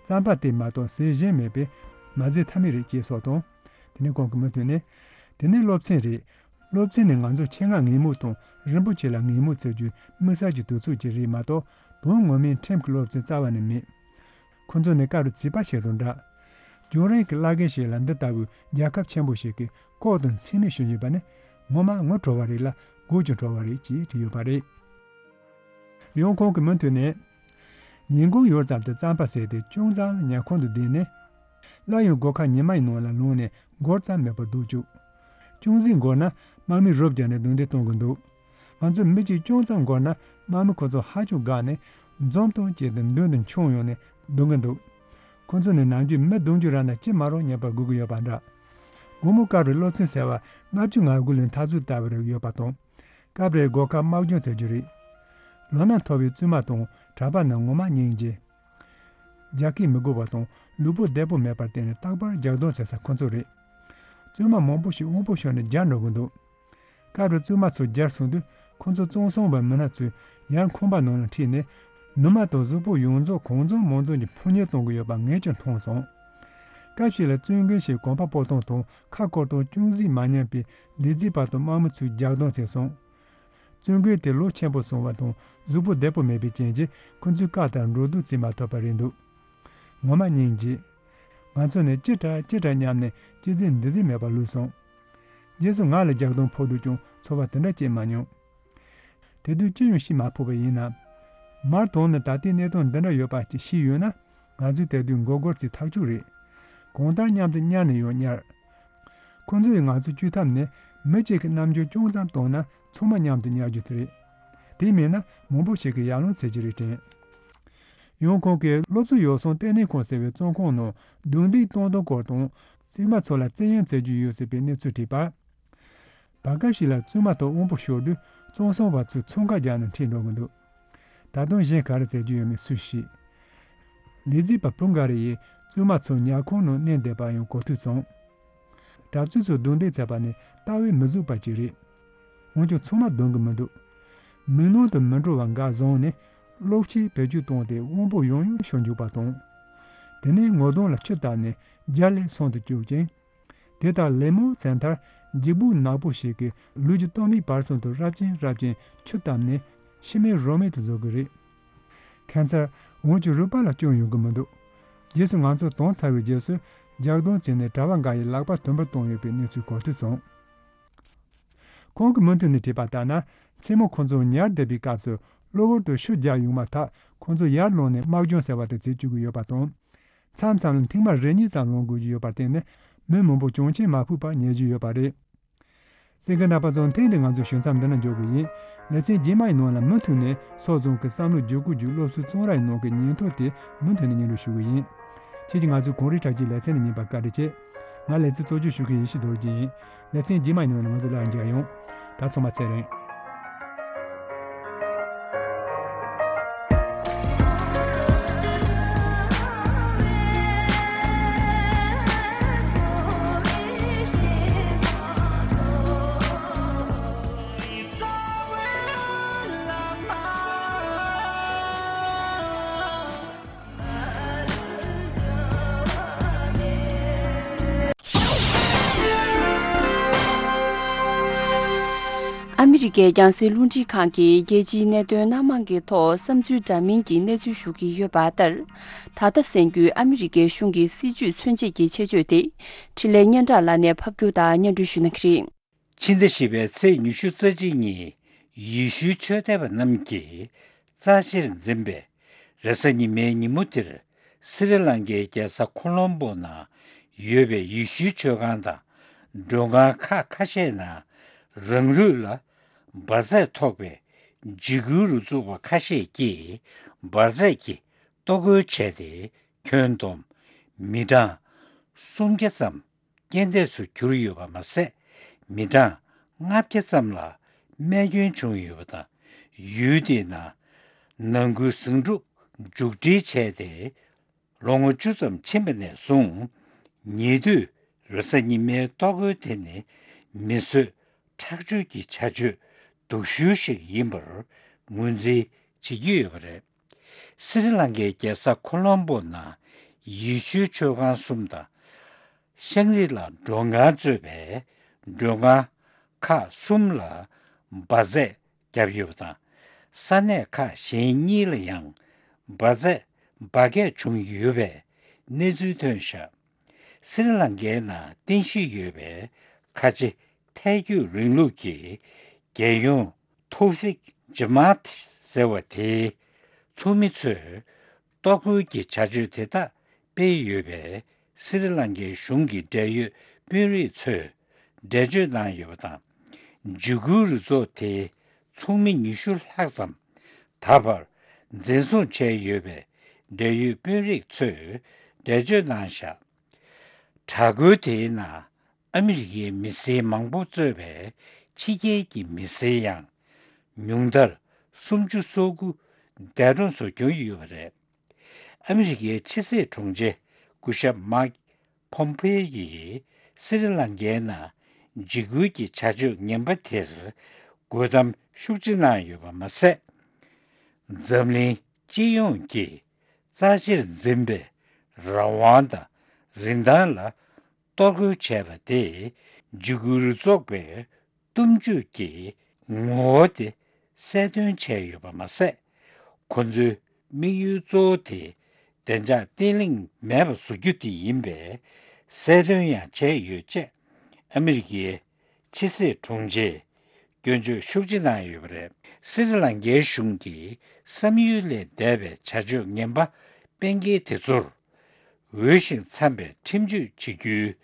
རྩམ་པ་དེ་མ་གཏོགས་ཟས་གཞན་མེད་པས་མ་ཟོས་ཐབས་མེད་རེད་ཅེས་སོགས་དང་། དེ་ནས་ཁོང་གི་མུ་མཐུད་ནས། དེ་ནས་སློབ་ཚན་རེད། སློབ་ཚན་ནི་ང་ཚོ་ཆེད་མངགས་ངན་སྨོད་དང་རིན་པོ་ཆེ་ལ་ངན་སྨོད་བྱེད་རྒྱུའི་དམིགས་བསལ་གྱི་དུས་ཚོད་ཅིག་རེད་མ་གཏོགས། དོན་ངོ་མའི་ཁྲིམས་ཀྱི་སློབ་ཚན་རྩ་བ་ནས་མེད། ཁོ་ཚོ་ནི་སྐབས་རེ་བྱིས་པ་ཞིག་དང་འདྲ། རྒྱང་རིང་གི་བླ་རྒན་ཞིག་ལ་འདི་ལྟ་བུའི་རྒྱལ་ཁབ་ཆེན་པོ་ཞིག་གི་ལྐོག་ཏུ་མཚན་སྨད་ཞུ་བཞིན་པ་ནི་ངོ་མ་ངུ་བྲོ་བ་རེད་ལ་དགོད་ཀྱང་བྲོ་བ་རེད་ཅེས་བྲིས་ཡོད་པ་རེད། ཡང་ཁོང་གི་མུ་མཐུད་ནས། ཉིན་གུང་ཡོལ་ཙམ་དུ་རྩམ་པ་ཟས་ཏེ་ཅུང་ཙམ་ཉལ་ཁང་དུ་བསྡད་ནས། སླར་ཡང་སྒོ་ཁ་ཉི་མའི་ནང་ལ་ལངས་ནས་འགོར་ཙམ་མེད་པར་སྡོད་བཅུག་ཅུང་ཟད་འགོར་ན་དམག་མིས་རོབ་བརྒྱབ་ནས་རྡུང་རྡེག་གཏོང་གི་འདུག་ང་ཚོས་མི་གཅིག་ཅུང་ཙམ་འགོར་ན་དམག་མི་ཁོ་ཚོ་ཧ་ཅང་དགའ་ནས་འཛུམ་དང་བཅས་ཏེ་མདུན་དུ་མཆོངས་ཡོང་ནས་རྡུང་གི་འདུག་ཁོ་ཚོ་ནི་ནམ་རྒྱུན་མི་རྡུང་རྒྱུ་ར་ན་ཅི་མ་རུང་ཉན་པར་སྒུག་གི་ཡོད་པ་འདྲ། དགོང་མོ་སྐབས་རེ་སློབ་ཚན་ཟེར་བ་ལྔ་བཅུ་ང་དགུ་ལོའི་འཐབ་རྩོད་ལྟ་བུ་རེ་ཡོད་པ་དང་། སྐབས་རེ་སྒོ་ཁར་དམག་སྦྱོང་བྱེད་རྒྱུ་རེད། ལོ་ན་མཐོ་བའི་བཙུན་མ་དང་གྲྭ་པ་རྣམས་ངོ་མ་སྙིང་རྗེ། རྒྱགས་སྐྱེལ་མི་དགོས་པ་དང་ལུས་པོ་བདེ་པོ་མེད་པར་བརྟེན་ནས་རྟག་པར་རྒྱགས་གདོང་བྱེད་ས་ཁོ་ཚོ་རེད། བཙུན་མ་མང་པོ་ཞིག་དབང་པོ་ཤོར་ནས་འབྱར་འགྲོ་གི་འདུག་སྐབས་རེ་བཙུན་མ་ཚོ་འབྱར་སོང་དུས་ཁོ་ཚོ་གཙང་གསུམ་པའི་མི་སྣ་ཚོས་ཡར་ཁང་པ་ནང་ལ་ཁྲིད་ནས་ནུ་མ་དང་གཟུགས་པོ་ཡོངས་རྫོགས་གང་འཛོམས་མང་འཛོམས་ཀྱིས་ཕོ་ཉ་གཏོང་གི་ཡོད་པ་ངས་ཀྱང་མཐོང་སོང་། སྐབས་ཤིག་ལ་བཙུན་རྒན་ཞིག་གོམ་པ་སྤོ་སྟངས་དང་ཁ་བསྐོར་སྟངས་ཅུང་ཟད་མ་ཉན་པས་ལས་བྱེད་པ་དང་དམག་མི་ཚོས་རྒྱགས་གདོང་བྱས་སོང་། བཙུན་རྒན་དེ་ལོ་ཆེན་པོ་སོང་བ་དང་གཟུགས་པོ་བདེ་པོ་མེད་པའི་རྐྱེན་གྱིས་ཁོ་ཚོའི་བཀའ་ལྟར་འགྲོ་འདུག་བྱེད་མ་ཐུབ་པ་རེད་འདུག་ངོ་མ་སྙིང་རྗེ། ང་ཚོ་ནི་ཅི་དྲག་ཅི་དྲག་སྙམ་ནས་ཅི་ཟེར་འདི་ཟེར་མེད་པར་ལུས་སོང་། རྗེས་སུ་ང་ལ་རྒྱགས་གདོང་ཕོག་འདུག་ཀྱང་ཚོར་བ་དེ་འདྲ་སྐྱེས་མ་མྱོང་། དེ་དུས་ཅི་ཡང་ཤེས་མ་ཕོད་པ་ཡིན་ནམ། མར་དོན་ནི་ད་ལྟའི་གནས་སྟངས་འདི་འདྲ་ཡོད་པ་ཅིག་ཤེས་ཡོད་ན། ང་ཚོས་དེ་དུས་མགོ་སྒུར་ཚེ་ཐག་ཆོད་རེད། གང་ལྟར་མཉམ་དུ་གཉའ་ནས་ཡང་གཉར། ཁོ་ཚོས་ང་ཚོ་བཅོས་ཐབས་ནི་མི་གཅིག་གི་རྣམ་འགྱུར་ཅུང་ཙམ་བཏང་ན་ཚང་མ་མཉམ་དུ་གཉར་རྒྱུ་དེ་རེད། དེ་མིན་ན་མང་པོ་ཞིག་གིས་ཡར་ལངས་བྱེད་ཀྱི་རེད་དྲན། ཡང་ཁོང་གིས་སློབ་གསོ་ཡོ་བསྲང་ལྟེ་གནས་ཁང་ཟེར་བའི་བཙོན་ཁང་ནང་རྡུང་རྡེག་གཏོང་སྟངས་སྐོར་དང་བཙུན་མ་ཚོ་ལ་བཙན་གཡེམ་བྱེད་རྒྱུ་ཡོད་ཟེར་བའི་གནས་ཚུལ་བྲིས་པར། བར་སྐབས་ཤིག་ལ་བཙུན་མ་དང་དབང་པོ་ཤོར་དུས་གཙང་གསུམ་པ་ཚོས་འཚང་ཁ་རྒྱག་ནས་ཁྲིད་འགྲོ་གི་འདུག་ད་དུང་གཞན་ག་རེ་བྱེད་རྒྱུ་ཡོད་མེད་སུས་ཤེས། ལས་བྱེད་པ་བུ་འགའ་རེ་ཡིས་བཙུན་མ་ཚོ་ཉལ་ཁང་ནང་མནན་བསྡད་པ་ཡང་གོ་ཐོས་བྱུང་། གྲྭ་བཙུན་ཚོས་རྡུང་རྡེག་བྱས་པ་ནི་ལྟ་བས་མི་བཟོད་པ་ཅིག་རེད། འོན་ཀྱང་ཚང་མ་འདང་གི་མི་འདུག་མིག་ནང་དུ་མི་འགྲོ་བ་འགའ་བཟུང་ནས་གློག་ཆས་བེད་སྤྱོད་བཏང་སྟེ་དབང་པོ་ཡང་ཡང་ཤོར་འཇུག་པ་དང་། དེ་ནས་ངོ་གདོང་ལ་ཆུ་བཏབ་ནས་རྒྱ་ལས་སོང་དུ་བཅུག་ཅིང་། དེ་ལྟར་ལད་མོ་བྱས་མཐར་འཇིགས་སྦུག་ནག་པོ་ཞིག་གིས་ལུས་ཀྱི་སྟོད་སྨད་བར་གསུམ་དུ་རབ་ཅིང་རབ་ཅིང་ཆུ་བཏབ་ནས། ཤི་མེད་རོ་མེད་དུ་བཟོ་གི་རེད། ཁ་སང་འོན་ཀྱང་རུ་པ་ལ་སྐྱོན་ཡོང་གི་མི་འདུག་རྗེས་སུ་ང་ཚོ་དྭངས་ཚར་བའི་རྗེས་སུ་རྒྱག་རྡུང་བྱས་ནས་གྲྭ་པ་འགའ་ཡི་ལག་པ་དུམ་བུར་བཏང་ཡོད་པའི་གནས་ཚུལ་གོ་ཐོས་སོང་། ཁོང་གིས་མུ་མཐུད་ནས་བྲིས་པ་ལྟར་ན། མཚན་མོ་ཁོང་ཚོ་ཉལ་བསྡད་པའི་སྐབས་སུ་གློ་བུར་དུ་ཤུགས་རྒྱག་ཡོང་མ་ཐག་ཁོང་ཚོ་ཡར་ལངས་ནས་དམག་སྦྱོང་ཟེར་བ་དེ་བྱེད་བཅུག་གི་ཡོད་པ་དང་། མཚམས་མཚམས་ལ་ཐེངས་མ་རེ་གཉིས་ཙམ་ལངས་དགོས་ཀྱི་ཡོད་པར་བརྟེན་ནས་མི་མང་པོ་གྱོང་ཆེན་མ་ཕོག་པར་ཉལ་རྒྱུ་ཡོད་པ་རེད། གསན་མཁན་རྣམ་པ་ཚོ། ཐེངས་འདིའི་ང་ཚོའི་ཞུ་མཚམས་འདི་ན་འཇོག་གི་ཡིན། ལེ་ཚན་རྗེས་མ་ཡི་ནང་ལ་མུ་མཐུད་ནས་ཚོགས་བཟང་གི་བསམ་བློ་བརྗེ་བཀོད་ཀྱི་སློབ་གསོའི་བཙོན་ར་ཡི་ནང་གི་ཉིན་ཐོ་དེ་མུ་མཐུད་ནས་སྙན་སྒྲོན་ཞུ་གི་ཡིན། ཁྱེད་ཀྱིས་ང་ཚོའི་གངས་རིའི་བྲག་ཅའི་ལེ་ཚན་འདི་ཉན་པར་བཀའ་དྲིན་ཆེ། ང་ལེ་ཚན་གཙོ་སྐྱོང་ཞུ་མཁན་ཡེ་ཤེས་རྡོ་རྗེ་ཡིན། ལེ་ཚན་རྗེས་མ་ཡི་ནང་ལ་ང་ཚོ་སླར་མཇལ་ཡོང་། ད་ཚང་མ་ཚེ་རིང་། ཨ་མི་རི་ཀའི་རྒྱང་སྲིང་རླུང་འཕྲིན་ཁང་གིས་རྒྱལ་སྤྱིའི་གནད་དོན་སྣ་མང་གི་ཐོག་བསམ་ཚུལ་འདྲ་མིན་གྱི་གནས་ཚུལ་ཞུ་གི་ཡོད་པ་ལྟར། ད་ལྟ་གསན་རྒྱུའི་ཨ་མི་རི་ཀའི་གཞུང་གི་སྲིད་ཇུས་མཚོན་བྱེད་ཀྱི་ཆེད་བརྗོད་དེ། འཕྲིན་ལས་སྙན་གྲགས་ལགས་ནས་ཕབ་སྒྱུར་དང་སྙན་སྒྲོན་ཞུ་གནང་གི་རེད། ཕྱི་ཟླ་བཞི་པའི་ཚེས་ཉི་ཤུ་རྩ་གཅིག་ཉིན་ཡེ་ཤུའི་ཆོས་དད་པ་རྣམས་ཀྱིས་རྩ་ཆེར་འཛིན་པའི་རེས་གཟའ་ཉི་མའི་ཉིན་མོ་དེར། སི་རི་ལང་ཀའི་རྒྱལ་ས་ཁོ་ལོམ་པོ་ནང་ཡོད་པའི་ཡེ་ཤུའི་ཆོས་ཁང་དང་མགྲོན་ཁང་ཁག་ཁ་ཤས་ནང་རང་ལུས་ལ་འབར་རྫས་ཐོགས་པའི་འཇིགས་སྐུལ་རུ་ཚོགས་པ་ཁ་ཤས་ཀྱིས་འབར་རྫས་ཀྱི་གཏོར་རྒོལ་བྱས་ཏེ། ཁྱོན་བསྡོམས་མི་གྲངས་སུམ་བརྒྱ་ཙམ་རྐྱེན་འདས་སུ་གྱུར་ཡོད་པ་མ་ཟད། མི་གྲངས་ལྔ་བརྒྱ་ཙམ་ལ་རྨས་སྐྱོན་བྱུང་ཡོད་པ་དང་། ཡུལ་དེའི་ནང་ནང་ཁུལ་ཟིང་འཁྲུག་མཇུག་སྒྲིལ་བྱས་ཏེ། ལོ་ངོ་བཅུ་ཙམ་ཕྱིན་པ་ནས་བཟུང་། ཉེ་དུས་རེས་གཟའ་ཉི་མའི་གཏོར་རྒོལ་དེ་ནི་མི་གསོད་ཁྲག་སྦྱོར་གྱི་བྱ་སྤྱོད་སྡུག་ཤོས་ཤིག་ཡིན་པར་ངོས་འཛིན་བྱེད་ཀྱི་ཡོད་པ་རེད། སི་རི་ལང་ཀའི་རྒྱལ་ས་ཁོ་ལོམ་པོ་ནང་ཡེ་ཤུའི་ཆོས་ཁང་གསུམ་དང་། ཤང་རི་ལ་མགྲོན་ཁང་གཙོས་པའི་མགྲོན་ཁང་ཁག་གསུམ་ལ་འབར་རྫས་བརྒྱབ་ཡོད་པ་དང་། ས་གནས་ཁག་གཞན་གཉིས་ལ་ཡང་འབར་རྫས་འབར་གས་བྱུང་ཡོད་པའི་གནས་ཚུལ་ཐོན་བཞག་སི་རི་ལང་ཀའི་ནང་རྟེན་གཞི་ཡོད་པའི་ཁ་ཆེ་ཐལ་སྐྱོད་རིང་ལུགས་ཀྱི་རྒྱལ་ཡོངས་ཐོ་ཧྥིག་ཇི་མཱད་ཟེར་བ་དེའི་ཚོགས་མི་ཚོས། གཏོར་རྒོལ་གྱི་བྱ་སྤྱོད་དེ་དག་སྤེལ་ཡོད་པས། སི་རི་ལང་ཀའི་གཞུང་གི་འབྲེལ་ཡོད་དཔོན་རིགས་ཚོས་འགྲེལ་བརྗོད་གནང་ཡོད་པ་དང་། འཇིགས་སྐུལ་རུ་ཚོགས་དེའི་ཚོགས་མི་ཉི་ཤུ་ལྷག་ཙམ་ད་བར་འཛིན་བཟུང་བྱས་ཡོད་པའི་འབྲེལ་ཡོད་དཔོན་རིགས་ཚོས་འགྲེལ་བརྗོད་གནང་བཞག་དྲག་རྒོལ་དེའི་ནང་ཨ་མི་རི་ཀའི་མི་སེར་མང་པོ་གཙོས་པའི་ཕྱི་རྒྱལ་གྱི་མི་སེར་ཡང་ཉུང་མཐར་སུམ་ཅུ་སོ་དགུ་འདས་གྲོངས་སུ་གྱུར་ཡོད་པ་རེད། ཨ་མི་རི་ཀའི་ཕྱི་སྲིད་དྲུང་ཆེ་སྐུ་ཞབས་མཱིག་ཕོམ་ཕེ་ཡིས་སི་རི་ལང་ཀའི་ནང་འཇིགས་སྐུལ་གྱི་བྱ་སྤྱོད་ངན་པ་དེར་དགོད་གཏམ་ཤུགས་ཆེ་གནང་ཡོད་པ་མ་ཟད། འཛམ་གླིང་སྤྱི་ཡོངས་ཀྱིས་རྩ་ཆེར་འཛིན་པའི་རང་དབང་དང་རིན་ཐང་ལ་གཏོར་རྒོལ་བྱས་པ་དེས་འཇིགས་སྐུལ་རུ་ཚོགས་པའི་གཏུམ་སྤྱོད་ཀྱི་ངོ་བོ་དེ་གསལ་སྟོན་བྱས་ཡོད་པ་མ་ཟད། ཁོ་ཚོའི་དམིགས་ཡུལ་གཙོ་བོ་དེ་བདེ་འཇགས་བརྟན་ལྷིང་མེད་པ་བཟོ་རྒྱུ་དེ་ཡིན་པའི་གསལ་སྟོན་ཡང་བྱས་ཡོད་ཅེས་ཨ་མི་རི་ཀའི་ཕྱི་སྲིད་དྲུང་ཆེས་སྐྱོན་བརྗོད་ཤུགས་ཆེ་གནང་ཡོད་པ་རེད། སི་རི་ལང་ཀའི་གཞུང་གིས་བསམ་ཡུལ་ལས་འདས་པའི་བྱ་སྤྱོད་ངན་པ་སྤེལ་མཁན་དེ་ཚོར། འོས་ཤིང་འཚམ་པའི་ཁྲིམས་གཅོད་བྱེད་རྒྱུའི་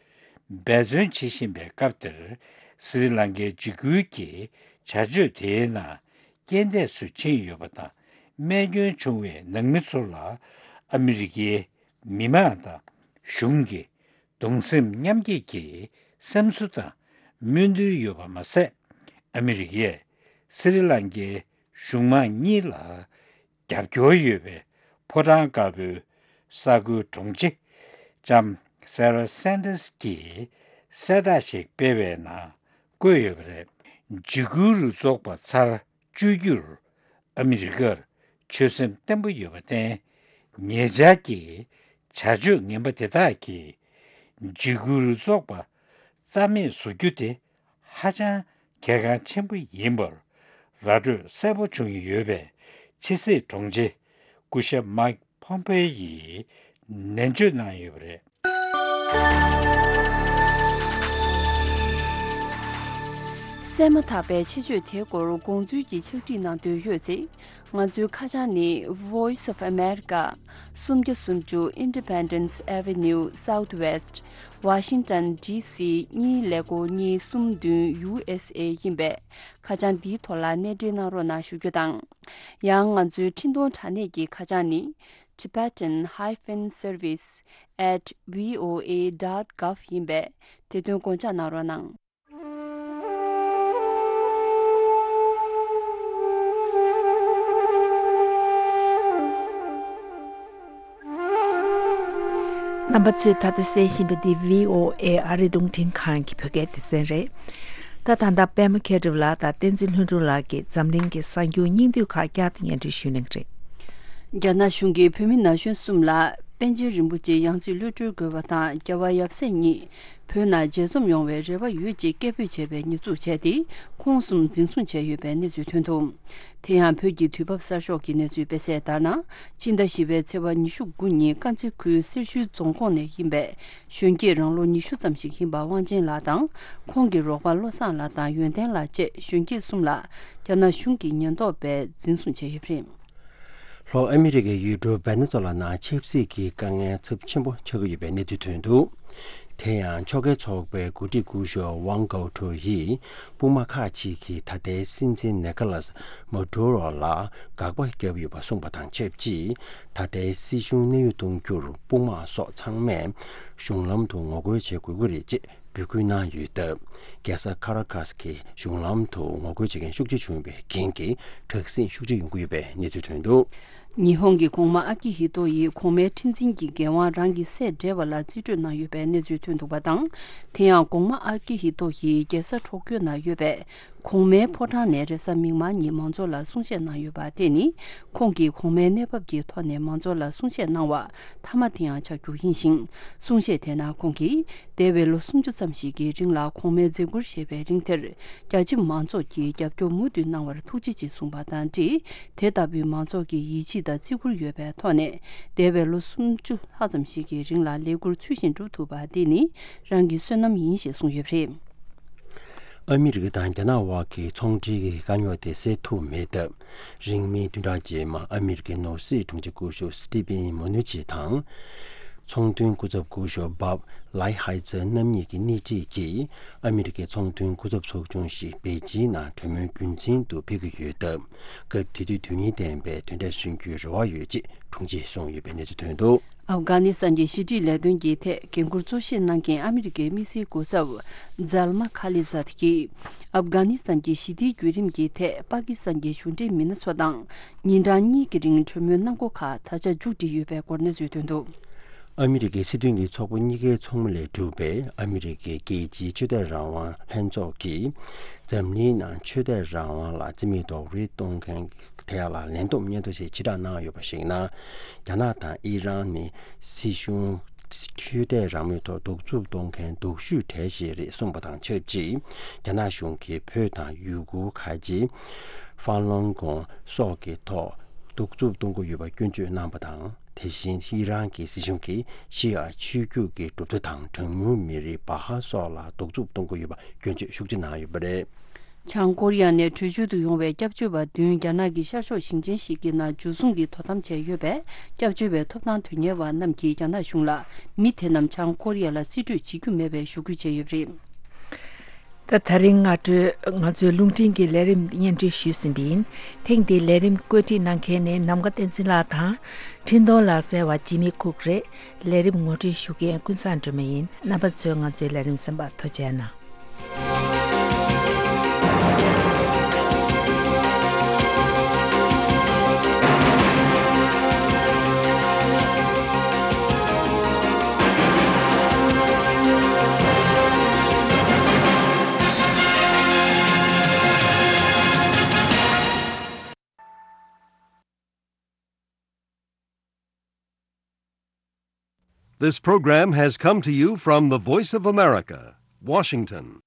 འབད་བརྩོན་བྱེད་བཞིན་པའི་སྐབས་དེར། སི་རི་ལང་ཀའི་འཇིགས་སྐུལ་གྱི་བྱ་སྤྱོད་དེའི་ནང་རྐྱེན་འདས་སུ་ཕྱིན་ཡོད་པ་དང་། རྨས་སྐྱོན་བྱུང་བའི་ནང་མི་ཚོ་ལ་ཨ་མི་རི་ཀའི་མི་མང་དང་གཞུང་གིས་གདུང་སེམས་མཉམ་སྐྱེད་ཀྱི་སེམས་གསོ་དང་སྨོན་འདུན་ཡོད་པ་མ་ཟད། ཨ་མི་རི་ཀས་སི་རི་ལང་ཀའི་གཞུང་མང་གཉིས་ལ་རྒྱབ་སྐྱོར་ཡོད་པའི་ཕོ་བྲང་དཀར་པོའི་གསར་འགོད་དྲུང་ཆེ་ལྕམ་སེ་ར་སན་ཏཱས་ཀྱིས་གསལ་བསྒྲགས་ཤིག་སྤེལ་བའི་ནང་བཀོད་ཡོད་པ་རེད། འཇིགས་སྐུལ་རུ་ཚོགས་པ་ཚར་གཅོད་རྒྱུར་ཨ་མི་རི་ཀར་ཆོད་སེམས་བརྟན་པོ་ཡོད་པར་བརྟེན། ཉེ་ཆར་གྱི་བྱ་སྤྱོད་ངན་པ་དེ་དག་གིས་འཇིགས་སྐུལ་རུ་ཚོགས་པ་རྩ་མེད་བཟོ་རྒྱུ་དེ་ཧ་ཅང་གལ་འགངས་ཆེན་པོ་ཡིན་པར་ ར་སྤྲོད་གསལ་པོ་བྱུང་ཡོད་པའི་ཕྱི་སྲིད་དྲུང་ཆེ་སྐུ་ཞབས་མའིག་ཕོམ་པེ་ཡིས་ནན་བརྗོད་གནང་ཡོད་པ་རེད། གསན་མ་ཐག་པའི་ཆེད་བརྗོད་དེའི་སྐོར་དགོངས་ཚུལ་གྱི་ཕྱག་བྲིས་གནང་འདོད་ཡོད་ཚེ། ང་ཚོའི་ཁ་བྱང་ནི། Voice of America། སུམ་བརྒྱ་སུམ་ཅུ་Independence Avenue Southwest། Washington D C གཉིས་ཀླད་ཀོར་གཉིས་གསུམ་བདུན་U S A ཡིན་པས། ཁ་བྱང་འདིའི་ཐོག་ལ་གནས་འབྲེལ་གནང་རོགས་གནང་ཞུ་རྒྱུ་དང་། ཡང་ང་ཚོའི་འཕྲིན་གཏོང་དྲ་གནས་ཀྱི་ཁ་བྱང་ནི། Tibetan hyphen service at V O A dot gov ཡིན་པས། དེ་དོན་དགོངས་འཇགས་གནང་རོགས་གནང་། རྣམ་པ་ཚོས་ད་ལྟ་གསན་བཞིན་པ་འདི་V O A ཨ་རིའི་རླུང་འཕྲིན་ཁང་གི་བོད་སྐད་སྡེ་ཚན་རེད། ད་ད་ལྟ་པད་མ་མཁས་གྲུབ་ལགས་དང་བསྟན་འཛིན་ལྷུན་གྲུབ་ལགས་ཀྱིས་འཛམ་གླིང་གི་གསར་འགྱུར་སྙིང་བསྡུས་ཁག་བསྐྱར་དུ་སྙན་སྒྲོན་ཞུ་གནང་གི་རེད། རྒྱ་ནག་གཞུང་གིས་བོད་མི་ན་གཞོན་གསུམ་ལ་པཎ་ཆེན་རིན་པོ་ཆེ་ཡང་སྲིད་གློད་གྲོལ་དགོས་པ་དང་རྒྱལ་བ་ཡབ་སྲས་གཉིས་བོད་ནང་མཇལ་འཛོམས་ཡོང་བའི་རེ་བ་ཡོད་ཅེས་སྐད་འབོད་བྱས་པའི་ཉེས་འཛུགས་བྱས་ཏེ། ཁོང་གསུམ་འཛིན་བཟུང་བྱས་ཡོད་པའི་གནས་ཚུལ་ཐོན་འདུག་དེ་ཡང་བོད་ཀྱི་དུས་བབ་གསར་ཤོག་གི་གནས་ཚུལ་སྤེལ་གསལ་ལྟར་ན། ཕྱི་ཟླ་བཞི་པའི་ཚེས་པ་ཉི་ཤུ་དགུ་ཉིན་དཀར་མཛེས་ཁུལ་སེར་ཤུལ་རྫོང་ཁོངས་ནས་ཡིན་པའི་གཞོན་སྐྱེས་རང་ལོ་ཉི་ཤུ་ཙམ་ཞིག་ཡིན་པ་དབང་ཆེན་ལགས་དང་། ཁོང་གི་རོགས་པ་བློ་བཟང་ལགས་དང་ཡོན་ཏན་ལགས་བཅས་གཞོན་སྐྱེས་གསུམ་ལ་རྒྱ་ནག་གཞུང་གི་ཉེན་རྟོག་པས་འཛིན་བཟུང་བྱས་ཡོད་པ་རེད། ལྷོ་ཨ་མི་རི་ཀའི་ཡུལ་གྲུ་ཝེ་ནེ་ཛོ་ལ་ནང་ཆབ་སྲིད་ཀྱི་དཀའ་ངལ་ཚབས་ཆེན་པོ་ཆགས་ཀྱི་ཡོད་པའི་གནས་ཚུལ་ཐོན་འདུག་དེ་ཡང་ཕྱོགས་འགལ་ཚོགས་པའི་འགོ་ཁྲིད་སྐུ་ཞབས་ཝང་གའོ་ཁྲོ་ཡིས་དཔུང་དམག་ཁག་ཅིག་གིས་ད་ལྟའི་སྲིད་འཛིན་ནེ་ཀ་ལཱས་མ་ཌུ་རོ་ལ་དགག་པ་བརྒྱབ་ཡོད་པ་གསུངས་པ་དང་ཆབས་ཅིག་ད་ལྟའི་སྲིད་གཞུང་གནས་དབྱུང་གཏོང་རྒྱུར་དཔུང་དམག་སོགས་ཚང་མས་གཞུང་ལམ་དུ་ངོ་རྒོལ་བྱེད་དགོས་ཀྱི་རེད་ཅེས་འབོད་སྐུལ་གནང་ཡོད་སྟབས། རྒྱལ་ས་ཁ་ར་ཁཱས་ཀྱི་གཞུང་ལམ་དུ་ངོ་རྒོལ་བྱེད་མཁན་ཤུགས་ཆེ་བྱུང་བའི་རྐྱེན་གྱིས་དྲག་ཟིང་ཤུགས་ཆེ་ཡོང་གི་ཡོད་པའི་གནས་ཚུལ་ཐོན་འདུག་ཉི་ཧོང་གི་གོང་མ་ཨ་ཀི་ཧི་ཏོ་ཡིས་གོང་མའི་ཁྲི་འཛིན་གྱི་འགན་དབང་རང་གི་སྲས་སྦྲེལ་བ་ལ་རྩིས་སྤྲོད་གནང་ཡོད་པའི་གནས་ཚུལ་ཐོན་འདུག་པ་དང་། དེ་ཡང་གོང་མ་ཨ་ཀི་ཧི་ཏོ་ཡིས་རྒྱལ་ས་ཊོ་ཀྱོ་ན་ཡོད་པའི་གོང་མའི་ཕོ་བྲང་ནས་རེས་གཟའ་མིག་དམར་ཉིན་མང་ཚོགས་ལ་གསུང་བཤད་གནང་ཡོད་པ་དེ་ནི། ཁོང་གིས་གོང་མའི་གནས་བབ་ཀྱི་ཐོག་ནས་མང་ཚོགས་ལ་གསུང་བཤད་གནང་བ་མཐའ་མ་དེ་ཡང་ཆགས་རྒྱུ་ཡིན་ཞིང་། གསུང་བཤད་དེ་ནང་ཁོང་གིས། འདས་པའི་ལོ་སུམ་ཅུ་ཙམ་ཞིག་གི་རིང་ལ་གོང་མའི་མཛད་ཁུར་བཞེས་པའི་རིང་དེར། རྒྱ་ཁྱིམ་མང་ཚོགས་ཀྱིས་རྒྱབ་སྐྱོར་མུ་མཐུད་གནང་བར་ཐུགས་རྗེ་ཆེ་གསུངས་པ་དང་འབྲེལ། དེ་ལྟ་བུའི་མང་ཚོགས་ཀྱི་ཡིད་ཆེས་དང་བརྩི་བཀུར་ཡོད་པའི་ཐོག་ནས། འདས་པའི་ལོ་སུམ་ཅུ་ལྷག་ཙམ་ཞིག་གི་རིང་ལ་ལས་ཁུར་ཚུལ་བཞིན་སྒྲུབ་ཐུབ་པ་དེ་ནི་རང་གི་བསོད་ནམས་ཡིན་ཞེས་གསུངས་ཡོད་པ་རེད། ཨ་མི་རི་ཀ་དང་རྒྱ་ནག་དབར་གྱི་ཚོང་འབྲེལ་གྱི་དཀའ་རྙོག་དེ་སེལ་ཐུབ་མེད་སྟབས། རིང་མིན་བདུན་ཕྲག་རྗེས་མ་ཨ་མི་རི་ཀའི་ནོར་སྲིད་དྲུང་ཆེ་སྐུ་ཞབས་སི་ཏི་ཕིན་མོ་ནུ་ཆི་དང་། ཚོང་དོན་སྐུ་ཚབ་སྐུ་ཞབས་བྷབ་ལའི་ཧའི་ཛར་རྣམ་གཉིས་ཀྱི་སྣེ་ཁྲིད་ཀྱིས་ཨ་མི་རི་ཀའི་ཚོང་དོན་སྐུ་ཚབ་ཚོགས་ཆུང་ཞིག་པེ་ཅིན་ནང་གྲོས་མོལ་རྒྱུན་འཛིན་དུ་ཕེབས་ཀྱི་ཡོད་སྟབས། སྐབས་དེ་དུས་དོན་སྙིང་ལྡན་པའི་དོན་འབྲས་སོན་རྒྱུའི་རེ་བ་ཡོད་ཅེས་དྲུང་ཆེས་གསུངས་ཡོད་པའི་གནས་ཚུལ་ཐོན་འདུག་ཨབ་གྷ་ནི་སི་ཐན་གྱི་ཞི་འགྲིག་ལས་དོན་གྱི་ཐད་འགན་འཁུར་གཙོ་བཞེས་གནང་མཁན་ཨ་མི་རི་ཀའི་དམིགས་བསལ་སྐུ་ཚབ་ཛལ་མ་ཁ་ལི་ཛད་ཀྱིས། ཨབ་གྷ་ནི་སི་ཐན་གྱི་ཞི་བདེའི་བརྒྱུད་རིམ་གྱི་ཐད་པ་ཀི་སི་ཐན་གྱི་གཞུང་འབྲེལ་མི་སྣ་ཚོ་དང་ཉིན་གྲངས་གཉིས་ཀྱི་རིང་གྲོས་མོལ་གནང་སྒོ་ཁག་ད་ཆ་མཇུག་སྒྲིལ་ཡོད་པའི་སྐོར་གནས་ཚུལ་ཐོན་འདུག་ཨ་མི་རི་ཀའི་སྲིད་དོན་གྱི་ཚོགས་པ་གཉིས་ཀའི་ཚོགས་མི་ལས་གྲུབ་པའི་ཨ་མི་རི་ཀའི་རྒྱལ་སྤྱིའི་ཆོས་དད་རང་དབང་ལྷན་ཚོགས་ཀྱིས། འཛམ་གླིང་ནང་ཆོས་དད་རང་དབང་ལ་རྩིས་མེད་རྡོག་རོལ་གཏོང་མཁན་དེ་ལ་ལན་སྟོབས་སྙན་ཐོ་ཞིག་ཕྱིར་བསྒྲགས་གནང་ཡོད་པ་ཞིག་ན། རྒྱ་ནག་དང་ཨི་རན་ནི་སྲིད་གཞུང་ཆོས་དད་རང་མོས་ཐོག་གདུག་རྩུབ་གཏོང་མཁན་སྡུག་ཤོས་གྲས་ཤིག་རེད་གསུངས་པ་དང་ཆབས་ཅིག་རྒྱ་ནག་གཞུང་གིས་བོད་དང་ཡུ་གུར་ཁ་ཆེ་ཧྥ་ལུན་གོང་སོགས་ཀྱི་ཐོག་གདུག་རྩུབ་གཏོང་གི་ཡོད་པ་སྐྱོན་བརྗོད་གནང་པ་དང་། དེ་བཞིན་ཨི་རན་གྱི་སྲིད་གཞུང་གིས་ཤི་ཡ་ཆོས་བརྒྱུད་ཀྱི་གྲུབ་མཐའ་དང་གྲངས་ཉུང་མི་རིགས་བྷ་ཧ་སོགས་ལ་གདུག་རྩུབ་གཏོང་གི་ཡོད་པ་སྐྱོན་བརྗོད་ཤུགས་ཆེ་གནང་ཡོད་པ་རེད། བྱང་ཀོ་རི་ཡ་ནས་བྲོས་བྱོལ་དུ་ཡོང་བའི་སྐྱབས་བཅོལ་བ་བདུན་རྒྱ་ནག་གི་ཤར་ཕྱོགས་ཞིང་ཆེན་ཞིག་གི་ནང་འཇུ་བཟུང་གིས་དོ་དམ་བྱས་ཡོད་པས། སྐྱབས་བཅོལ་བའི་ཐོབ་ཐང་དོན་གཉེར་བ་རྣམས་ཀྱིས་རྒྱ་ནག་གཞུང་ལ་མི་དེ་རྣམས་བྱང་ཀོ་རི་ཡ་ལ་རྩིས་སྤྲོད་བྱེད་རྒྱུ་མེད་པའི་ཞུ་སྐུལ་བྱས་ཡོད་པ་རེད། ད་ད་རིང་སྔ་དྲོ་ང་ཚོའི་རླུང་འཕྲིན་གྱི་ལས་རིམ་སྙན་སྒྲོན་ཞུས་ཟིན་པ་ཡིན། ཐེངས་འདིའི་ལས་རིམ་བཀོད་སྒྲིག་གནང་མཁན་ནི་ནམ་མཁའ་བསྟན་འཛིན་ལགས་དང་། འཕྲིན་གཏོང་ལག་རྩལ་བ་ཇི་མི་ཁུག་རེད། ལས་རིམ་ངོ་སྤྲོད་ཞུ་མཁན་ཀུན་བཟང་སྒྲོལ་མ་ཡིན། རྣམ་པ་ཚོས་ང་ཚོའི་ལས་རིམ་གསན་པར་ཐུགས་རྗེ་གནང་། This program has come to you from the Voice of America, Washington.